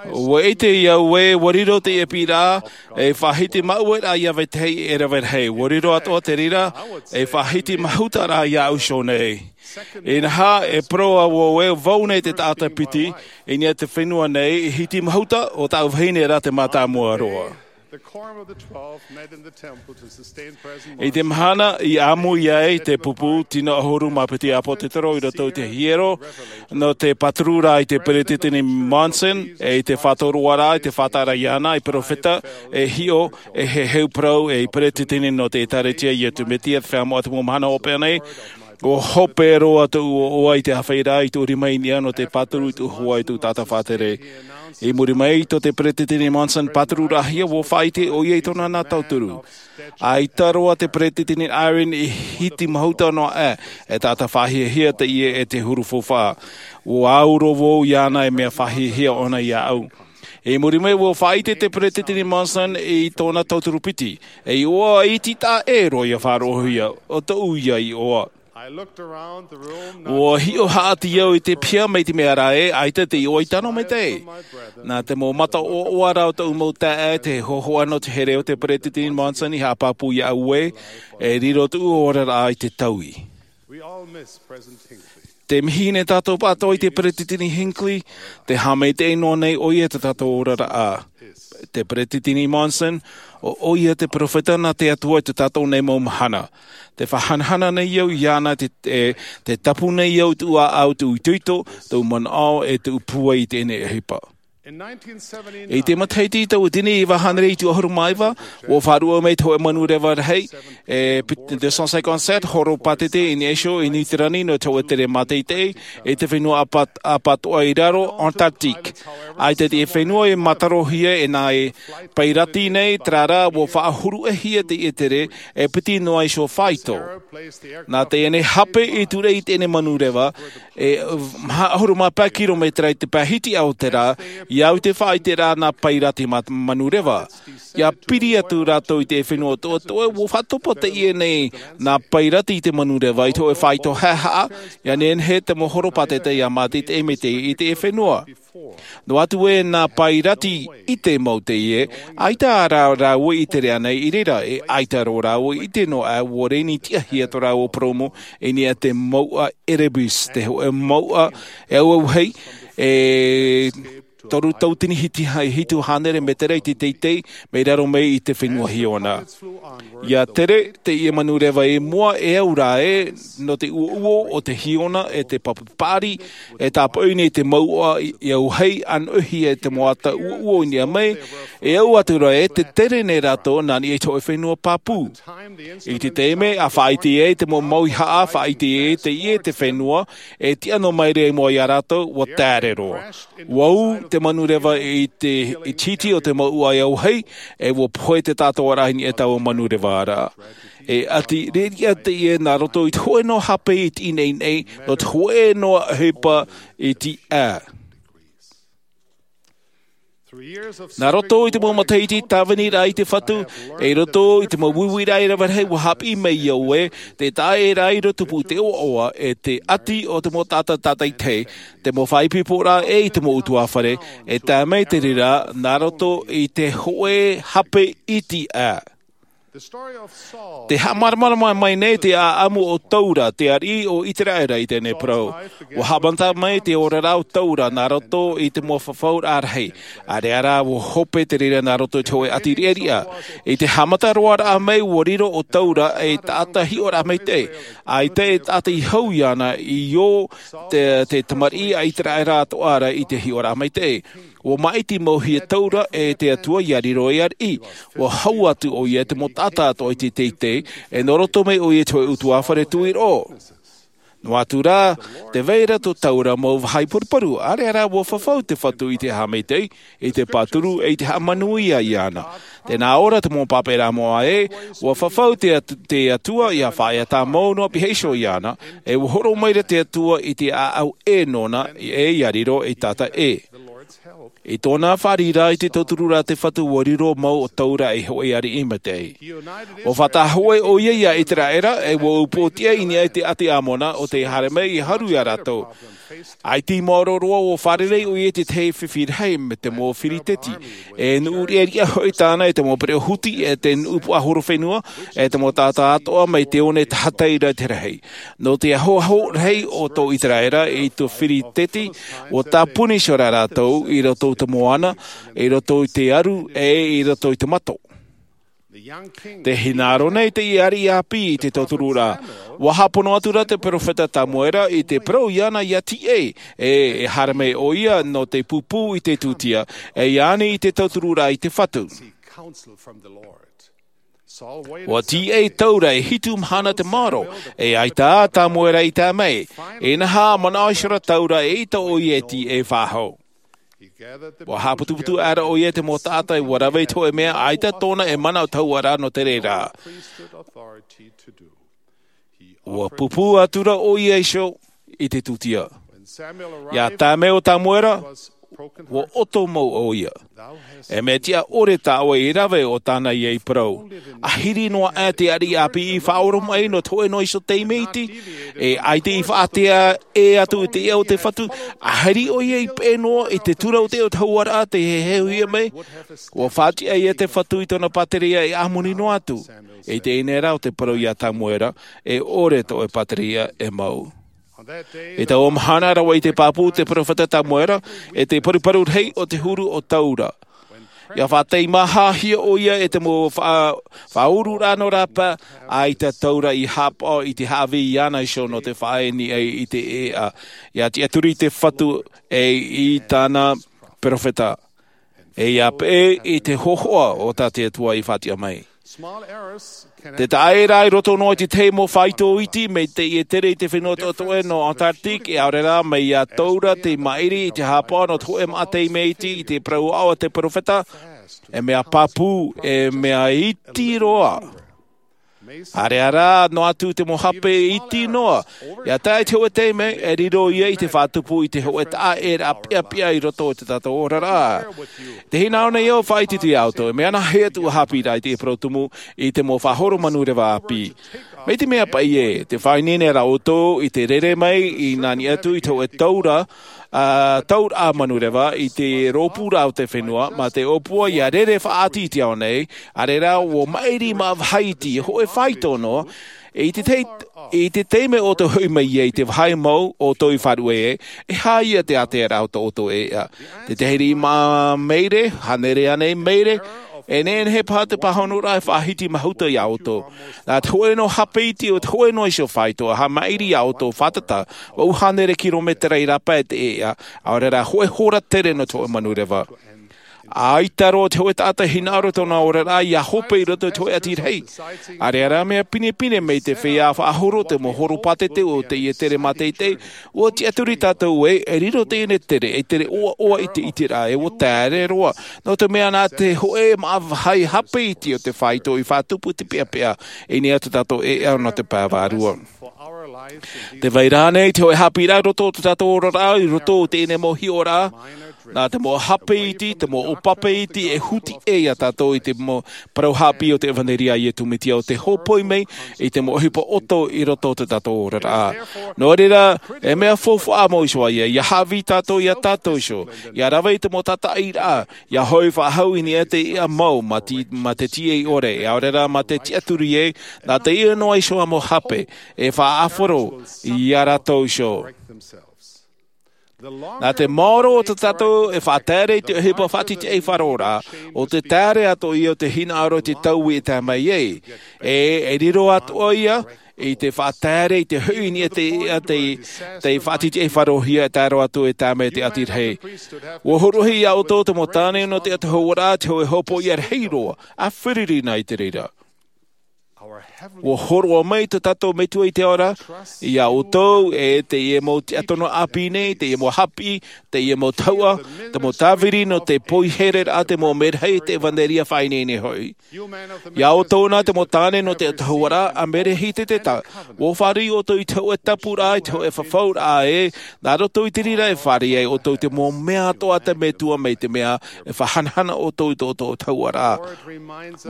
ʻUa ʻite au ē, ʻua riro teie piʻiraʻa ei faʻahiti māuʻa ʻia vetahi e rave rahi. ʻUa riro atoʻa te reira ei faʻahiti māhuta rā iāʻu iho nei. Inaha, e parau au ē, vau nei te taʻata piti i niʻa i te fenua nei i hiti māhuta, ʻo tāʻu vahine rā te mātāmua roa. The Quorum of the Twelve met in the temple to sustain President I te Monson. Mahana i ʻāmui ai te pupu tino ʻahuru mā piti ʻāpōsetolo i roto i te hiero nō te pāturu ra i te Peresideni Monson, e i te faʻatoroaraʻa, i te faʻataʻa iāna, i perofeta, e hiʻo, e heheu parau, e i Peresideni nō te ʻĒtārētia Iesu Mesia, te Feiā Moʻa o te Mau Mahana Hopeʻa nei, ʻua hope roa tōʻu ʻoaʻoa i te āfaʻiraʻa i tōʻu rima i niʻa nō te pāturu i tōʻu hoa i tōʻu taʻata faʻatere. I muri mai, tō te Peresideni Monson pātururahia, ʻua faʻaʻite ʻoia i tōna nā tauturu. ʻAita roa te Peresideni Eyring i hiti māhuta noa aʻe, e taʻata faʻahiahia teie e te huru faufaʻa. ʻUa au roa vau iāna e mea faʻahiahia ʻōna iāʻu. I muri mai, ʻua faʻaʻite te Peresideni Monson i tōna tauturu piti, e iʻoa iti taʻa ʻē roa ʻia faʻaroʻohia, ʻo tōʻu ia iʻoa. I looked around the room, not ʻUa hiʻo haʻati au i te piha mai te mea ra ē, ʻaita te iʻoa i tano maitaʻi. Nā te mau mata ʻoaʻoa rā o tōʻu mau taeaʻe, te hōhoʻa nō te here o te Peresideni Monson i haʻapāpū iāʻu ē, e riro tōʻu oraraʻa i te taui. We all miss President Hinckley. Tē mihi nei tātou pāʻatoʻa i te Peresideni Hinckley, tē haʻamaitaʻi noa nei ʻoia i tā tātou oraraʻa. Te Peresideni Monson, ʻo ʻoia te perofeta nā te Atua i tā tātou nei mau mahana. Tē faʻahanahana nei au iāna, tē, tē, tē tapu nei au i tōʻu ʻāʻau, tōʻu itoito, tōʻu manaʻo, e tōʻu pūai i teie nei ʻohipa. In nineteen seventy-nine, I te matahiti tauatini iva hānere ʻahuru mā iva, ʻua faʻaruʻe mai te hōʻē manureva rahi, e, pit-, deux cent cinquante-sept horopātete i niʻa iho i Niu Tirani nō te hōʻē tere māteitei, i te fenua ʻāpa-, ʻāpatoʻa i raro, Antarctique. ʻAita te fenua i matarohia e nā e pairati nei, terā rā, ʻua faʻahuru-ʻē-hia teie tere, e piti noa iho faito. Nā teie nei hape i ture i teie nei manureva, e, maha ʻahuru mā pae kirometera i te pae hitiʻa o te rā, ʻia au i te faʻaʻiteraʻa nā pairati ma-, manureva. ʻIa piri atu rātou i te fenua atoʻa, ʻua faʻatopa teie nei nā pairati i te manureva i te hōʻē faito haʻehaʻa, ʻia nehenehe te mau horopātete ʻia māteitei mai i te fenua. Noa atu ē nā pairati i ʻite mau teie, ʻaita rā rāua i tere ānei i reira, e ʻaita rō rāua i ʻite noa ā ʻua reni tiʻahia tō rāua purōmu i niʻa i te mouʻa Erebus, te hōʻē mouʻa e auauhei, e toru tauatini hiti ha-, hitu hānere mētera i te teitei, mai raro mai i te fenua Hiona. ʻIa tere teie manureva i mua e au ra ē, nō te uouo o te Hiona e te pāpaʻi paʻari, e tāpaʻo nei te mouʻa i, i auauhei, ʻānoʻihia e te mau ata uouo i niʻa mai, e au atu ra ē, tē tere nei rātou nā niʻa i te hōʻē fenua pāpū. I te taime, ʻa faʻaʻite ai te mau mauihaʻa, faʻaʻite ai teie te fenua, e tiʻa noa mai ra i mua ia rātou, ʻua taere roa. ʻUa ū te manureva i te, i te hiti o te mouʻa e auauhei, e ʻua pohe te tātauaraʻa i niʻa i taua manureva ra. E ʻati riʻariʻa teie nā roto i te hōʻē noa hape i te ineine, nō te hōʻē noa ʻohipa i te ʻā. Nā roto i te mau matahiti tāvini ra i te Fatu, e i roto i te mau uiuiraʻa e rave rahi ʻua haʻapiʻi mai au ē, te taʻa ʻē rā i roto pū te ʻoaʻoa, e te ʻati o te mau taʻata tātaitahi, te mau faʻaipoiporaʻa e i te mau ʻutuāfare, e tae mai te reira, nā roto i te hōʻē hape i te ʻā. Te haʻamāramarama mai nei te ʻāʻamu o Taura, te ariʻi o ʻĪteraʻera i teie nei parau. ʻUa haʻamata mai te oraraʻa o Taura nā roto i te mau fafauraʻa rahi. ʻĀreʻa rā ʻua hope te reira nā roto i te hōʻē ʻati riʻariʻa. I te haʻamata roa raʻa mai ʻua riro ʻo Taura ei taʻata hiʻoraʻa maitaʻi. ʻAita e taʻata i hau iāna i ō te, te tamariʻi a ʻĪteraʻera atoʻa ra i te hiʻoraʻa maitaʻi. ʻUa māʻiti mauhia Taura e te Atua ʻia riro ei ariʻi. ʻUa hau atu ʻoia i te mau taʻata atoʻa i te teitei, e nō roto mai ʻoia i te hōʻē ʻutuāfare tuiroʻo. Noa atu rā, tē vai ra tō taura mau vāhi paruparu, ʻaore rā ua fafau te Fatu i te haʻamaitaʻi, i te pāturu, ʻe i te haʻamanuia iāna. Tē nā ʻō ra te mau pāpēraʻa moʻa ē, ua fafau te Atu-, te Atua ʻia faʻaea tāmau noa pihaʻi iho iāna, ʻe ua hōroʻa mai ra te Atua i te ʻāʻau ʻē nōna, ʻe ʻia riro ei taʻata ʻē. I tōna fāriʻiraʻa i te tauturu ra te Fatu ua riro mau ʻo taura ei hōʻē ariʻi maitaʻi. Ua faʻatahoʻe ʻoia iā ʻĪteraʻera, ʻe ua upoʻotiʻa i niʻa i te ʻāti ʻAmona, ʻo tē haere mai ʻia haru iā rātou. ʻAita i maoro roa ua fārerei ʻoia i te tahi fifi rahi mā te mau Firiteti, ʻe nuʻu riʻariʻa hoʻi tāna i te mau pereʻoʻo huti, ʻe te nuʻu puaʻahorofenua, ʻe te mau taʻata atoʻa mai te one tahatai ra i te rahi. Nō te ahoaho rahi o tō ʻĪteraʻera i tō Firiteti, ua tāpuni iho ra rātou i roto i te moana, i roto i te aru, ʻe i roto i te mato. Tē hinaʻaro nei te ariʻi ʻāpī i te tauturu ra. Ua hāpono atu ra te perofeta Tamuera i te parau iāna ʻia tīaʻi, ʻe e haere mai ʻoia nō te pūpū i te tūtia, ʻe ʻia ani i te tauturu ra i te Fatu. Ua tīaʻi taura e hitu mahana te maoro, ʻe ʻaita ā Tamuera i tae mai, inaha manaʻo iho ra taura eʻita ʻoia e tīaʻi faʻahou. Ua haʻaputuputu aʻera ʻoia i te mau taʻata ʻe ua rave i te hōʻē mea ʻaita tōna e manaʻo tahua ra nō te reira. Ua pūpū atu ra ʻoia iho i te tūtia. ʻIa tae mai ʻo Tamuera, ua ʻoto mau ʻoia. E mea tiʻa ʻore tā ʻoe i rave, ʻo tāna ia i parau. ʻAhiri noa aʻe te ariʻi ʻāpī i faʻaoromaʻi nō te hōʻē noa iho taime iti, ʻe ʻaita i faʻaʻite ʻē atu i te iʻa o te Fatu, ʻahiri ʻoia i peʻe noa i te tura o te ʻoe tahuʻaraʻa tei heheuhia mai, ua faʻatiʻa ia te Fatu i tōna pātireia e ʻāmui noa atu. I teie nei rā ʻo te parau iā Tamuera, e ʻore tō ʻoe pātireia e mau. I taua mahana rave i te pāpū te perofeta Tamuera, e te paruparu rahi o te huru ʻo taura. ʻIa faʻateimaha hia ʻoia e te mau faʻa-, faʻaururaʻa nō rāpae, ʻaita taura i haʻapaʻo i te haʻavī iāna iho nō te faʻaʻite i te ʻēʻa. ʻIa tiʻaturi te Fatu ʻe i tāna perofeta. ʻE ʻia peʻe i te hōhoʻa o tā te Atua i faʻatiʻa mai. Te taʻaʻēraʻa i roto noa i te tahi mau faito iti mai teie tere i te fenua toʻetoʻe nō Antarctique, ʻe ʻaore rā mai iā taura te maʻiri i te haʻapaʻo nō te hōʻē maʻa taime iti i te parau aʻo a te perofeta, e mea pāpū, e mea iti roa. ʻAreʻa rā, noa atu te mau hape iti noa. ʻIa tae i te hōʻē taime, e riro ia i te faʻatupu i te hōʻē taʻaʻēraʻa peʻapeʻa i roto i tō tātou oraraʻa. Tē hinaʻaro nei au e faʻaʻite iā ʻoutou, e mea nā hea atu ʻua haʻapiʻiraʻa i te parau tumu i te mau faʻahoro manureva ʻāpī. Mai te mea paʻi ē, tē faʻaineine ra ʻoutou i te rere mai i nā niʻa atu i te hōʻē taura, ā, tauraʻa manureva i te rōpūraʻa o te fenua, mā te ʻōpua ʻia rere faʻaʻati i te ao nei, ʻareʻa rā ʻua maʻiri maʻa vāhi iti, hōʻē faito noa, i te tei-, i te taime ʻoutou hoʻi mai ai i te vāhi mau ʻoutou i faʻaruʻe ai, e aha ia te ātearaʻa o tō ʻoutou ʻēʻa. Te tahi riʻi maʻa maere, hānere ānei maere, e nehenehe paha te pāhonoraʻa e faʻahiti mahuta iā ʻoutou. Nā te hōʻē noa hape iti o te hōʻē noa iho faito, ʻa haʻamaʻiri iā ʻoutou fātata, vaʻu hānere kirometera i rāpae te ʻēʻa, ʻaore rā hōʻē hora tere nō te hōʻē manureva. ʻAita roa te hōʻē taʻata e hinaʻaro i tōna oraraʻa ʻia hope i roto i te hōʻē ʻati rahi. ʻAreʻa rā mea pinepine mai te feiā faʻahoro te mau horopātete o teie tere māteitei, ʻua tiʻaturi tātou ē, e riro teie nei tere, ei tere ʻoaʻoa i te ʻiteraʻa, ʻe ʻua taere roa. Nō te mea nā te hōʻē maʻa vāhi hape iti o te faito i faʻatupu te peʻapeʻa, i niʻa i tō tātou ʻēʻa nō te pae vārua. Tē vai ra ānei te hōʻē haʻapiʻiraʻa i roto i tō tātou oraraʻa, i roto i teie nei mau hiʻoraʻa, nā te mau hape iti, te mau ʻōpape iti, e huti ʻē iā tātou i te mau parau haʻapiʻi o te ʻevanelia a Iesu Mesia ʻo tē hōpoi mai i te mau ʻohipa ʻoto i roto i tō tātou oraraʻa. Nō reira, e mea faufaʻa mau iho ā ia, ʻia haʻavī tātou iā tātou iho, ʻia rave i te mau tātaʻiraʻa, ʻia hoʻi faʻahou i niʻa i te ʻēʻa mau mā te, mā te tīaʻi ʻore, ʻaore rā mā te tiʻaturi ē, nā teie noa iho ā mau hape, e faʻaʻāfaro iā rātou iho. Nā te maoro o tō tātou e faʻataere i te ʻohipa faʻatitiʻaifaroraʻa, ʻo te taere atoʻa ia o te hinaʻaro i te taui e tae mai ai. ʻE, e riro atoʻa ia, i te faʻataere i te hoʻi i niʻa i te, i te, te faʻatitiʻaifarohia e tae roa atu e tae mai i te ʻati rahi. ʻUa hōroʻahia iā ʻoutou te mau tāne nō te ʻatahuaraʻa, te hōʻē hopoiʻa rahi roa, ʻa fāriʻi na i te reira. Ua hōroʻa mai tō tātou Metua i te ao ra iā ʻoutou, e teie mau tiʻatoro ʻāpī nei, teie mau hāpiʻi, teie mau tahuʻa, te mau tāviri nō te poihereraʻa, te mau mērahi, te ʻevanelia faʻaineine hoʻi. Iā ʻoutou na te mau tāne nō te autahuʻaraʻa, a Merehiteseteta, ua fāriʻi ʻoutou i te hōʻē tapuraʻa, i te hōʻē fafauraʻa ē, nā roto i te reira e fāriʻi ai ʻoutou te mau mea atoʻa a te Metua mai te mea e faʻahanahana ʻoutou i tō ʻoutou autahuʻaraʻa.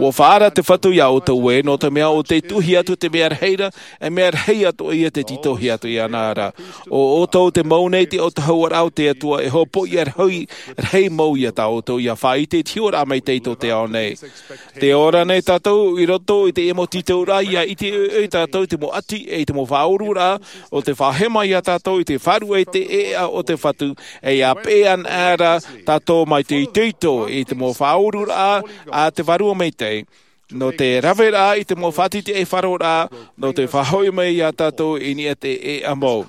Ua faʻaara te Fatu iā ʻoutou ē, nō te mea ʻo tei tuʻuhia atu te mea rahi ra, e mea rahi atoʻa ia tei tītauhia atu iāna ra. ʻO ʻoutou te mau nei te autahuʻaraʻa o te Atua, e hōpoiʻa rahi, rahi mau iā tā ʻoutou, ʻia faʻaʻite i te hiʻoraʻa maitaʻi tō te ao nei. Tē ora nei tātou i roto i teie mau tītauraʻa, ʻia ʻite ʻoiʻoi tātou i te mau ʻati, e i te mau faʻaururaʻa, ʻo tē faʻahema iā tātou i te faʻaruʻe i te ʻēʻa o te Fatu, e ʻia peʻe ana ra tātou mai te itoito i te mau faʻaururaʻa a te Vārua Maitaʻi, nō te raveraʻa i te mau faʻatitiʻaifaroraʻa, nō te faʻahoʻi mai iā tātou i niʻa i te ʻēʻa mau.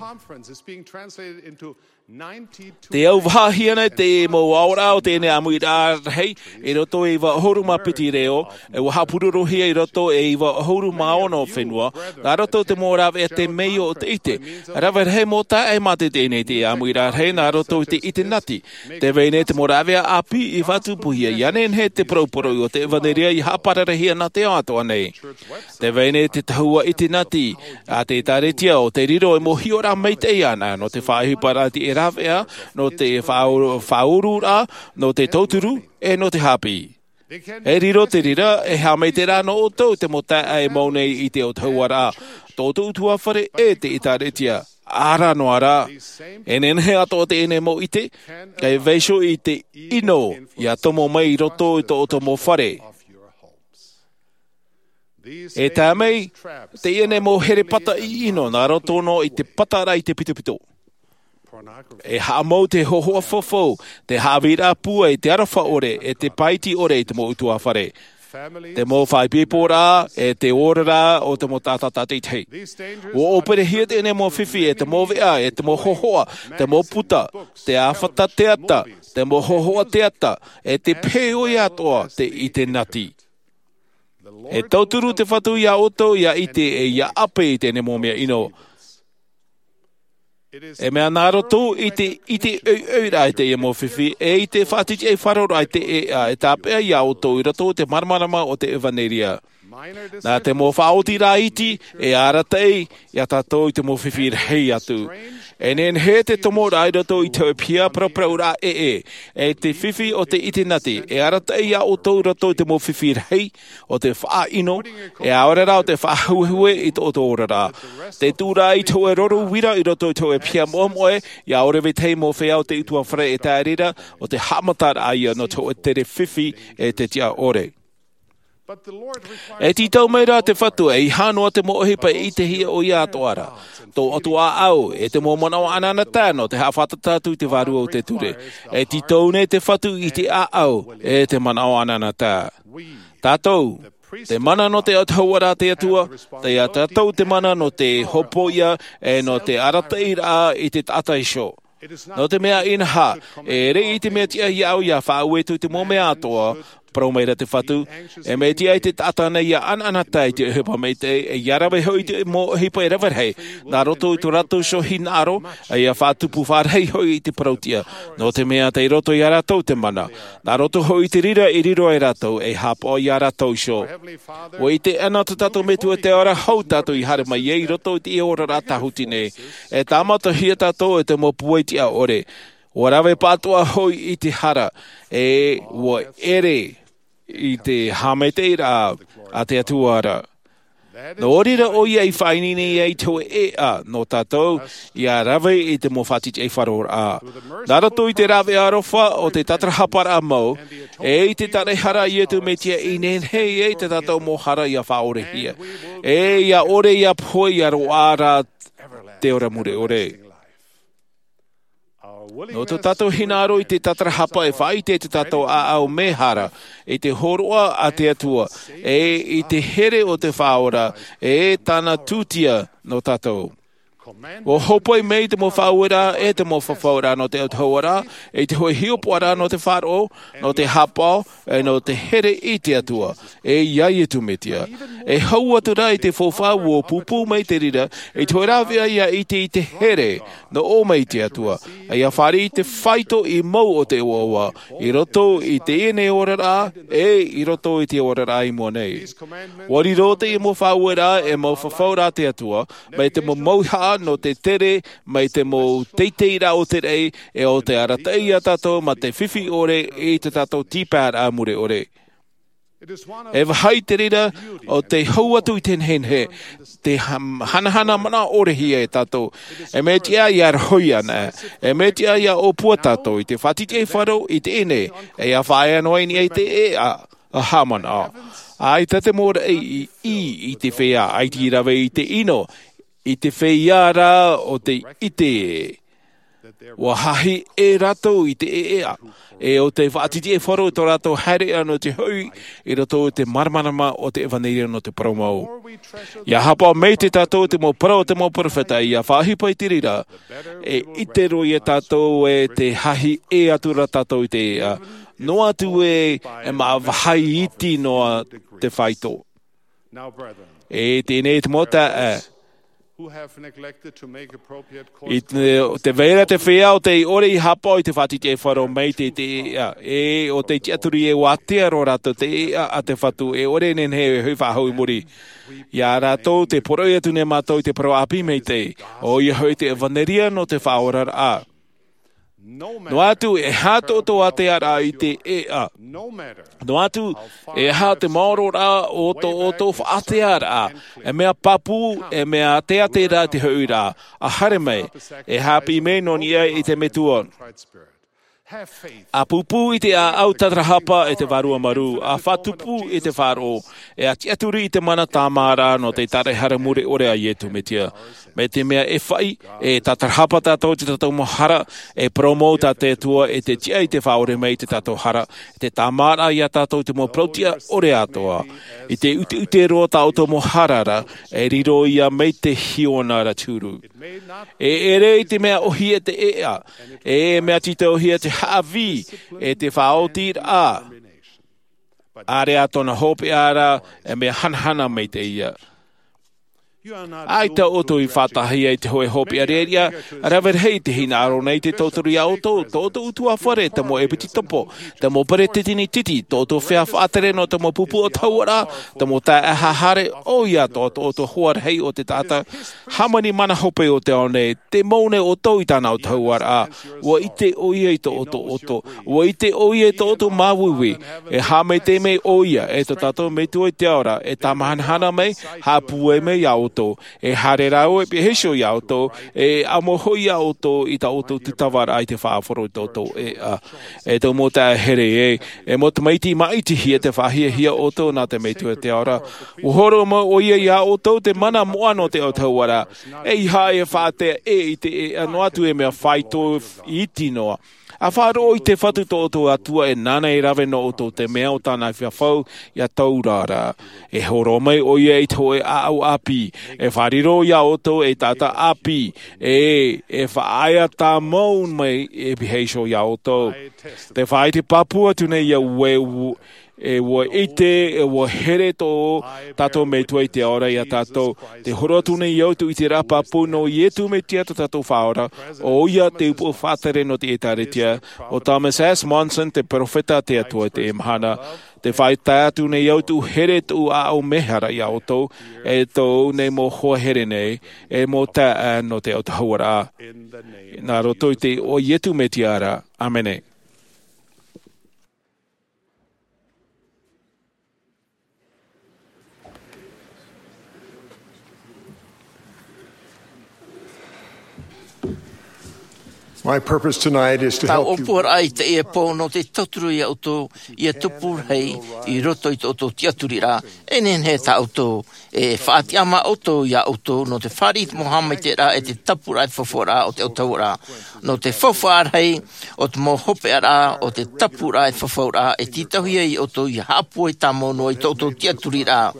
Tē auvahaʻahia nei te mau aoraʻa o teie nei ʻāmuiraʻa rahi, i roto i te iva ʻahuru mā piti reo, e ua haʻapurorohia i roto i te iva ʻahuru mā ono fenua, nā roto i te mau rāveʻa temeio ʻo te ʻite, rave rahi mau taeaʻe mātete nei te ʻāmuiraʻa rahi nā roto i te ʻite nati. Tē vai nei te mau rāveʻa ʻāpī i faʻatupuhia, ʻia nehenehe te poroporoʻi o te ʻevanelia ʻia haʻapararahia nā te ao atoʻa nei. Tē vai nei te tahua ʻite nati a te ʻĒtārētia ʻo tē riro ei mau hiʻoraʻa maitaʻi iāna, nō te faʻaʻohiparaʻa i te rāveʻa, nō te faʻauru-, faʻaururaʻa, nō te tauturu, e nō te hāpiʻi. E riro te reira, e haʻamaitaʻi rā nō ʻoutou te mau taeaʻe e mau nei i te autahuʻaraʻa, tō ʻoutou ʻutuāfare e te ʻĒtārētia, ʻaore noa rā. E nehenehe atoʻa teie nei mau ʻite, e vaiiho i te ʻino ʻia tomo mai i roto i tō ʻoutou mau fare. E tae mai teie nei mau here pata ʻino nā roto noa i te pata ra i te pitopito. E haʻamau te hōhoʻa faufaʻa, te haʻavīraʻa pūai, te aroha ʻore, e te pāiti ʻore i te mau ʻutuāfare. Te mau faʻaipoiporaʻa, e te oraraʻa o te mau taʻata tātaʻitahi. Ua ʻōperehia teie nei mau fifi, e te mau veʻa, e te mau hōhoʻa, te mau puta, te āfata teata, te mau hōhoʻa teata, e te pehe ʻoia atoʻa te ʻite nati. E tauturu te Fatu iā ʻoutou ʻia ʻite e ʻia ʻape i teie nei mau mea ʻino. E mea nā roto i te, i te ʻoiʻoiraʻa i teie mau fifi, e i te faʻatitiʻaifaroraʻa i te ʻēʻa, e tāpeʻa iā ʻoutou i roto i te māramarama o te ʻevanelia. Nā te mau faʻaotiraʻa iti, e arataʻi iā tātou i te mau fifi rahi atu. E nehenehe te tomoraʻa i roto i te hōʻē piha paraparauraʻa ʻē, e te fifi o te ʻite nati, e arataʻi iā ʻoutou i roto i te mau fifi rahi, o te faʻaʻino, e ʻaore rā o te faʻahuehue i tō ʻoutou oraraʻa. Te tuʻuraʻa i te hōʻē roro uira i roto i te hōʻē piha moʻemoʻe, ʻia ʻore vetahi mau feiā o te ʻutuāfare e tae reira, ʻo te haʻamataraʻa ia nō te hōʻē tere fifi e te tiʻa ʻore. E tītau mai rā te Fatu, ʻeiaha noa te mau ʻohipa e ʻitehia ʻoia atoʻa ra. Tō ʻoutou ʻāʻau, e te mau manaʻo ʻanaʻanatae nō te haʻafātata atu i te vārua o te ture. E tītau nei te Fatu i te ʻāʻau, e te manaʻo ʻanaʻanatae. Tātou, te mana nō te autahuʻaraʻa a te Atua, tei iā tātou te mana nō te hōpoiʻa, e nō te arataʻiraʻa i te taʻata iho. Nō te mea inaha, e ʻere i te mea tiʻa iā ʻoe ʻia faʻaue atu i te mau mea atoʻa, parau mai ra te Fatu, e mea tiʻa i te taʻata nei ʻia ʻanaʻanatae i te ʻohipa maitaʻi, e ʻia rave hoʻi i te mau ʻohipa e rave rahi, nā roto i tō rātou iho hinaʻaro, e ʻia faʻatupu fārahi hoʻi i te parau tiʻa, nō te mea tei roto iā rātou te mana. Nā roto hoʻi i te reira i riro ai rātou, e haʻapaʻo iā rātou iho. ʻUa ʻite ʻana tō tātou Metua i te ao ra, hou tātou i haere mai ai i roto i te oraraʻa tāhuti nei. E tāmatahia tātou e te mau pūai tiʻa ʻore. ʻUa rave pāʻatoʻa hoʻi i te hara, e ʻua ʻere i te haʻamaitaʻiraʻa a te Atua ra. Nō reira ʻoia i faʻaineine ai te hōʻē ʻēʻa nō tātou, ʻia rave i te mau faʻatitiʻaifaroraʻa. Nā roto i te rāveʻa aroha o te tatarahaparaʻa mau, e i te taraehara a Iesu Mesia i nehenehe ai tā tātou mau hara ʻia faʻaorehia. E ʻia ʻore ʻia pohe ʻia roaʻa ra te ora mure ʻore. Nō tō tātou hinaʻaro i te tatarahapa e faʻaʻite i tō tātou ʻāʻau mehara, i te hōroʻa a te Atua, e i te here o te Faʻaora, e tāna tūtia nō tātou. ʻUa hōpoi mai te mau faʻaueraʻa, e te mau fafauraʻa nō te autahuʻaraʻa, e te hōʻē hiʻopoʻaraʻa nō te faʻaroʻo, nō te haʻapaʻo, e nō te here i te Atua, e iā Iesu Mesia. E hau atu rā i te faufaʻa ua pūpū mai te reira i te hoʻi rāveʻa ia ʻite i te here nō ʻō mai i te Atua, ia fāriʻi i te faito i mau o te ʻoaʻoa i roto i teie nei oraraʻa ʻe i roto i te oraraʻa i mua nei. Ua riro teie mau faʻaueraʻa e mau fafauraʻa a te Atua mai te mau mauhaʻa nō te tere, mai te mau teiteiraʻa o te raʻi ʻe o te arataʻi ia tātou mā te fifi ʻore i tā tātou tīpaeraʻa mure ʻore. E vāhi te reira o te hau atu i te nehenehe, te ham- hanahana manaʻo ʻore hia e tātou. E mea tiʻa ia rohi ana, e mea tiʻa ia ʻōpua tātou i te faʻatiʻatiʻa faro i teie nei, e ia faʻaea noa i niʻa i te ʻēʻa a haʻamanaʻo. ʻAita te mau raʻi i, i, i te feiā, ʻaita i rave i te ʻino, i te feiā rā o te ʻite. Ua hahi e rātou i te ʻēʻa, ʻe o te faʻatiʻatiʻa faro i tō rātou haereʻa nō te hoʻi i roto i te māramarama o te ʻevanelia nō te parau mau. Ia haʻapaʻo mai te tātou te mau parau o te mau peropheta ia faʻaʻohipa i te reira, e ʻite roa ia tātou e te hahi e atu rā tātou i te ʻēʻa, noa atu e, e mā vāhi iti noa te faito. E teie nei te mau taeaʻe, i te, te vai ra te feiā o tei ʻore i haʻapaʻo i te faʻatiʻatiʻa faro mai te, te ʻēʻa, ʻe o tei tiʻaturi e ua ātea roa rātou te ʻēʻa a te Fatu, e ʻore e nehenehe e hoʻi faʻahou i muri. Ia rātou te poroʻi atu nei mātou i te parau ʻāpī maitaʻi, ʻoia hoʻi te ʻevanelia nō te faʻaoraraʻa. Noa atu e aha tō ʻoutou ātearaʻa i te ʻēʻa, noa atu e aha te maororaʻa o tō ʻoutou faʻatearaʻa, e mea pāpū, e mea teatea rā te hoʻiraʻa, ʻa haere mai, e haʻapiʻi mai nō niʻa i te Metua. ʻA pūpū i te ʻāʻau tātarahapa e te Vārua Marū, ʻa faʻatupu i te faʻaroʻo, ʻe ʻa tiʻaturi i te mana tāmāraʻa nō te tāraʻehara mure ʻore a Iesu Mesia. Mai te mea e faʻi, e tātarahapa tātou i tō tātou mau hara, e parau mau tā te Atua e te tiʻa i te faʻaʻore mai i tō tātou hara, e te tāmāraʻa ia tātou i te mau parau tiʻa ʻore atoʻa. I te ʻuteʻute roa tā ʻoutou mau hara ra, e riro ia mai te hiona ra te huru. E ʻere i te mea ʻōhie te ʻēʻa, e mea tītauhia te haʻavī, e te faʻaotiraʻa. ʻAreʻa tōna hopeʻa ra, e mea hanahana maitaʻi ia. ʻAita ʻoutou i faʻataʻahia i te hōʻē hopeʻa ʻāreʻa, rave rahi i te hinaʻaro nei te tauturu ia ʻoutou, tō ʻoutou ʻutuāfare, te mau ʻepisekopo, te mau peresideni tītī, tō ʻoutou feiā faʻatere nō te mau pupu ʻautahuʻaraʻa, te mau taeaʻe haere, ʻoia atoʻa tō ʻoutou hoa rahi o te taʻata hāmani mana hope o te ao nei, te mau nei ʻoutou i tāna ʻautahuʻaraʻa. Ua ʻite ʻoia i tō ʻoutou ʻoto, ua ʻite ʻoia i tō ʻoutou māuiui. E haʻamaitaʻi mai ʻoia, e tō tātou Metua i te ao ra, e tāmahanahana mai, haʻapūai mai ia ʻoutou, e haere rāua e pīhaʻi iho ia ʻoutou, e ʻamo hoʻi ia ʻoutou i tā ʻoutou tūtavaraʻa i te faʻaroʻo i tō ʻoutou ʻēʻa. E tō mau taeaʻe here ē, e mau tamaiti, māʻitihia te faʻahiahia ʻoutou nā te Metua i te ao ra. Ua hōroʻa mai ʻoia ia ʻoutou te mana moʻa nō te ʻautahuʻaraʻa, ʻeiaha e faʻaʻite i te ʻēʻa noa atu e mea faito iti noa. ʻA faʻaroʻo i te Fatu tō ʻoutou Atua, e nāna e rave nō ʻoutou te mea o tāna fafau ia taura ra. E hōroʻa mai ʻoia i te hōʻē ʻāʻau ʻāpī, e faʻariro ia ʻoutou ei taʻata ʻāpī, e, e faʻaea tāmau mai e pīhaʻi iho ia ʻoutou. Tē faʻaʻite pāpū atu nei au ē, e ua ʻite, e ua here tō tātou Metua i te ao ra ia tātou. Tē hōroʻa atu nei au i te ʻiteraʻa pāpū nō Iesu Mesia tō tātou Faʻaora, ʻoia te ʻupoʻo faʻatere nō te ʻĒtārētia, ʻo Thomas S. Monson te peropheta a te Atua i teie mahana. Tē faʻaʻite atu nei au i te here tōʻu ʻāʻau mēhara ia ʻoutou, e tōʻu nei mau hoa here nei, e mau taeaʻe nō te ʻautahuʻaraʻa. Nā roto i te iʻoa o Iesu Mesia ra. ʻĀmene. My purpose tonight is to help you. Tāʻu ʻōpuaraʻa i teie pō nō te tauturu ia ʻoutou, ia tupu rahi i roto i tō ʻoutou tiʻaturiraʻa, e nehenehe tā ʻoutou, e faʻatiʻa mā ʻoutou ia ʻoutou, nō te fāriʻi i te mau haʻamaitaʻiraʻa, e te tapuraʻa, e te fafauraʻa o te ʻautahuʻaraʻa. Nō te faufaʻa rahi, o te mau hopeʻaraʻa, o te tapuraʻa, e te fafauraʻa, e tītauhia ia ʻoutou, ia haʻapūai tāmau noa i tō ʻoutou tiʻaturiraʻa.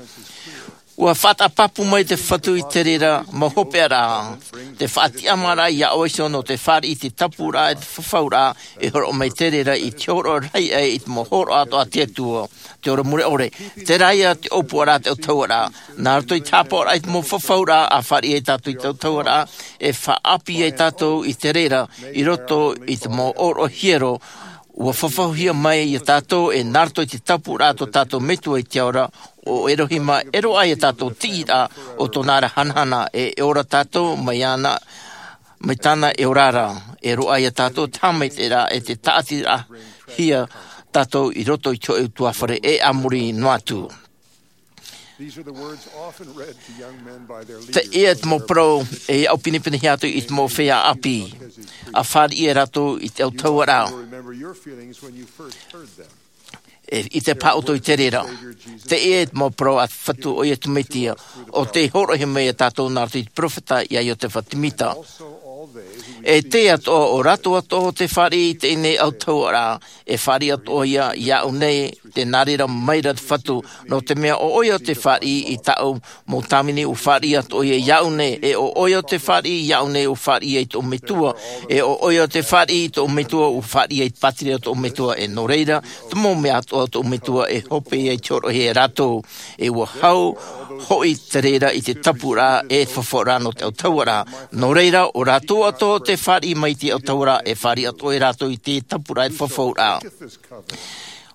Ua faʻataʻa pāpū mai te Fatu i te reira mau hopeʻaraʻa, te faʻatiʻamāraʻa iā ʻoe iho nō te fāriʻi i te tapuraʻa e te fafauraʻa, e horoʻa mai te reira i te horoʻa rahi aʻe i te mau hōroʻa atoʻa a te Atua, te ora mure ʻore. Terā ia te ʻōpuaraʻa a te autahuʻaraʻa, nā roto i te hāpaʻoraʻa i te mau fafauraʻa, ʻa fāriʻi ai tātou i te autahuʻaraʻa, e faʻaʻāpī ai tātou i te reira, i roto i te mau ʻōroʻa hiero, ua fafauhia mai iā tātou e nā roto i te tapuraʻa tō tātou Metua i te ao ra, ʻo Erohima, e roaʻa iā tātou te tiʻiraʻa o tōna ra hanahana, e, e ora tātou mai ana, mai tāna e ora ra, e roaʻa iā tātou te haʻamaitaʻiraʻa e te tāʻatiraʻahia tātou i roto i te hōʻē ʻutuāfare e a muri noa atu. These are the words often read to young men by their leaders. Teie te mau parau e aʻo pinepinehia atu i te mau feiā ʻāpī, ʻa fāriʻi ia rātou i te autahuʻaraʻa. You'll remember your feelings when you first heard them. E ʻite paha ʻoutou i te reira. Teie te mau parau a te Fatu, ʻoia te Mesia, ʻo tei hōroʻahia mai iā tātou nā roto i te peropheta iā Iotefa Semita. E tē atoʻa ʻo rātou atoʻa tē fāriʻi i teie nei autahuʻaraʻa, e fāriʻi atoʻa ia iāʻu nei, tē nā reira mai ra te Fatu, nō te mea ʻo ʻoia tē fāriʻi i tāʻu mau tāvini, ʻua fāriʻi atoʻa ia iāʻu nei, e ʻo ʻoia tē fāriʻi iāʻu nei, ʻua fāriʻi ia tōʻu Metua, e ʻo ʻoia tē fāriʻi i tōʻu Metua, ʻua fāriʻi ia i te pātireia o tōʻu Metua, e nō reira, te mau mea atoʻa o tōʻu Metua e hope ai te hōroʻahia e rātou, e ʻua hau hoʻi te reira i te tapuraʻa e te fafauraʻa nō te autahuʻaraʻa. Nō reira, ʻo rātou atoʻa tē fāriʻi mai i te autahuʻaraʻa, e fāriʻi atoʻa ia rātou i te tapuraʻa e te fafauraʻa.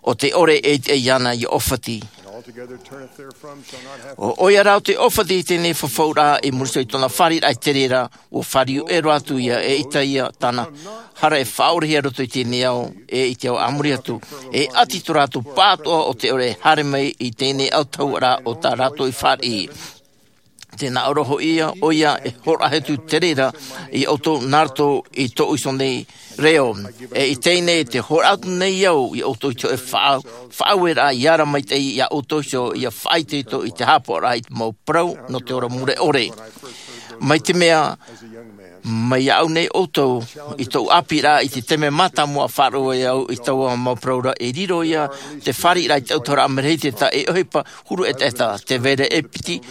ʻO tē ʻore e ʻite iāna ia ʻōfati. ʻO ʻoia rā ʻo tē ʻōfati i teie nei fafauraʻa i muri iho i tōna fāriʻiraʻa i te reira, ʻua fāriu ʻē roa atu ia, e ʻaita ia tāna hara e faʻaorehia i roto i teie nei ao, e i te ao a muri atu. E ʻati tō rātou pāʻatoʻa ʻo tē ʻore e haere mai i teie nei autahuʻaraʻa o tā rātou i fāriʻi. Tē nā ʻō ra hoʻi ia, ʻoia e hōroʻahia atu te reira iā ʻoutou nā roto i tōʻu iho nei reo. E i teie nei, tē hōroʻa atu nei au iā ʻoutou i te hōʻē faʻa-, faʻaueraʻa i ara maitaʻi iā ʻoutou iho, ʻia faʻaitoito i te hāpaʻoraʻa i te mau parau nō te ora mure ʻore. Mai te mea, mai iāʻu nei ʻoutou, i tōʻu ʻāpīraʻa, i te taime mātāmua faʻaroʻo ai au i taua mau parau ra, e riro ia te fāriʻiraʻa i te autahuʻaraʻa, mea rahi te taʻata e ʻohipa huru ʻetaʻeta, tē vai ra e piti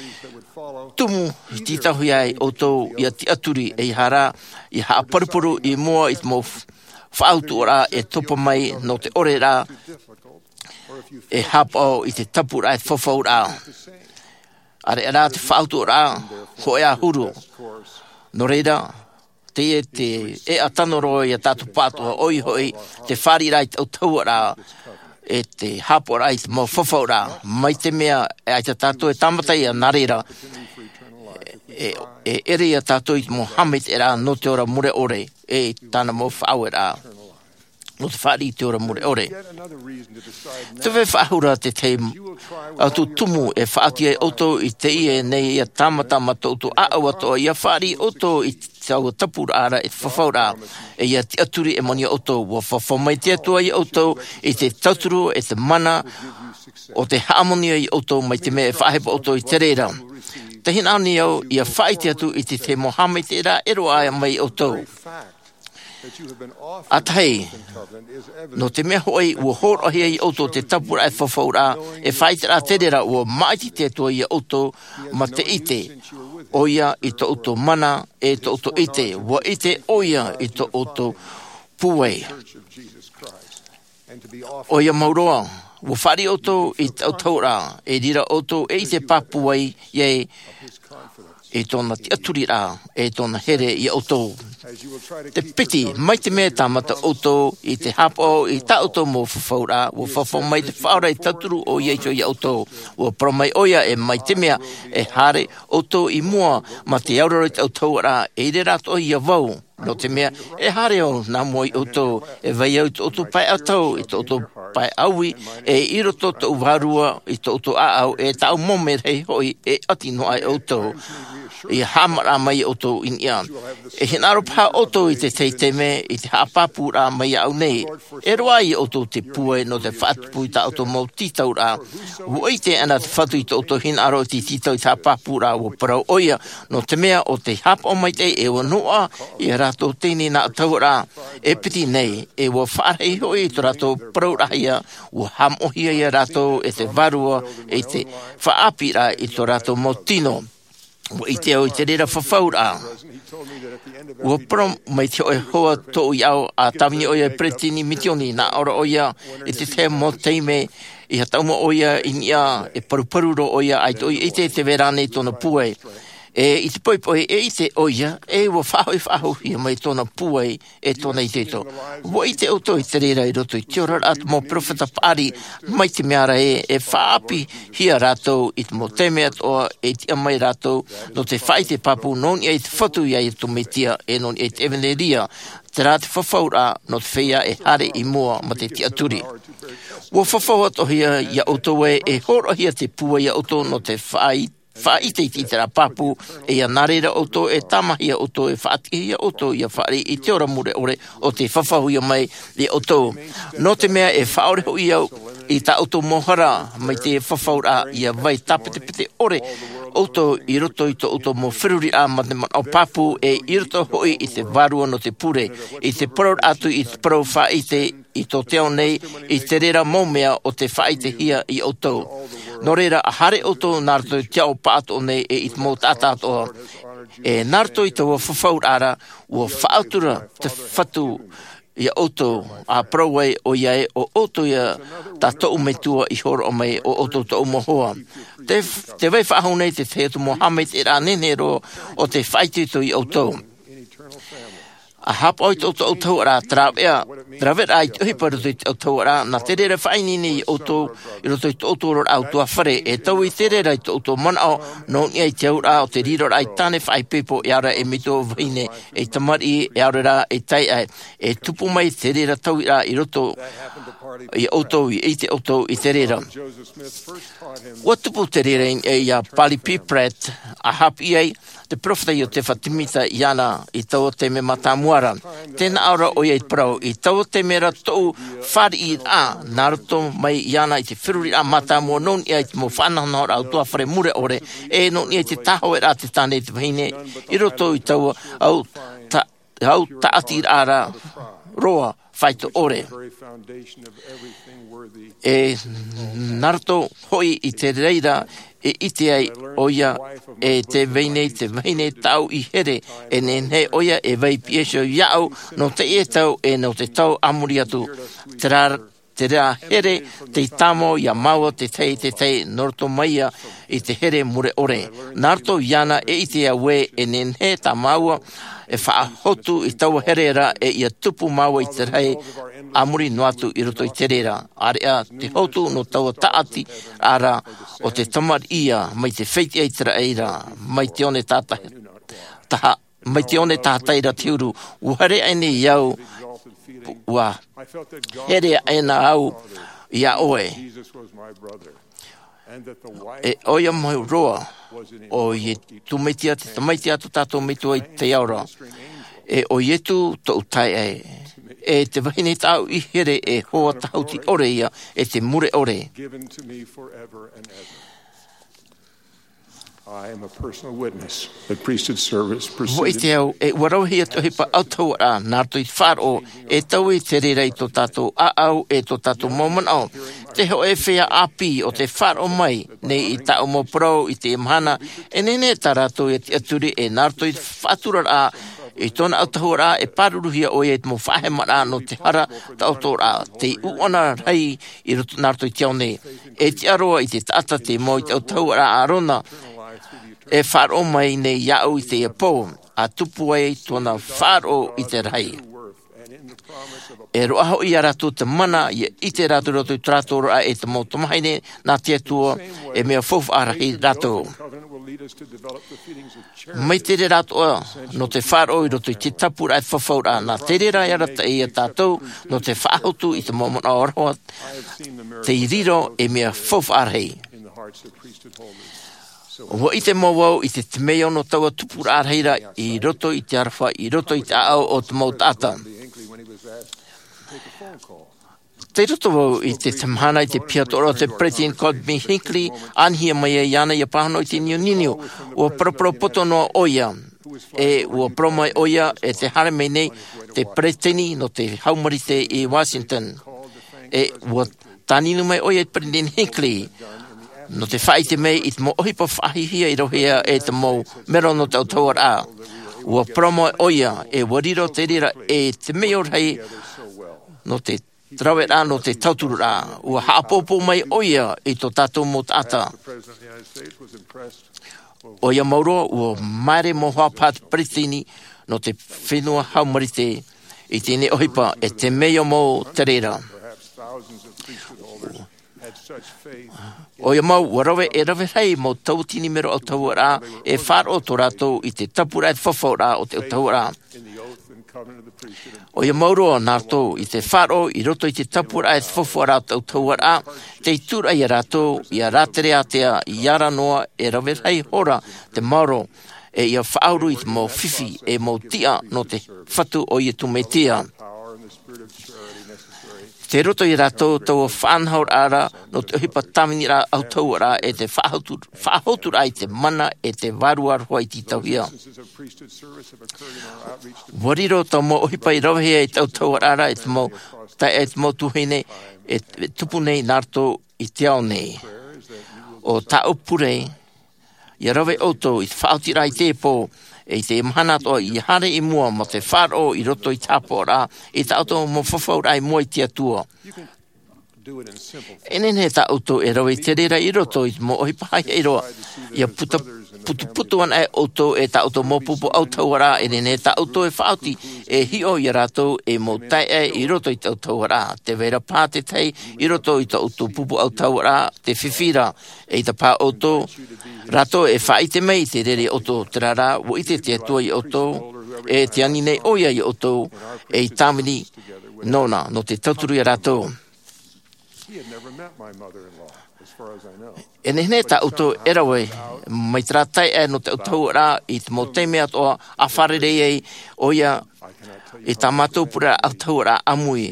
tumu i tītauhia ai ʻoutou ʻia tiʻaturi, ʻeiaha rā ʻia haʻaparuparu i mua i te mau f-, faʻautuʻaraʻa e topa mai nō te ʻoreraʻa e hāpaʻo i te tapuraʻa e te fafauraʻa. ʻAreʻa rā te faʻautuʻaraʻa hōʻē ā huru. Nō reira, teie te ʻēʻa tano roa iā tātou pāʻatoʻa, ʻoia hoʻi, te fāriʻiraʻa i te autahuʻaraʻa, e te hāpaʻoraʻa i te mau fafauraʻa, mai te mea, e ʻaita tātou e tāmata ia nā reira, e, e ʻere ia tātou i te mau haʻamaitaʻiraʻa nō te ora mure ʻore, e tāna mau faʻaueraʻa, nō te fāriʻi i te ora mure ʻore. Tē vai faʻahou ra te tahi atu tumu e faʻaoti ai ʻoutou i teie nei ʻia tāmata mā tō ʻoutou ʻāʻau atoʻa, ʻia fāriʻi ʻoutou i taua tapuraʻa ra e te fafauraʻa, e ʻia tiʻaturi e moni ʻoutou. ʻUa fafau mai te Atua iā ʻoutou i te tauturu e te mana, ʻo tē haʻamoni ai ʻoutou mai te mea e faʻahepo ʻoutou i te reira. Tē hinaʻaro nei au ʻia faʻaʻite atu i te tahi mau haʻamaitaʻiraʻa e roaʻa mai iā ʻoutou. ʻA tahi, nō te mea hoʻi, ʻua hōroʻahia iā ʻoutou te tapuraʻa e te fafauraʻa, e faʻaʻiteraʻa te reira, ʻua māʻiti te Atua iā ʻoutou, mā te ʻite, ʻoia i tō ʻoutou mana, e tō ʻoutou ʻite, ʻua ʻite ʻoia i tō ʻoutou pūai. ʻOia mau roa, ʻua fāriʻi ʻoutou i te autahuʻaraʻa, e reira ʻoutou e ʻite pāpū ai, ʻia, i tōna tiʻaturiraʻa, e tōna here iā ʻoutou. Te piti, mai te mea e tāmata ʻoutou i te hāpaʻo i tā ʻoutou mau fafauraʻa, ʻua fafau mai te Faʻaora e tauturu ʻoia iho iā ʻoutou. ʻUa parau mai ʻoia, e mai te mea e haere ʻoutou i mua mā te auraro i te autahuʻaraʻa, e ʻere rā atoʻa ia vau. Nō te mea, e haere au nā mua iā ʻoutou, e vai au i tō ʻoutou pae ʻatau, i tō ʻoutou pae ʻāui, e i roto tōʻu vārua i tō ʻoutou ʻāʻau, e tāʻu mau merahi hoʻi, e ʻati noa ai ʻoutou. ʻIa haʻamaraʻa mai iā ʻoutou i niʻa. E hinaʻaro paha ʻoutou i te tahi taime, i te haʻapāpūraʻa mai iāʻu nei. E roaʻa iā ʻoutou te pūai nō te faʻatupu i tā ʻoutou mau tītauraʻa. ʻUa ʻite ana te Fatu i tō ʻoutou hinaʻaro i te tītau i te haʻapāpūraʻa, ʻua parau ʻoia, nō te mea ʻo tei hāpaʻo maitaʻi e ʻua noaʻa ia rātou teie nei nā autahuʻaraʻa e piti nei, e ʻua faʻarahi hoʻi i tō rātou parau rahi ia, ua haʻamoʻahia ia rātou e te vārua i te faʻaʻāpīraʻa i tō rātou mau tino. Ua ʻite au i te reira fafauraʻa. Ua parau mai te hōʻē hoa tōʻu iʻoa, a tāvini ʻoia e peresideni misioni, nā ʻō ra ʻoia, i te tahi mau taime, i hataʻu mai ʻoia i niʻa, e paruparu roa ʻoia, ʻaita ʻoia i ʻite i te vai ra nei tōna pūai. E i te poʻipoʻi, e ʻite ʻoia, e ua faʻahoʻi faʻahouhia mai tōna pūai, e tōna itoito. Ua ʻite ʻoutou i te reira i roto i te oraraʻa te mau peropheta paʻari, mai te mea ra ē, e faʻaʻāpīhia rātou i te mau taime atoʻa, e tiʻa mai rātou, nō te faʻaʻite pāpū, nō niʻa i te Fatu ia Iesu Mesia, e nō niʻa i te ʻevanelia, terā te fafauraʻa, nō te feiā e haere i mua ma te tiʻaturi. Ua fafau atoʻahia ia ʻoutou ē, e hōroʻahia te pūai ia ʻoutou nō te faʻaʻite faʻaʻite i te ʻiteraʻa pāpū, e ia nā reira ʻoutou e tāmāhia ʻoutou e faʻatiʻahia ʻoutou ia fāriʻi i te ora mure ʻore ʻo tē fafauhia mai ia ʻoutou. Nō te mea e faʻaʻore hoʻi au i tā ʻoutou mau hara mai te fafauraʻa ia vai tāpetepete ʻore ʻoutou i roto i tō ʻoutou mau feruriraʻa ma te manaʻo pāpū e i roto hoʻi i te vārua nō te pure, i te parau atu i te parau faʻaʻite i tō te ao nei, i te reira mau mea ʻo tē faʻaʻitehia ia ʻoutou. Nō reira, ʻa haere ʻoutou nā roto i te ao pāʻatoʻa nei e i te mau taʻata atoʻa. E nā roto i taua fafauraʻa ra, ua faʻatura te Fatu ia ʻoutou, ʻa parau ai ʻoia ē, ʻo ʻoutou ia tā tōʻu Metua i hōroʻa mai, ʻo ʻoutou tōʻu mau hoa. Te, te vai faʻahou nei te tahi atu mau haʻamaitaʻiraʻa nehenehe roa ʻo tē faʻaitoito ia ʻoutou. ʻA haʻapaʻo i tō ʻoutou autahuʻaraʻa, te rāveʻa, te rāveʻaraʻa i te ʻohipa i roto i te autahuʻaraʻa, nā te reira e faʻaineine ia ʻoutou, i roto i tō ʻoutou oraraʻa ʻutuāfare, e taui te reira i tō ʻoutou manaʻo, nō niʻa i te auraʻa o te riroraʻa i tāne faʻaipoipo, e ʻaore rā ei metua vahine, ei tamariʻi, e ʻaore rā ei taiʻae, e tupu mai te reira tauiraʻa i roto ia ʻoutou, i ʻite ʻoutou i te reira. Ua tupu te reira i niʻa ia Parley P. Pratt, ʻa haʻapiʻi ai, te peropheta Iosefa Semita iāna i taua taime mātāmua ra. Tē nā ʻō ra ʻoia i te parau, i taua taime ra tōʻu fāriʻiraʻa, nā roto mai iāna i te feruriraʻa mātāmua nō niʻa i te mau faʻanahonahoraʻa ʻutuāfare mure ʻore, e nō niʻa i te tāhōʻēraʻa te tāne e te vahine, i roto i taua au ta-, au tāʻatiraʻa ra roa, faito ʻore. E nā roto hoʻi i te reira e ʻite ai ʻoia e te vahine, te vahine tāʻu i here, e nehenehe ʻoia e vai piha iho iāʻu, nō teie tau e nō te tau a muri atu. Terā, terā here tei tāmau ia māua te tahi, te tahi, nō roto mai ia i te here mure ʻore. Nā roto iāna e ʻite au ē, e nehenehe tā māua e faʻahotu i taua here ra, e ia tupu māua i te rahi a muri noa atu i roto i te reira. ʻĀreʻa te hotu nō taua tāʻatiraʻa o te tamariʻi ia, mai te fētiʻa ʻĪteraʻera, mai te one tāta-, taha, mai te one tātaʻi ra te huru, ua here aʻe nei au, ua here aʻe na au iā ʻoe. E ʻoia mau roa, ʻo Iesu Mesia te tamaiti a tō tātou Metua i te ao ra. E ʻo Iesu tōʻu taeaʻe. E te vahine tāʻu i here e hoa tahuti ʻore ia, e te mure ʻore. I am a personal witness that priesthood service Ua preceded ʻite au, e ua rauhia te ʻohipa autahuʻaraʻa, nā roto i te faʻaroʻo, e taui te reira i tō tātou ʻāʻau, e tō tātou mau manaʻo. Te hōʻē feiā ʻāpī ʻo tē faʻaroʻo mai nei i tāʻu mau parau i teie mahana, e nehenehe tā rātou ia tiʻaturi, e nā roto i te faʻaturaraʻa, i tōna autahuʻaraʻa, e pāruruhia ʻoia i te mau faʻahemaraʻa nō te hara taʻotoraʻa, te ʻuʻana rahi i roto, nā roto i te ao nei. E tiʻa roa i te taʻata tei mau i te autahuʻaraʻa a ʻĀrona, e faʻaroʻo mai nei iāʻu i teie pō, ʻa tupu ai tōna faʻaroʻo i te rahi. E roaʻa hoʻi ia rātou te mana, ia ʻite rātou i roto i tō rātou oraraʻa e te mau tamahine, nā te Atua, e mea faufaʻa rahi rātou. Mai te reira atoʻa, nō te faʻaroʻo i roto i te tāpūraʻa e fafauraʻa, nā te reira e arataʻi ia tātou, nō te faʻahotu i te mau manaʻo aroha, tei riro ei mea faufaʻa rahi. Ua ʻite mau vau i te temeio nō taua tupuraʻa rahi ra i roto i te aroha, i roto i te ʻāʻau o te mau taʻata. Tei roto vau i te mahana i te piha atoʻa ra o te Peresideni Gordon B. Hinckley, ʻānihia mai ai iāna ia pāhono i te niuniu. Ua paraparau poto noa ʻoia, e ua parau mai ʻoia e te haere mai nei te peresideni nō te hau marite i Washington. E ua tāninu mai ʻoia i te peresideni Hinckley nō te faʻaʻite mai i te mau ʻohipa faʻahiahia i rave hia e te mau mero nō te autahuʻaraʻa. Ua parau mai ʻoia e ua riro te reira e te mea rahi nō te raveraʻa nō te tauturuʻraʻa. Ua haʻapōpō mai ʻoia i tō tātou mau taʻata. ʻOia mau roa ua māere mau hoa paha te peresideni nō te fenua hau marite i teie ʻohipa e te mea mau te reira. ʻOia mau ua rave e rave rahi mau tauatini mero autahuʻaraʻa e faʻaroʻo tō rātou i te tapuraʻa e te fafauraʻa o te autahuʻaraʻa. ʻOia mau roa nā rātou i te faʻaroʻo i roto i te tapuraʻa e te fafauraʻa o te autahuʻaraʻa te ituraʻa iā rātou ia rātere ātea i ara noa e rave rahi hora te maoro e ia faʻauru i te mau fifi e mau tiʻa nō te fatu o iesu mesia. Te roto iā rātou taua faʻanahoraʻa nō te ʻohipa tāviniraʻa autahuʻaraʻa e te faʻahotu faʻahoturaʻa i te mana e te vārua roa i te tauhia. Ua riro taua mau ʻohipa i ravehia i te autahuʻaraʻa e te mau taeaʻe e te mau tuahine e tupu nei nā rātou i te ao nei. ʻO tāʻu pure ia rave ʻoutou i te faʻaotiraʻa i te pō e i te mahana atoʻa ia haere i mua mō te faʻaroʻo i roto i te hāpaʻoraʻa i tā ʻoutou mau fafauraʻa i mua i te atua. E nehenehe tā ʻoutou e rave i te reira i roto i te mau ʻohipa haʻihaʻi roa ia puta putuputu ana e ʻoutou e tā ʻoutou mau pupu autahuʻaraʻa e nehenehe tā ʻoutou e faʻaoti e hiʻo iā rātou e mau taeaʻe i roto i te autahuʻaraʻa te vera paha te tahi i roto i tā ʻoutou pupu autahuʻaraʻa te fifi ra. E ʻaita paha ʻoutou rātou e faʻaʻite mai i te reira iā ʻoutou terā rā ua ʻite te atua iā ʻoutou e te ani nei ʻoia iā ʻoutou e i tāvini nōna nō te tauturu iā rātou. E nehenehe tā ʻoutou e rave mai terā taeaʻe nō te autahuʻaraʻa i te mau taime atoʻa a fārerei ai ʻoia i tā mātou pure autahuʻaraʻa ʻāmui.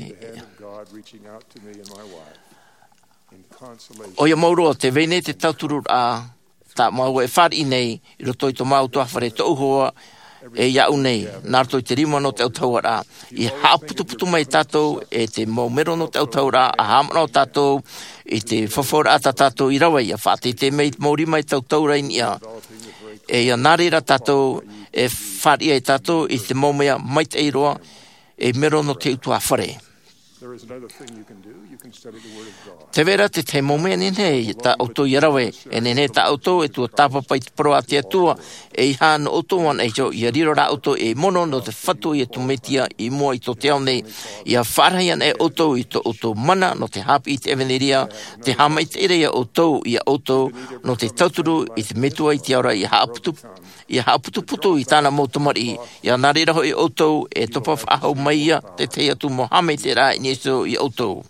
ʻOia mau roa te vai nei te tauturuʻraʻa tā māua e fāriʻi nei i roto i tō māua ʻutuāfare tōʻu hoa e iāʻu nei nā roto i te rima nō te autahuʻaraʻa. I haʻaputuputu mai tātou e te mau mero nō te autahuʻaraʻa a haʻamanaʻo tātou i te fafauraʻa tā tātou i rave ia faʻateitei mai i te mau rima e tautaura i niʻa. E ia nā reira tātou e fāriʻi ai tātou i te mau mea maitaʻi roa e mero nō te ʻutuāfare. Te vera te tahi mau mea nehenehe tā ʻoutou ia rave e nehenehe tā ʻoutou e tuatāpapa i te parau a te atua e i hā nō ʻoutou ana iho ia riro rā ʻoutou ei mono nō te fatu o iesu mesia i mua i tō te ao nei. Ia faʻarahi ana e ʻoutou i tō ʻoutou mana nō te hāpiʻi i te ʻevanelia te haʻamaitaʻiraʻa iā ʻoutou iā ʻoutou nō te tauturu i te metua i te ao ra ia haʻaputu ia haʻaputuputu i tāna mau tamariʻi ia nā reira hoʻi ʻoutou e topa faʻahou mai ia te tahi atu mau haʻamaitaʻiraʻa i niʻa iho iā ʻoutou.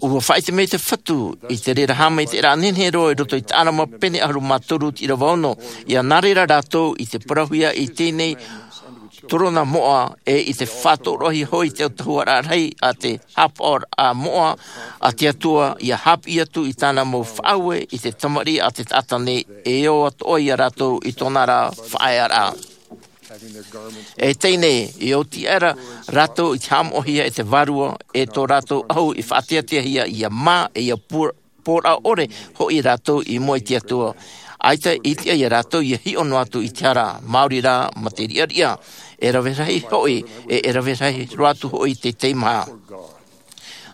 Ua faʻaʻite mai te fatu i te reira haʻamaitaʻiraʻa nehenehe roa i roto i te ʻalama pene ʻahuru mā toru te ʻīrava ono ia nā reira rātou i te parauhia i teie nei torona moʻa e i te faʻatoroʻahia hoʻi te autahuʻaraʻa rahi a te hāpaʻoraʻa moʻa a te atua ia hāpiʻi atu i tāna mau faʻaue i te tamariʻi a te taʻata nei e ʻoaʻoa iā rātou i tōna ra faʻaearaʻa. E teie nei i oti aʻera rātou i te haʻamoʻahia e te vārua e tō rātou ʻahu i faʻateateahia ia mā e ia pōraʻa ʻore hoʻi rātou i mua i te atua. ʻAita i tiʻa iā rātou ia hiʻo noa atu i te hara māori rā ma te riʻariʻa e rave rahi hoʻi e e rave rahi roa atu hoʻi te teimaha.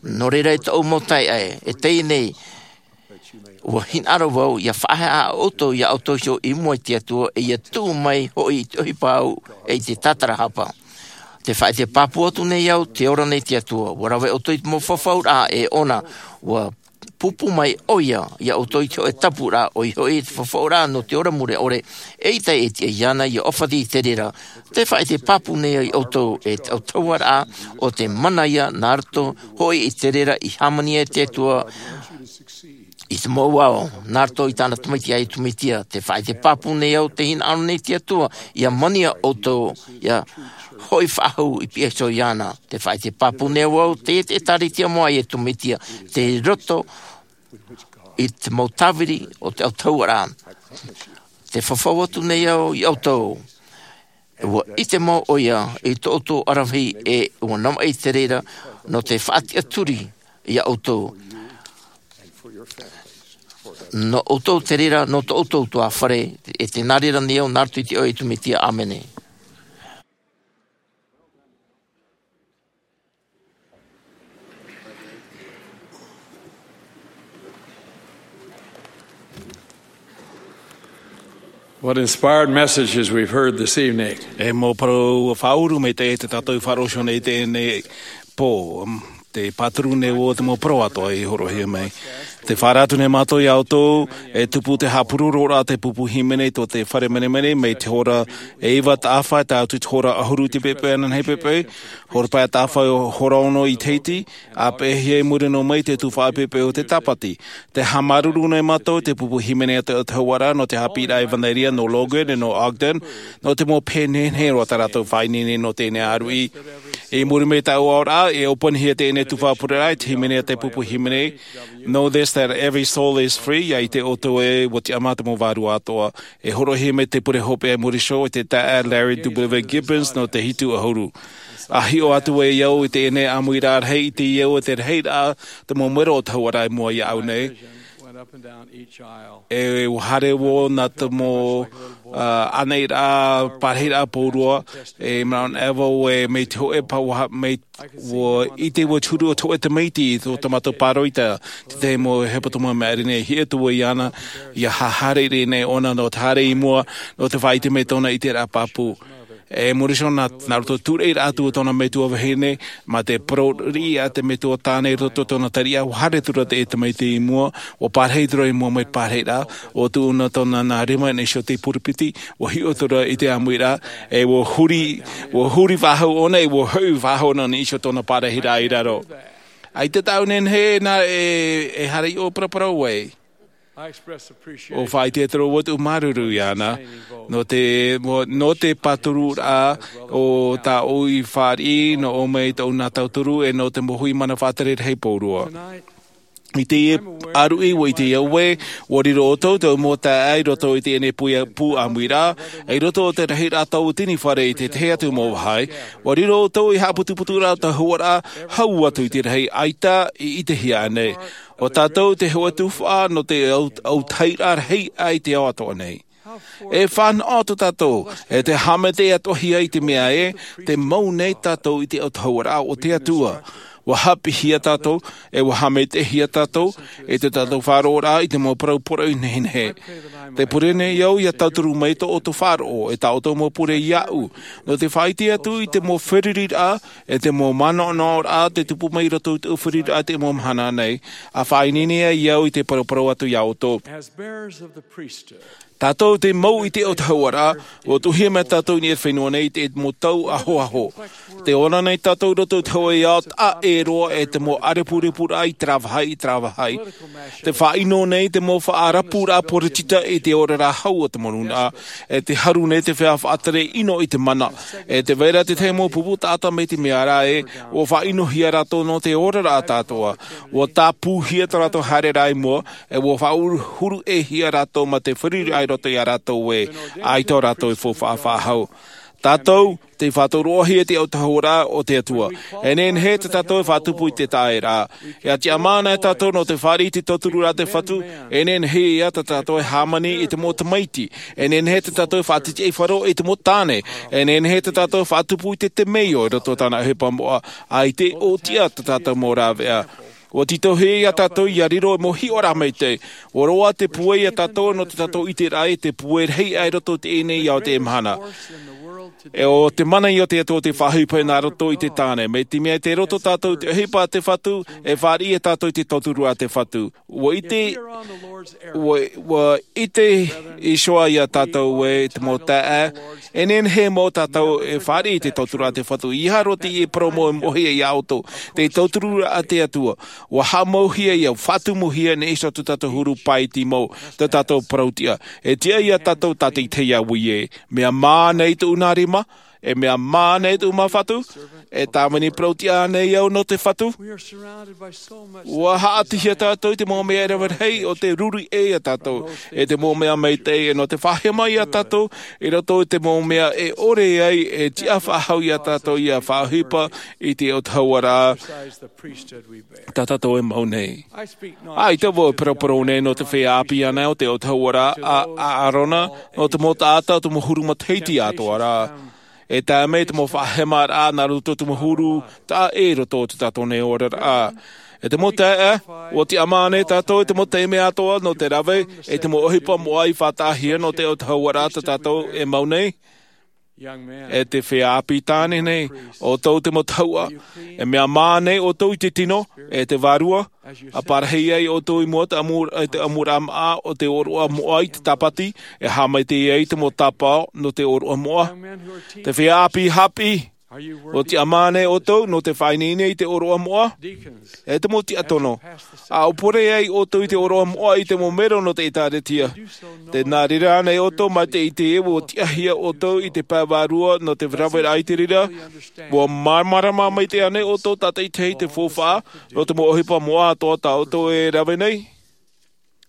Nō reira e tōʻu mau taeaʻe e teie nei ua hinaʻaro vau ia faʻaheaʻa ʻoutou iā ʻoutou iho i mua i te atua e ia tuʻu mai hoʻi i te ʻohipa au e i te tātarahapa. Te faʻaʻite pāpū atu nei au te ora nei te atua ua rave ʻoutou i te mau fafauraʻa e ʻona ua pūpū mai ʻoia iā ʻoutou i te hoʻe tapuraʻa ʻoia hoʻi te fafauraʻa nō te ora mure ʻore e ʻaita e tiʻa iāna ia ʻōfaʻi i te reira. Te faʻaʻite pāpū nei au iā ʻoutou e te autahuʻaraʻa o te mana ia nā roto hoʻi i te reira i hāmani ai te atua i te mau ao nā roto i tāna tamaiti a iesu mesia. Te faʻaʻite pāpū nei au te hinaʻaro nei te atua ia mania ʻoutou ia hoʻi faʻahou i piha iho iāna. Te faʻaʻite pāpū nei au te ʻēkālesia moʻa a iesu mesia te roto i te mau tāviri o te autahuʻaraʻa. Te fafau atu nei au iā ʻoutou Ua ʻite mau ʻoia i tō ʻoutou aravihi, e ua navaʻi te reira nō te faʻatiʻaturi iā ʻoutou. Nō ʻoutou te reira, nō tō ʻoutou tuāfare, e tē nā reira nei au, nā roto i te iʻoa o Iesu Mesia, ʻāmene. What inspired messages we've heard this evening. E mau parau faʻaʻuru maitaʻi tā tātou i faʻaroʻo nei i teie nei pō, te pāturu nei o te mau parau atoʻa i hōroʻahia mai. Tē faʻaara atu nei mātou iā ʻoutou, e tupu te haʻapuroroʻraʻa te pupu hīmene tō te fare menemene, mai te hora e iva taʻafa tae atu i te hora ʻahuru i te poipoi ananahi poipoi, hora pae taʻafa hora ono i teie nei, ʻa peʻehia i muri noa mai i te tuhaʻa poipoi o te Tāpati. Tē haʻamāuruuru nei mātou i te pupu hīmene a te Atua nō te haʻapiʻiraʻa ʻevanelia nō Logan e nō Ogden, nō te mau pehe nehenehe roa tā rātou faʻaineine nō teie nei ʻāruʻi. I muri mai i taua oraraʻa, e ʻōpuahia teie nei tuhaʻa pureraʻa i te hīmene a te pupu hīmene, "Know this, that every soul is free." ʻIa ʻite ʻoutou ē, ʻua tiʻamā te mau vārua atoʻa. E hōroʻahia mai te pure hopeʻa i muri iho e te taeaʻe Larry W. Gibbons nō te hitu ʻahuru. ʻA hiʻo atu ai au i teie nei ʻāmuiraʻa rahi, i te au e te rahiraʻa te mau mero o te hauʻaraʻa i mua iāʻu nei. E ua haere vau nā te mau, ā, ʻānaʻiraʻa, pārahiraʻa pauroa, e Mount Evel, e mai te hōʻē pa-, ua ha-, mai, ua ʻite vau te huru o te hōʻē tamaiti i tō, tō mātou pāroita, te tahi mau hepetoma maʻiri nei, hiʻo atu vau iāna, ʻia haʻahaere nei ʻōna nō te haere i mua, nō te faʻaʻite mai tōna i te ʻiteraʻa pāpū. E muri iho nā, nā roto i te tūraʻiraʻa atu o tōna metua vahine, mā te parau riʻi a te metua tāne i roto i tōna tariʻa, ua haere atu ra te tamaiti i mua, ua pārahi atu ra i mua mai te pārahiraʻa, ʻua tuʻu na tōna nā rima i niʻa iho i te purapiti, ua hiʻo atu ra i te ʻāmuiraʻa, e ua huri, ua huri faʻahou ʻōna, e ua hoʻi faʻahou ʻōna i niʻa iho i tōna pārahiraʻa i raro. ʻAita tāʻu e nehenehe nā e, e haere i ʻō paraparau ai. ʻUa faʻaʻite atu ra vau tōʻu māuruuru iāna, nō te, nō te pātururaʻa o tā ʻoe i fāriʻi, nō ʻō mai tōʻu nā tauturu, e nō te mau hui mana faʻatere rahi pauroa. I teie ʻāruʻi, ʻua ʻite au ē, ʻua riro ʻoutou, tōʻu mau taeaʻe i roto i teie nei pū, pū ʻāmuiraʻa, i roto i te rahiraʻa tauatini fare i te tahi atu mau vāhi, ʻua riro ʻoutou i haʻaputuputuraʻa o te hauʻaraʻa, hau atu i te rahi ʻaita i ʻitehia ānei. ʻO tātou te hōʻē tuhaʻa nō te au-, autahiraʻa rahi aʻe i te ao atoʻa nei. E fānaʻo tō tātou, e te haʻamaitaʻi atoʻahia i te mea ē, tē mau nei tātou i te autahuʻaraʻa o te Atua. ʻUa haʻapiʻihia tātou, e ʻua haʻamaitaʻihia tātou, i tō tātou faʻaroʻoraʻa i te mau parau poroʻi nehenehe. Tē pure nei au ʻia tauturu mai tō ʻoutou faʻaroʻo, e tā ʻoutou mau pure iāʻu, nō te faʻaʻite atu i te mau feruriraʻa, e te mau manaʻonaʻoraʻa, tē tupu mai i roto i te feruriraʻa i te mau mahana nei, ʻa faʻaineine ai au i te paraparau atu iā ʻoutou. As bearers of the priesthood, tātou tē mau i te autahuʻaraʻa, ʻua tuʻuhia mai tātou i niʻa i te fenua nei i te mau tau ahoaho. Tē ora nei tātou i roto i te hōʻē ao taʻa ʻē roa e te mau ʻārepurepuraʻa i terā vāhi, i terā vāhi. Tē faʻaʻino nei te mau faʻarapuraʻa poritita i te oraraʻa hau o te mau nūnaʻa, e tē haru nei te feiā faʻatere ʻino i te mana, e tē vai ra te tahi mau pupu taʻata mai te mea ra ē, ʻua faʻaʻinohia rātou nō te oraraʻa atoʻa. ʻUa tāpūhia tō rātou haereraʻa i mua, e ʻua faʻahuru-, huru-ʻē-hia rātou mā te feruriraʻa i roto iā rātou ē, ʻaita rātou e faufaʻa faʻahou. Tātou, tē faʻatauroʻohia i te autahuʻaraʻa o te Atua. E nehenehe tā tātou e faʻatupu i te taʻeraʻa. E tiʻamā nei tātou nō te fāriʻi i te tauturu a te Fatu, e nehenehe ïa tā tātou e hāmani i te mau tamaiti. E nehenehe tā tātou e faʻatitiʻaifaro i te mau tāne. E nehenehe tā tātou e faʻatupu i te temeio i roto i tāna ʻohipa moʻa, ʻaita e ʻōtiʻa tā tātou mau rāveʻa. ʻUa tītauhia iā tātou ʻia riro ei mau hiʻoraʻa maitaʻi. ʻUa roaʻa te pūai iā tātou nō tā tātou ʻiteraʻa i te pūai rahi aʻe i roto i teie nei ao i teie mahana. E ʻo te mana ïa o te Atua tē faʻaʻohipa nā roto i te tāne. Mai te mea tei roto tātou i te ʻohipa a te Fatu, e fāriʻi tātou i te tauturu a te Fatu. ʻUa ʻite, ʻua, ʻua ʻite iho ā iā tātou ē te mau taeaʻe, e nehenehe mau tātou e fāriʻi i te tauturu a te Fatu. ʻEiaha roa teie parau mau e moʻehia iā ʻoutou, te tauturu a te Atua. ʻUa haʻamauhia ïa, faʻatumuhia nei iho tō tātou huru pae i te mau, tā tātou parau tiʻa. E tiʻa iā tātou tātaʻitahi ʻia ui ē. Mea mā nei tōʻu nā rima, E mea mā nei tōʻu mau fatu? E tāvini parau-tiʻa nei au nō te fatu? Ua haʻatihia tātou i te mau mea e rave rahi o te ruru ʻē ia tātou, e te mau mea maitaʻi, e nō te faʻahema ia tātou i roto i te mau mea e ʻore ai e tiʻa faʻahou ia tātou ia faʻaʻohipa i te autahuʻaraʻa tā tātou e mau nei. ʻAita vau e paraparau nei nō te feiā ʻāpī anaʻe o te autahuʻaraʻa a Aarona, nō te mau taʻata o te mau huru matahiti atoʻa ra. E tae mai te mau faʻahemaraʻa nā roto i te mau huru taʻa ʻē i roto i tō tātou nei oraraʻa. E te mau taeaʻe, ua tiʻamā nei tātou i te mau taime atoʻa nō te rave, e te mau ʻohipa moʻa i faʻataʻahia nō te autahuʻaraʻa tā tātou e mau nei. E te feiā ʻāpī tāne nei, ʻoutou te mau tahuʻa, e mea mā nei ʻoutou i te tino, e te vārua, ʻa parahi ai ʻoutou i mua i te ʻamu-, i te ʻamuraʻa maʻa o te ʻōroʻa moʻa i te tāpati, e haʻamaitaʻi ai te mau tāpaʻo nō te ʻōroʻa moʻa. Te feiā ʻāpī haʻapiʻi, ua tiʻamā nei ʻoutou nō te faʻaineine i te ʻōroʻa moʻa? E te mau tiʻa tono, ʻa ʻōpore ai ʻoutou i te ʻōroʻa moʻa i te mau mero nō te ʻĒtārētia. Tē nā reira ānei ʻoutou mai te ʻite ē ua tiʻahia ʻoutou i te pae vārua nō te raveraʻa i te reira? Ua māramarama maitaʻi ānei ʻoutou tātaʻitahi i te faufaʻa nō te mau ʻohipa moʻa atoʻa tā ʻoutou e rave nei?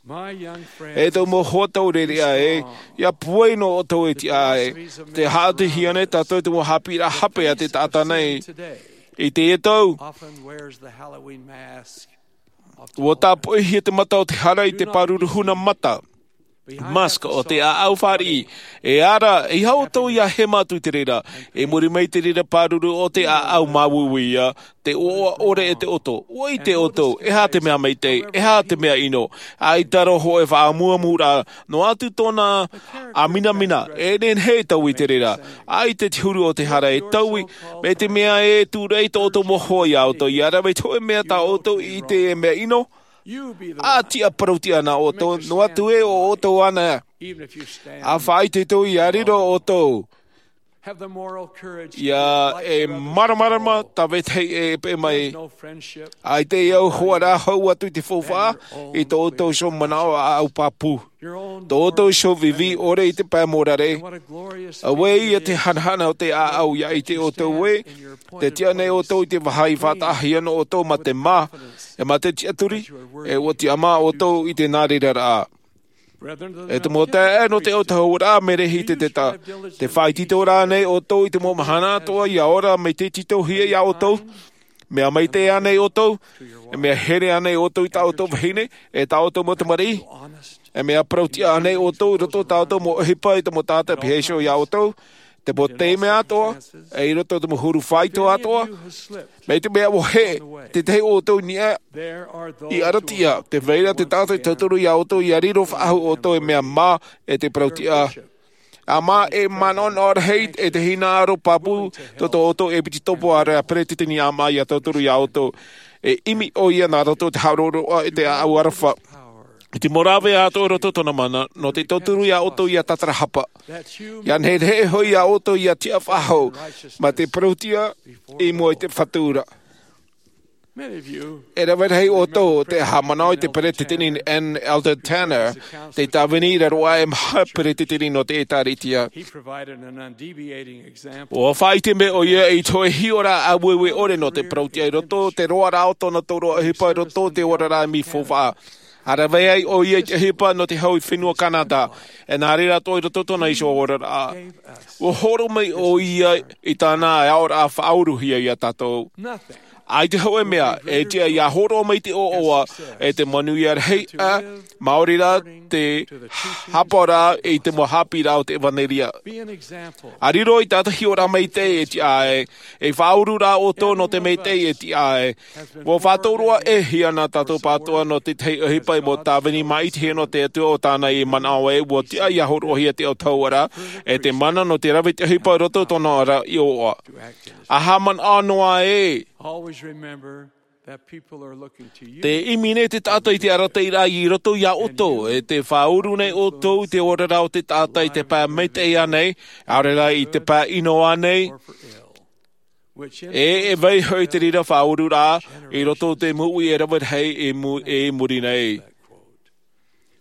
E tōʻu mau hoa taureʻareʻa ē, ʻia pūai noa ʻoutou e tiʻa ē. Tē haʻatihia nei tātou i te mau haʻapiʻiraʻa hape a te taʻata nei. I teie tau, ua tāpoʻihia te mata o te hara i te pāruru huna mata, mask, o te ʻāʻau fāriʻi. E ara, ʻeiaha ʻoutou ʻia hema atu i te reira. I muri mai i te reira pāruru o te ʻāʻau māuiui ïa, te ʻoaʻoa ʻore e te ʻoto. ʻUa ʻite ʻoutou, e aha te mea maitaʻi, e aha te mea ʻino. ʻAita roa hōʻē faʻamuamuraʻa, noa atu tōna ʻāminamina, e nehenehe e taui i te reira. ʻAita te huru o te hara e taui, mai te mea e tūraʻi tō ʻoutou mau hoa iā ʻoutou, ʻia rave i te hōʻē mea tā ʻoutou i ʻite e mea ʻino. ʻA tiʻa parau-tiʻa na ʻoutou, noa atu ē ʻo ʻoutou ānei. ʻA faʻaitoito ʻia riro ʻoutou. ʻIa e māramarama tā vetahi e peʻe mai. ʻAita e au hoʻi ra hau atu i te faufaʻa, i tō ʻoutou iho manaʻo ʻāʻau pāpū. Tō ʻoutou iho vīvī ʻore i te pae mōrare. Auē ïa te hanahana o te ʻāʻau ʻia ʻite ʻoutou ē, tē tiʻa nei ʻoutou i te vāhi faʻataʻahia nō ʻoutou mā te mā, e mā te tiʻaturi, e ʻua tiʻamā ʻoutou i te nā reira rā. E te mau taeaʻe nō te autahuʻaraʻa, mea rahi te teta. Tē faʻaitoito ra ānei ʻoutou i te mau mahana atoʻa ʻia ora mai te tītauhia iā ʻoutou? Mea maitaʻi ānei ʻoutou? E mea here ānei ʻoutou i tā ʻoutou vahine, e tā ʻoutou mau tamariʻi? E mea parau-tiʻa ānei ʻoutou i roto i tā ʻoutou mau ʻohipa e te mau taʻata e pihaʻi iho iā ʻoutou? Te mau taime atoʻa, e i roto i te mau huru faito atoʻa, mai te mea ʻua hē tētahi o ʻoutou i niʻa i ʻaravihi, tē vai ra te taʻata e tauturu iā ʻoutou ʻia riro faʻahou ʻoutou e mea mā e te parau-tiʻa. ʻA mā e manaʻo noa rahi e te hinaʻaro pāpū tō tō ʻoutou ʻepikopo, ʻaore rā peresideni ʻāmaʻa ʻia tauturu iā ʻoutou. E ʻimi ʻoia nā roto i te haʻaroʻaroʻa e te ʻāʻau aroha. I te mau rave atoʻa i roto i tōna mana, nō te tauturu iā ʻoutou ʻia tātarahapa. ʻIa nehenehe hoʻi iā ʻoutou ʻia tiʻa faʻahou, mā te parau-tiʻa i mua i te Fatu ra. E rave rahi ʻoutou tē haʻamanaʻo i te peresideni N. Eldon Tanner, te tāvini i raro aʻe maha peresideni nō te ʻĒtārētia. ʻUa faʻaʻite mai ʻoia i te hōʻē hiʻoraʻa ʻāueue ʻore nō te parau-tiʻa i roto i te roaraʻa o tōna tōroʻa ʻohipa i roto i te oraraʻa i te faufaʻa. ʻA rave ai ʻoia i te ʻohipa nō te hau i te fenua Canada, e nā reira atoʻa i roto i tōna iho oraraʻa. ʻUa hōroʻa mai ʻoia i tāna aʻoraʻa faʻauruhia iā tātou. ʻAita hōʻē mea e tiʻa ʻia hōroʻa mai te ʻoaʻoa, e te manuia rahi, ā, maori rā te hāpaʻoraʻa i te mau haʻapiʻiraʻa o te ʻevanelia. ʻA riro i tātahi hiʻoraʻa maitaʻi e tiʻa ai, e faʻauru rā ʻoutou nō te maitaʻi e tiʻa ai. ʻUa faʻatauroʻahia nā tātou pātoʻa nō te tahi ʻohipa mau tāvini maʻitihia nō te Atua ʻo tāna i manaʻo ē ʻua tiʻa ʻia hōroʻahia te autahuʻaraʻa, e te mana nō te rave i te ʻohipa i roto i tōna ra iʻoa. ʻA haʻamanaʻo noa ē. Always remember that people are looking to you. Tē ʻimi nei te taʻata i te arataʻiraʻa i roto iā ʻoutou, e tē faʻauru nei ʻoutou i te oraraʻa o te taʻata i te pae maitaʻi ānei, ʻaore rā i te pae ʻino ānei. Or for ill. Which e, e vai hoʻi te reira faʻaururaʻa i roto i te moʻui e rave rahi i mu-, i muri nei.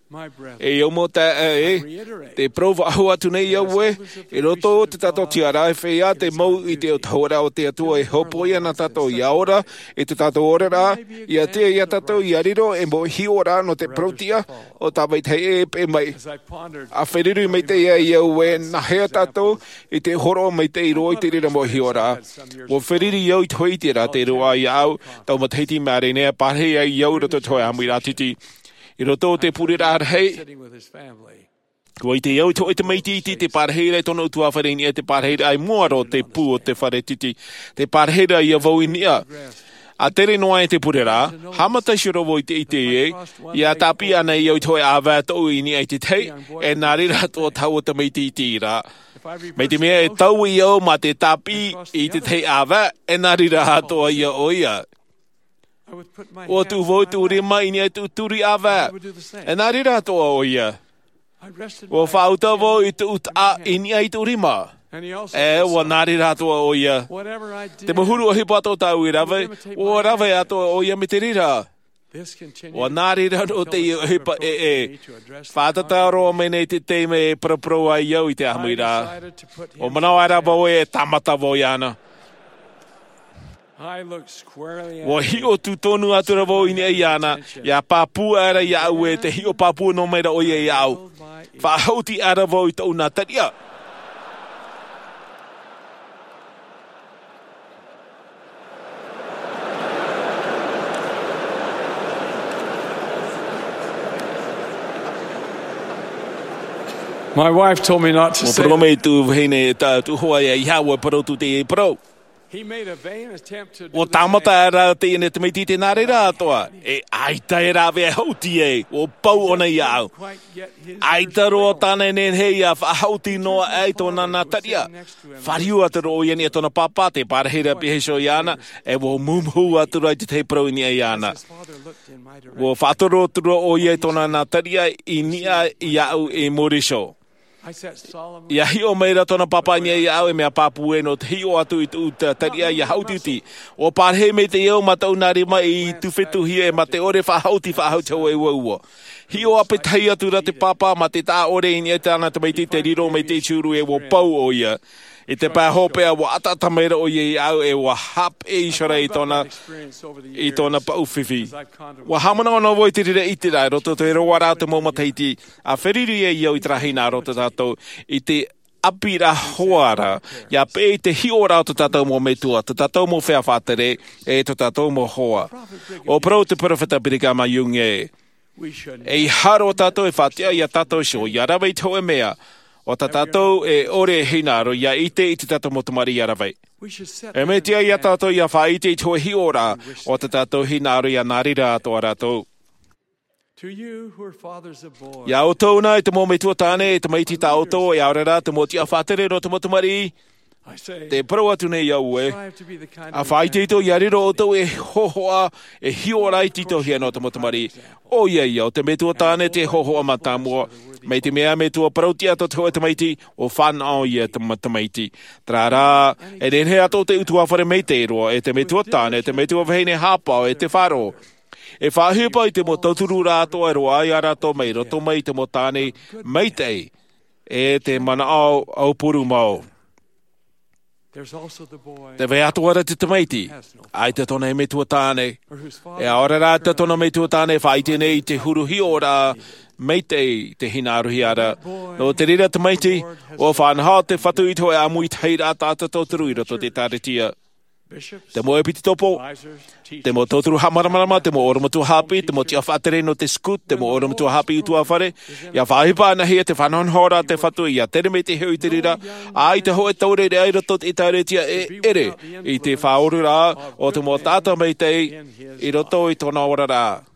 E au mau taeaʻe, te parau faʻahou atu nei au ē, i roto i tā tātou tiʻaraʻa e feiā te mau ʻite o te hōroʻa o te Atua e hōpoi ana tātou ia ora, i tā tātou oraraʻa, ia tiʻa ia tātou ia riro ei mau hiʻoraʻa nō te parauʻtiʻa o tā vetahi ʻē e peʻe mai. ʻA feruri maitaʻi au ē, nāhea tātou i te hōroʻa maitaʻi roa i te reira mau hiʻoraʻa. ʻUa feruri au i te hōʻē ʻiteraʻa tei roaʻa iāʻu, taua matahiti i Maʻarenea, pārahi ai au i roto i te hōʻē ʻāmuiraʻa tītī. I roto i te pureraʻa rahi, ʻua ʻite au i te hōʻē tamaiti iti i te pārahiraʻa i tōna ʻutuāfare i niʻa i te pārahiraʻa i mua roa o te pū o te fare tītī. Te pārahiraʻa ia vau i niʻa. ʻA tere noa i te pureraʻa, haʻamata iho roa vau i te ʻite ē, ia tāpiʻi ana au i te hōʻē ʻāvae toʻu i niʻa i te tahi, e nā reira atoʻa taua tamaiti iti ra. Mai te mea e taui au mā te tāpiʻi i te tahi ʻāvae, e nā reira atoʻa ia ʻoia. ʻUa tuʻu vau i tōʻu rima i niʻa i tōʻu turi ʻāvae, e nā reira atoʻa ʻoia. ʻUa faʻauta vau i tōʻu taʻa i niʻa i tōʻu rima, e ʻua nā reira atoʻa ʻoia. Te mau huru ʻohipa atoʻa tāʻu i rave, ʻua rave atoʻa ʻoia mai te reira. ʻUa nā reira roa teie ʻohipa ʻē. Fātata roa mai nei te taime e paraparau ai au i te ʻāmuiraʻa. ʻUa manaʻo aʻera vau ē, e tāmata vau iāna. ʻUa hiʻo tūtonu atu ra vau i niʻa iāna, ʻia pāpū aʻera iāʻu ē, te hiʻo pāpū noa mai ra ʻoia iāʻu. Faʻahaʻuti aʻera vau i tōʻu nā tariʻa. My wife told me not to say that. ʻUa parau mai tōʻu vahine, e tā tōʻu hoa iāʻu, ʻua parau atu teie parau. He made a vain attempt to do the same. ʻUa tāmata aʻera teie nei tamaiti i te nā reira atoʻa. E ʻaita e rāveʻa haʻuti ai, ʻua pau ʻōna iāʻu. ʻAita roa tāna e nehenehe ʻia faʻahaʻuti noa aʻe i tōna nā tariʻa. Fāriu atu ra ʻoia i niʻa i tōna pāpā, te pārahiraʻa pihaʻi iho iāna, e ʻua mumuhu atu ra i te tahi parau i niʻa iāna. ʻUa faʻatoro atu ra ʻoia i tōna nā tariʻa i niʻa iāʻu i muri iho. ʻIa hiʻo mai ra tōna pāpā i niʻa iāʻu, e mea pāpū ē nō te hiʻo atu i tōʻu tariʻa ʻia haʻutiʻuti. ʻUa pārahi maitaʻi au mā tōʻu nā rima i tufetuhia e mā te ʻore faʻahaʻuti, faʻahaʻuti hau e uaua. Hiʻo ʻāpī tahi atu ra te pāpā mā te taʻa ʻore i niʻa i tāna tamaiti te riro mai te huru e ʻua pau ʻoia. I te pae hopeʻa ʻua ʻataʻata mai ra ʻoia iāʻu e ʻua haʻapeʻe iho ra i tōna, i tōna paʻu fifi. ʻUa haʻamanaʻo noa vau i te reira ʻiteraʻa i roto i te roaraʻa o te mau matahiti, ʻa feruri ai au i terā hinaʻaro tā tātou, i te ʻāpīraʻa hoa ra, ʻia peʻe i te hiʻoraʻa o tō tātou mau metua, tō tātou mau feiā faʻatere, e tō tātou mau hoa. ʻUa parau te peropheta Brigham Young ē, ʻeiaha roa tātou e faʻatiʻa ia tātou iho, ʻia rave i te hōʻē mea, ʻo tā tātou e ʻore e hinaʻaro, ʻia ʻite i tō tātou mau tamariʻi ʻia rave. E mea tiʻa ia tātou ʻia faʻaʻite i te hōʻē hiʻoraʻa, ʻo tā tātou hinaʻaro ʻia nā reira atoʻa rātou. To you who are fathers of boys, Iā ʻoutou nā, e te mau metua tāne, e tamaiti tā ʻoutou, e ʻaore rā te mau tiʻa faʻatere nō te mau tamariʻi, I say, te parau atu nei au ē, strive to be the kind of ʻa faʻaitoito ʻia riro ʻoutou ei hōhoʻa, e hiʻoraʻa e tītauhia nō te mau tamariʻi. ʻOia ia, ʻo te metua tāne te hōhoʻa mātāmua, mai te mea metua parauʻtiʻa tō te hōʻē tamaiti, ʻua fānaʻo ia te ma-, tamaiti. Terā rā, e nehenehe atoʻa te ʻutuāfare maitaʻi roa, e te metua tāne, te metua vahine haʻapaʻo, e te faʻaroʻo. E faʻaʻohipa i te mau tauturu rā atoʻa e roaʻa ia rātou mai roto mai i te mau tāne maitaʻi, e te manaʻo aupuru mau. There's also the boy Tē vai atoʻa ra te tamaiti, ʻaita tōna metua tāne, e ʻaore rā tōna metua tāne e faʻaʻite nei i te huru hiʻoraʻa maitaʻi te hinaʻarohia ra. Nō te reira tamaiti, ʻua faʻanaho te Fatu i te hōʻē ʻāmuitahiraʻa taʻata tauturu i roto i te ʻĒkālesia. Te mau ʻepitopo, te mau tauturu haʻamāramarama, te mau ʻorometua haʻapiʻi, te mau tiʻa faʻatere nō te scout, te mau ʻorometua haʻapiʻi ʻutuāfare, ʻia faʻaʻohipa anaʻe ia te faʻanahonahoraʻa a te Fatu, ʻia tere maitaʻi hoʻi i te reira, ʻaita hōʻē taureʻareʻa i roto i te ʻĒkālesia e ʻere i te faʻaoraraʻa o te mau taʻata maitaʻi i roto i tōna oraraʻa.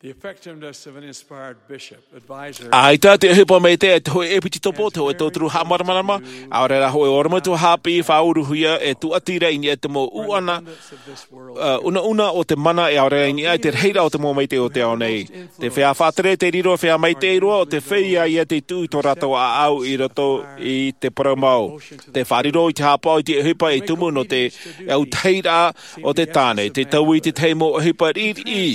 The effectiveness of an inspired bishop, advisor, ʻAita te ʻohipa maitaʻi a te hōʻē ʻepitopo, te hōʻē tauturu haʻamāramarama, ʻaore rā hōʻē ʻorometua haʻapiʻi faʻauruhia e tūʻati ra i niʻa i te mau ʻuʻana, ā, ʻunaʻuna o te mana e ʻaore rā i niʻa i te rahiraʻa o te mau maitaʻi o te ao nei. Te feiā faʻatere tei riro feiā maitaʻi roa, ʻo te feiā ia tei tuʻu i tō rātou ʻāʻau i roto i te parau mau. Te faʻariro i te haʻapaʻo i te ʻohipa e tumu nō te autahiraʻa o te tāne, te taui i te tahi mau ʻohipa riʻiriʻi.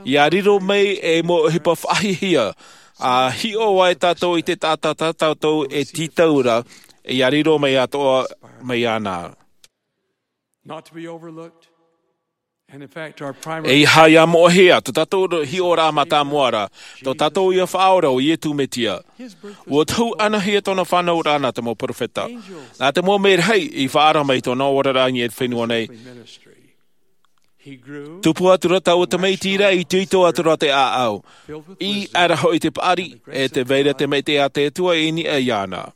ʻIa riro Mai e mau ʻohipa faʻahiahia, a hiʻo ai tātou i te taʻata tā tātou e tītau ra, ia riro mai atoʻa mai iāna. Not to be overlooked. And in fact, our primary E ia moʻehia, tō tātou hiʻoraʻa mātāmua ra, tō tātou ia Faʻaora ʻo Iesu Mesia. Ua tohu ʻanahia tōna fānauraʻa nā te mau perofeta. Nā te mau merahi i faʻaara mai tōna oraraʻa i niʻa i te fenua nei. He grew Tupu atu ra taua tamaiti ra, i tītau atu ra te ʻāʻau. I ara hoʻi te paʻari, e tē vai ra te maitaʻi a te Atua i niʻa iāna.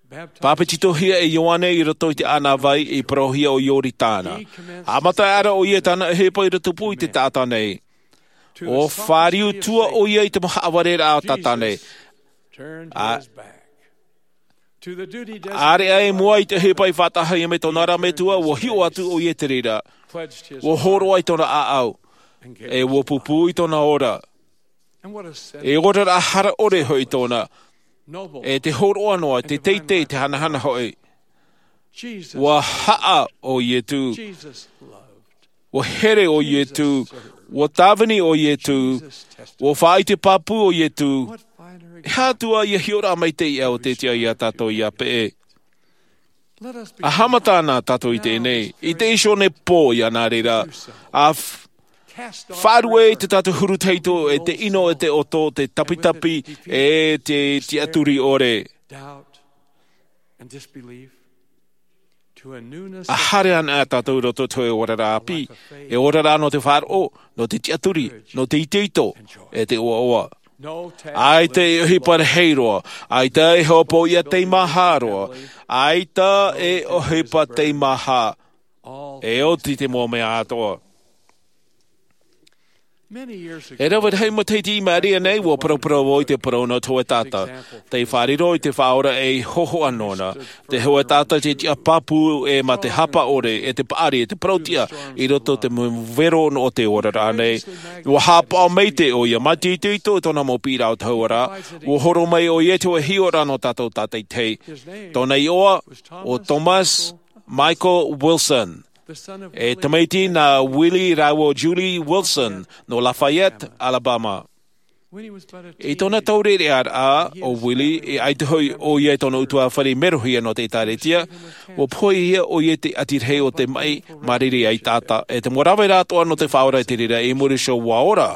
Pāpetitohia e Ioane i roto i te ʻānāvai i parauhia ʻo Ioritana. Haʻamata aʻera ʻoia i tāna ʻohipa i rotopū i te taʻata nei. ʻUa fāriu tua ʻoia i te mau haʻavareraʻa o te taʻata nei. A, ʻāreʻa i mua i te ʻohipa i faʻataʻahia mai tōna ra metua, ʻua hiʻo atu ʻoia i te reira. ʻUa hōroʻa i tōna ʻāʻau. E ʻua pūpū i tōna ora. E oraraʻa hara ʻore hoʻi tōna. E te hōroʻa noa, te teitei, te hanahana hoʻi. ʻUa haʻa ʻo Iesu. ʻUa here ʻo Iesu. ʻUa tāvini ʻo Iesu. ʻUa faʻaʻite pāpū ʻo Iesu. E aha atu ā ia hiʻoraʻa maitaʻi ʻo te Atua iā tātou ia peʻe. A haʻamata na tātou i teie nei, i te iho nei pō ia nā reira. A f-, faʻaruʻe i te tātou huru tahito, e te ʻino, e te ʻoto, te tapitapi, e te tiʻaturi ʻore. Doubt and disbelief to a newness A haere ana tātou i roto i te oraraʻa ʻāpī, e oraraʻa nō te faʻaroʻo, nō te tiʻaturi, nō te itoito, e te ʻoaʻoa. ʻAita e ʻohipa rahi roa, ʻaita e hopoiʻa teimaha roa, ʻaita e ʻohipa teimaha, e oti te mau mea atoʻa. E rave rahi matahiti i maʻiri aʻe nei, ʻua paraparau vau i te parau nō te hōʻē taʻata, tei fārerei i te Faʻaora ei hōhoʻa nōna, te hōʻē taʻata tei tiʻa pāpū ʻē mā te hapa ʻore, e te paʻari, e te parauʻtiʻa, i roto i te mau vero nō te oraraʻa nei. ʻUa haʻapaʻo maitaʻi ʻoia, mā te itoito i tōna mau piʻiraʻa o te hau ra, ʻua horo mai ʻoia i te hōʻē hiʻoraʻa nō tātou tātaʻitahi. Tōna iʻoa, ʻo Thomas Michael Wilson. E tamaiti nā Willie rāua ʻo Julie Wilson, nō Lafayette, Alabama. I tōna taureʻareʻa ʻo Willie, e ʻaita hoʻi ʻoia i tōna ʻutuāfare i merohia nō te ʻĒtārētia, ʻua pohe ʻoia i te ʻati rahi o te maʻi, mā reira ia taʻata, e te mau rāveʻa atoʻa nō te Faʻaora i te reira i muri iho ʻua ora.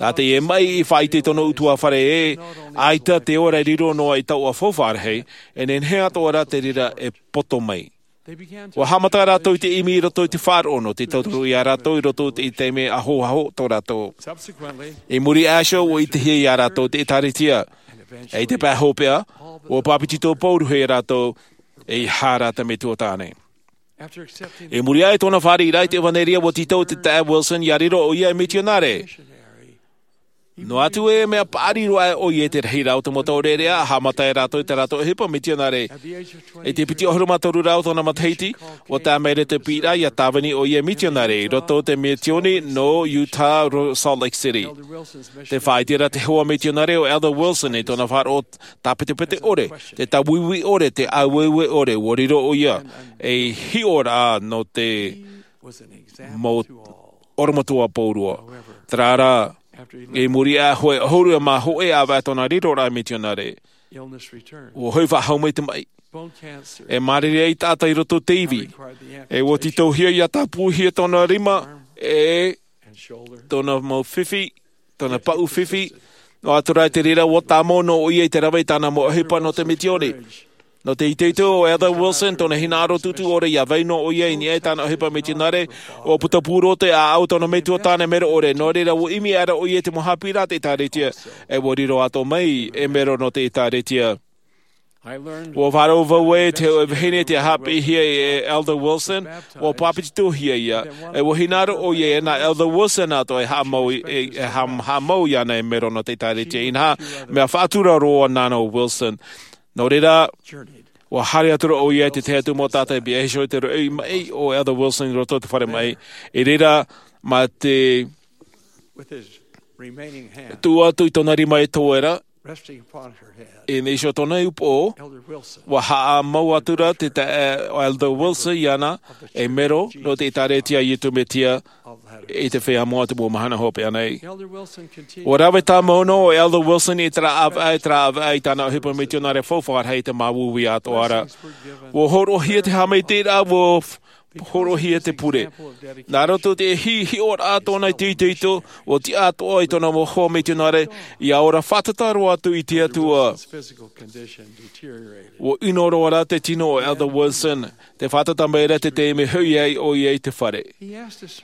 Nā teie maʻi i faʻaʻite i tōna ʻutuāfare ē, ʻaita te ora riro noa i taua faufaʻa rahi, e nehenehe atoʻa rā te reira e poto mai. ʻUa haʻamata rātou i te ʻimi i roto i te faʻaroʻo nō te tauturu iā rātou i roto i te taime ahoaho tō rātou. I muri iho, ʻua ʻitehia iā rātou te ʻĒtārētia. E i te pae hopeʻa, ʻua pāpetito paurohia rātou, e i hara te metua tāne. I muri aʻe i tōna fāriʻiraʻa i te ʻevaneria, ʻua tītau te taeaʻe Wilson, ʻia riro ʻoia ei mitionare. Noa atu e mea paʻari roa ʻoia i te rahiraʻa o te mau taureʻareʻa, haʻamata rātou i tā rātou ʻohipa mitionare. I te piti ʻahuru mā toru rā o tōna matahiti, ʻua tae mai ra te piʻiraʻa ʻia tāvini ʻoia ei mitionare, i roto i te misiōni nō Utah, Salt Lake City. Tē faʻaʻite ra te hoa mitionare ʻo Elder Wilson i tōna faʻaroʻo tāpetepete ʻore, te tāuiui ʻore, te ʻāueue ʻore, ʻua riro ʻoia ei hiʻoraʻa nō te mau ʻorometua pauroa. Terā rā, i muri aʻe i te hōʻē ʻahuru mā hōʻē ʻāvaʻe tōna riroraʻa mitionare, ʻua hoʻi faʻahou mai te maʻi. E mārire ai taʻata i roto i te ivi. E ʻua tītauhia ʻia tāpūhia tōna rima, e tōna mau fifi, tōna paʻu fifi. Noa atu rā i te reira, ʻua tāmau noa ʻoia i te rave i tāna mau ʻohipa nō te misiōni. Nō te itoito o Elder Wilson, tōna hinaʻaro tūtū ʻore ʻia vai noa ʻoia i niʻa i tāna ʻohipa mitionare, ʻua putapū roa te ʻāʻau tōna metua tāne mero ʻore, nō reira ʻua ʻimi aʻera ʻoia i te mau haʻapiʻiraʻa a te ʻĒtārētia, e ʻua riro atoʻa mai ei mero nō te ʻĒtārētia. ʻUa faʻaroʻo vau ē, te hōʻē vahine tei haʻapiʻihia e Elder Wilson, ʻua pāpetitohia ʻoia, e ʻua hinaʻaro ʻoia ē nā Elder Wilson atoʻa e haʻamau, e, e haʻa-, haʻamau iāna ei mero nō te ʻĒtārētia. Inaha, mea faʻatura roa nāna ʻo Wilson. Nō reira, ʻua haere atu ra ʻoia i te tahi atu mau taʻata i pihaʻi iho i te roʻi maʻi o Elder Wilson i roto i te fare maʻi. I reira, mā te tuʻu atu i tōna rima e toe ra, I niʻa iho tōna upoʻo, ua haʻamau atu ra te taeaʻe o Elder Wilson iāna, e mero nō te ʻĒtārētia a Iesu Mesia i te feiā moʻa o te mau mahana hopeʻa nei. Ua rave tāmau noa ʻo Elder Wilson i terā ʻāvaʻe, i terā ʻāvaʻe i tāna ʻohipa mitionare faufaʻa rahi i te māuiui atoʻa ra. Ua hōroʻahia te haʻamaitaʻiraʻa, ua hōroʻahia te pure. Nā roto i te hiʻoraʻa tōna i te itoito, ua tiʻa atoʻa i tōna mau hoa mitionare, ʻia ora fātata roa atu i te Atua. Ua ʻino roa ra te tino o Elder Wilson, tē fātata mai ra te taime hoʻi ai ʻoia i te fare.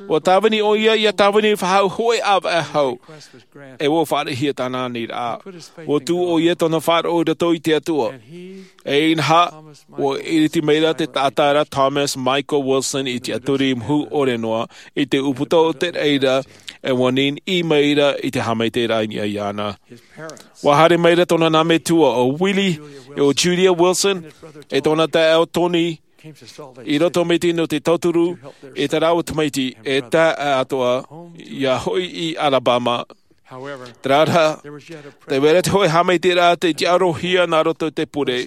Ua tāvini ʻoia ʻia tāvini faʻahou hōʻē ʻāvaʻe hau, e ua fāriʻihia tāna aniraʻa. Ua tuʻu ʻoia tōna faʻaroʻo i roto i te Atua. E inaha, ua ʻiriti mai ra te taʻata ra Thomas Michael Wilson i te tiʻaturi mahu ʻore noa, i te ʻūputa o te reira, e ua niniʻi mai ra i te haʻamaitaʻiraʻa i niʻa iāna. Ua haere mai ra tōna nā metua ʻo Willie, e ʻo Julia Wilson, e tōna taeaʻe ʻo Tony, i roto mai te nō te tauturu, e te rāua tamaiti, e taeaʻe atoʻa, ʻia hoʻi i Alabama. Terā rā, tē vai ra te hōʻē haʻamaitaʻiraʻa tei tiʻarohia nā roto i te pure.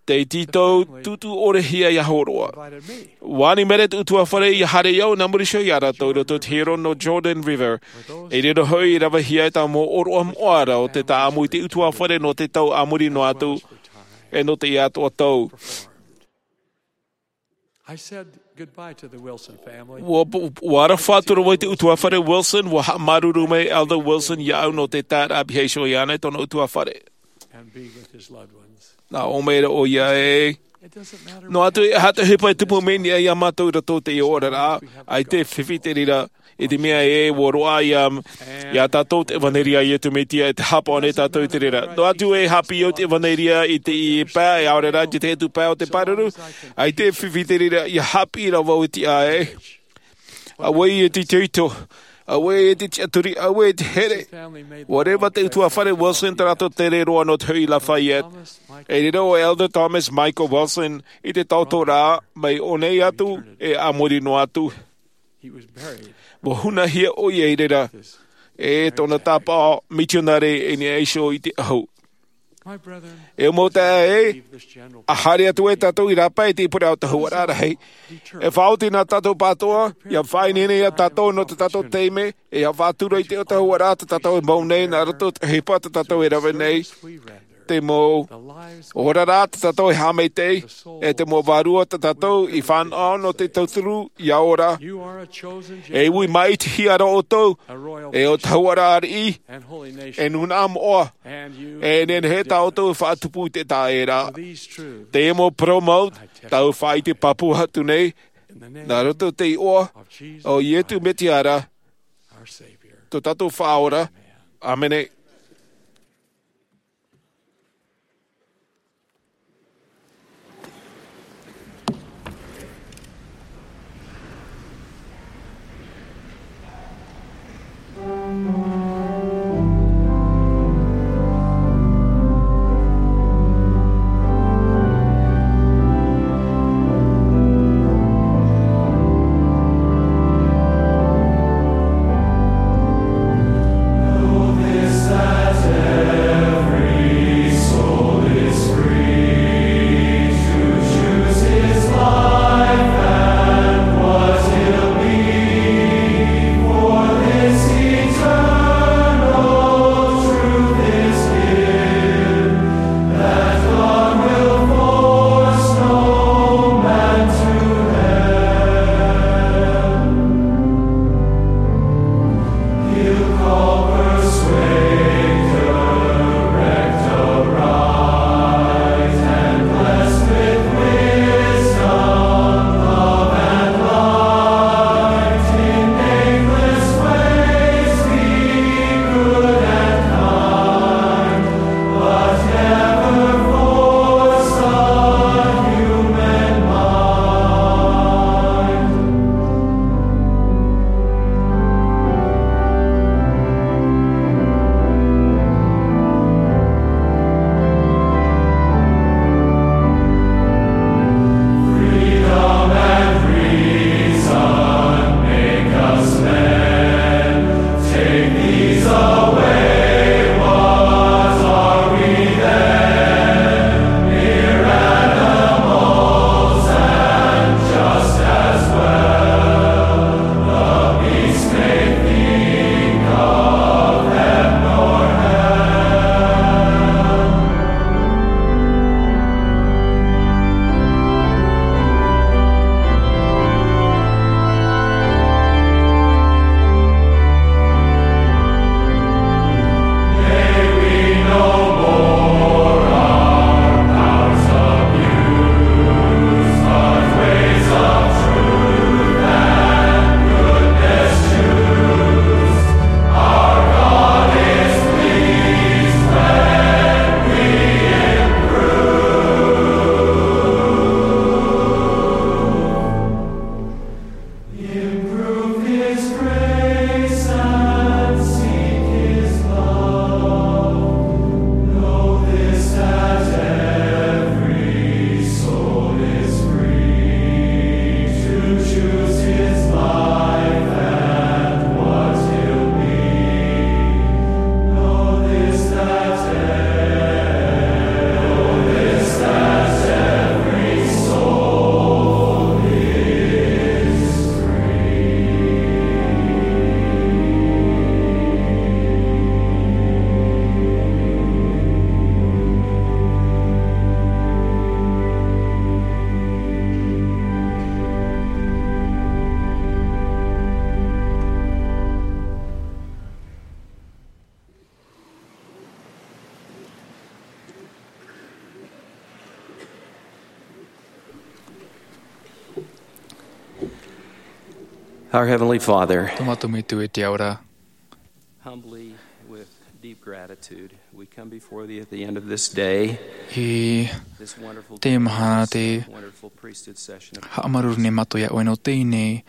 Tei tītau tūtū ʻore hia ʻia hōroʻa. Ua ani mai ra te ʻutuāfare ʻia haere au nā muri iho iā rātou i roto i te hiero nō Jordan River. I reira hoʻi i ravehia e tāʻu mau ʻōroʻa moʻa ra o te tāʻamu i te ʻutuāfare nō te tau a muri noa atu, e nō teie atoʻa tau. Ua, ua aroha atu ra vau i te ʻutuāfare Wilson, ua haʻamāuruuru mai Elder Wilson iāʻu nō te taeraʻa pihaʻi iho iāna i tōna ʻutuāfare. Nā ʻō mai ra ʻoia ē, noa atu e aha te ʻohipa e tupu mai nei iā mātou i roto i teie oraraʻa, ʻaita e fifi te reira, i te mea ē, ua roaʻa iā, iā tātou te ʻevaneria a Iesu Mesia, e te hāpaʻo nei tātou i te reira. Noa atu e haʻapiʻi au te ʻevaneria i teie pae, e ʻaore rā i te tahi atu pae o te pāruru, ʻaita e fifi te reira, ʻia haʻapiʻi ra vau i te ʻāʻai. Auē e te itoito, auē e te tiʻaturi, auē e te here. Ua reva te ʻutuāfare Wilson tā rātou tere roa nō te hoʻi i Lafayette. I reira ʻo Elder Thomas Michael Wilson i te taoto ra, mai ʻō nei atu, e a muri noa atu. Ua hunahia ʻoia i reira, e tōna tāpaʻo mitionare i niʻa iho i te ʻahu. E mau taeaʻe, ʻa haere atu ai tātou i rāpae i te pure o te ahuaraʻa rahi. E faʻaoti nā tātou pātoʻa, ʻia faʻaineine iā tātou nō tā tātou taime, e ʻia faʻatura i te ahuaraʻa tā tātou e mau nei, nā roto i te ʻohipa tā tātou e rave nei. Te mau oraraʻa tā tātou e haʻamaitaʻi, e te mau vārua tā tātou i fānaʻo nō te tauturu ʻia ora. E ui māʻitihia ra ʻoutou, e ʻo te ahuaraʻa ariʻi, e nūnaʻa moʻa, e nehenehe tā ʻoutou e faʻatupu i te taʻata ra. Teie mau parau mau, tāʻu e faʻaʻite pāpū atu nei, nā roto i te iʻoa o Iesu Mesia ra, tō tātou Faʻaora. ʻĀmene. Our Heavenly Father, tō mātou Metua i te ao ra. Humbly, with deep gratitude, we come before thee at the end of this day. I teie mahana tē haʻamāuruuru nei mātou iā ʻoe nō teie nei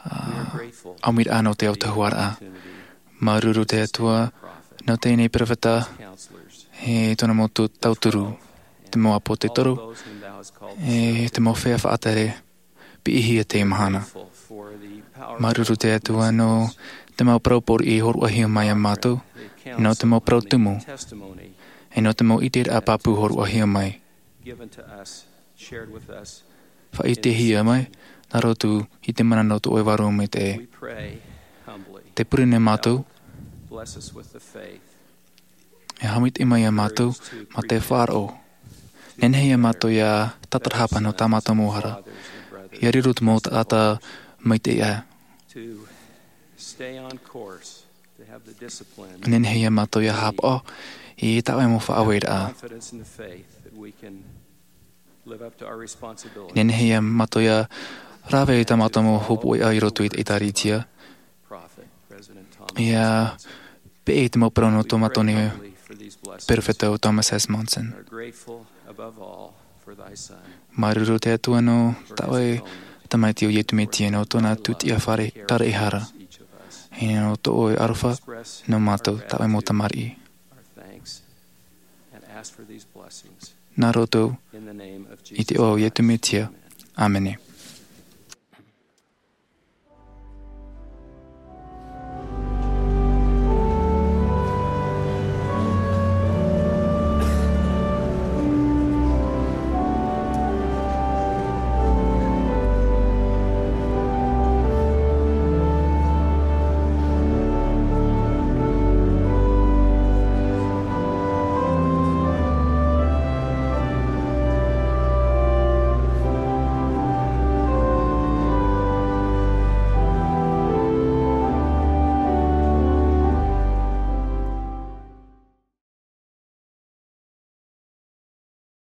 ʻāmuiraʻa nō te autahuʻaraʻa. Māuruuru te Atua nō teie nei peropheta, e tōna mau tauturu, te mau ʻāpōsetolo, e te mau feiā faʻatere piʻihia teie mahana. Māuruuru te Atua nō te mau parau pōriʻi hōroʻahia mai iā mātou, nō te mau parau tumu, e nō te mau ʻiteraʻa pāpū hōroʻahia mai. Faʻaʻitehia mai nā roto i te mana nō tō ʻoe Vārua Maitaʻi. Tē pure nei mātou, e haʻamaitaʻi mai iā mātou mā te faʻaroʻo. Nehenehe iā mātou ʻia tatarahapa nō tā mātou mau hara, ʻia riro te mau taʻata maitaʻi aʻe. Nehenehe iā mātou ʻia haʻapaʻo i tā ʻoe mau faʻaueraʻa. Nehenehe iā mātou ʻia rave i tā mātou mau hōpoiʻa i roto i te ʻĒtārētia, ʻia peʻe i te mau parau nō tō mātou nei peropheta ʻo Thomas S. Monson. Māuruuru te Atua nō tā ʻoe Tamaiti ʻo Iesu Mesia, nō tōna tūtia fare taraʻehara, e nō tō ʻoe aroha nō mātou, tā ʻoe mau tamariʻi. Nā roto i te iʻoa o Iesu Mesia. ʻĀmene.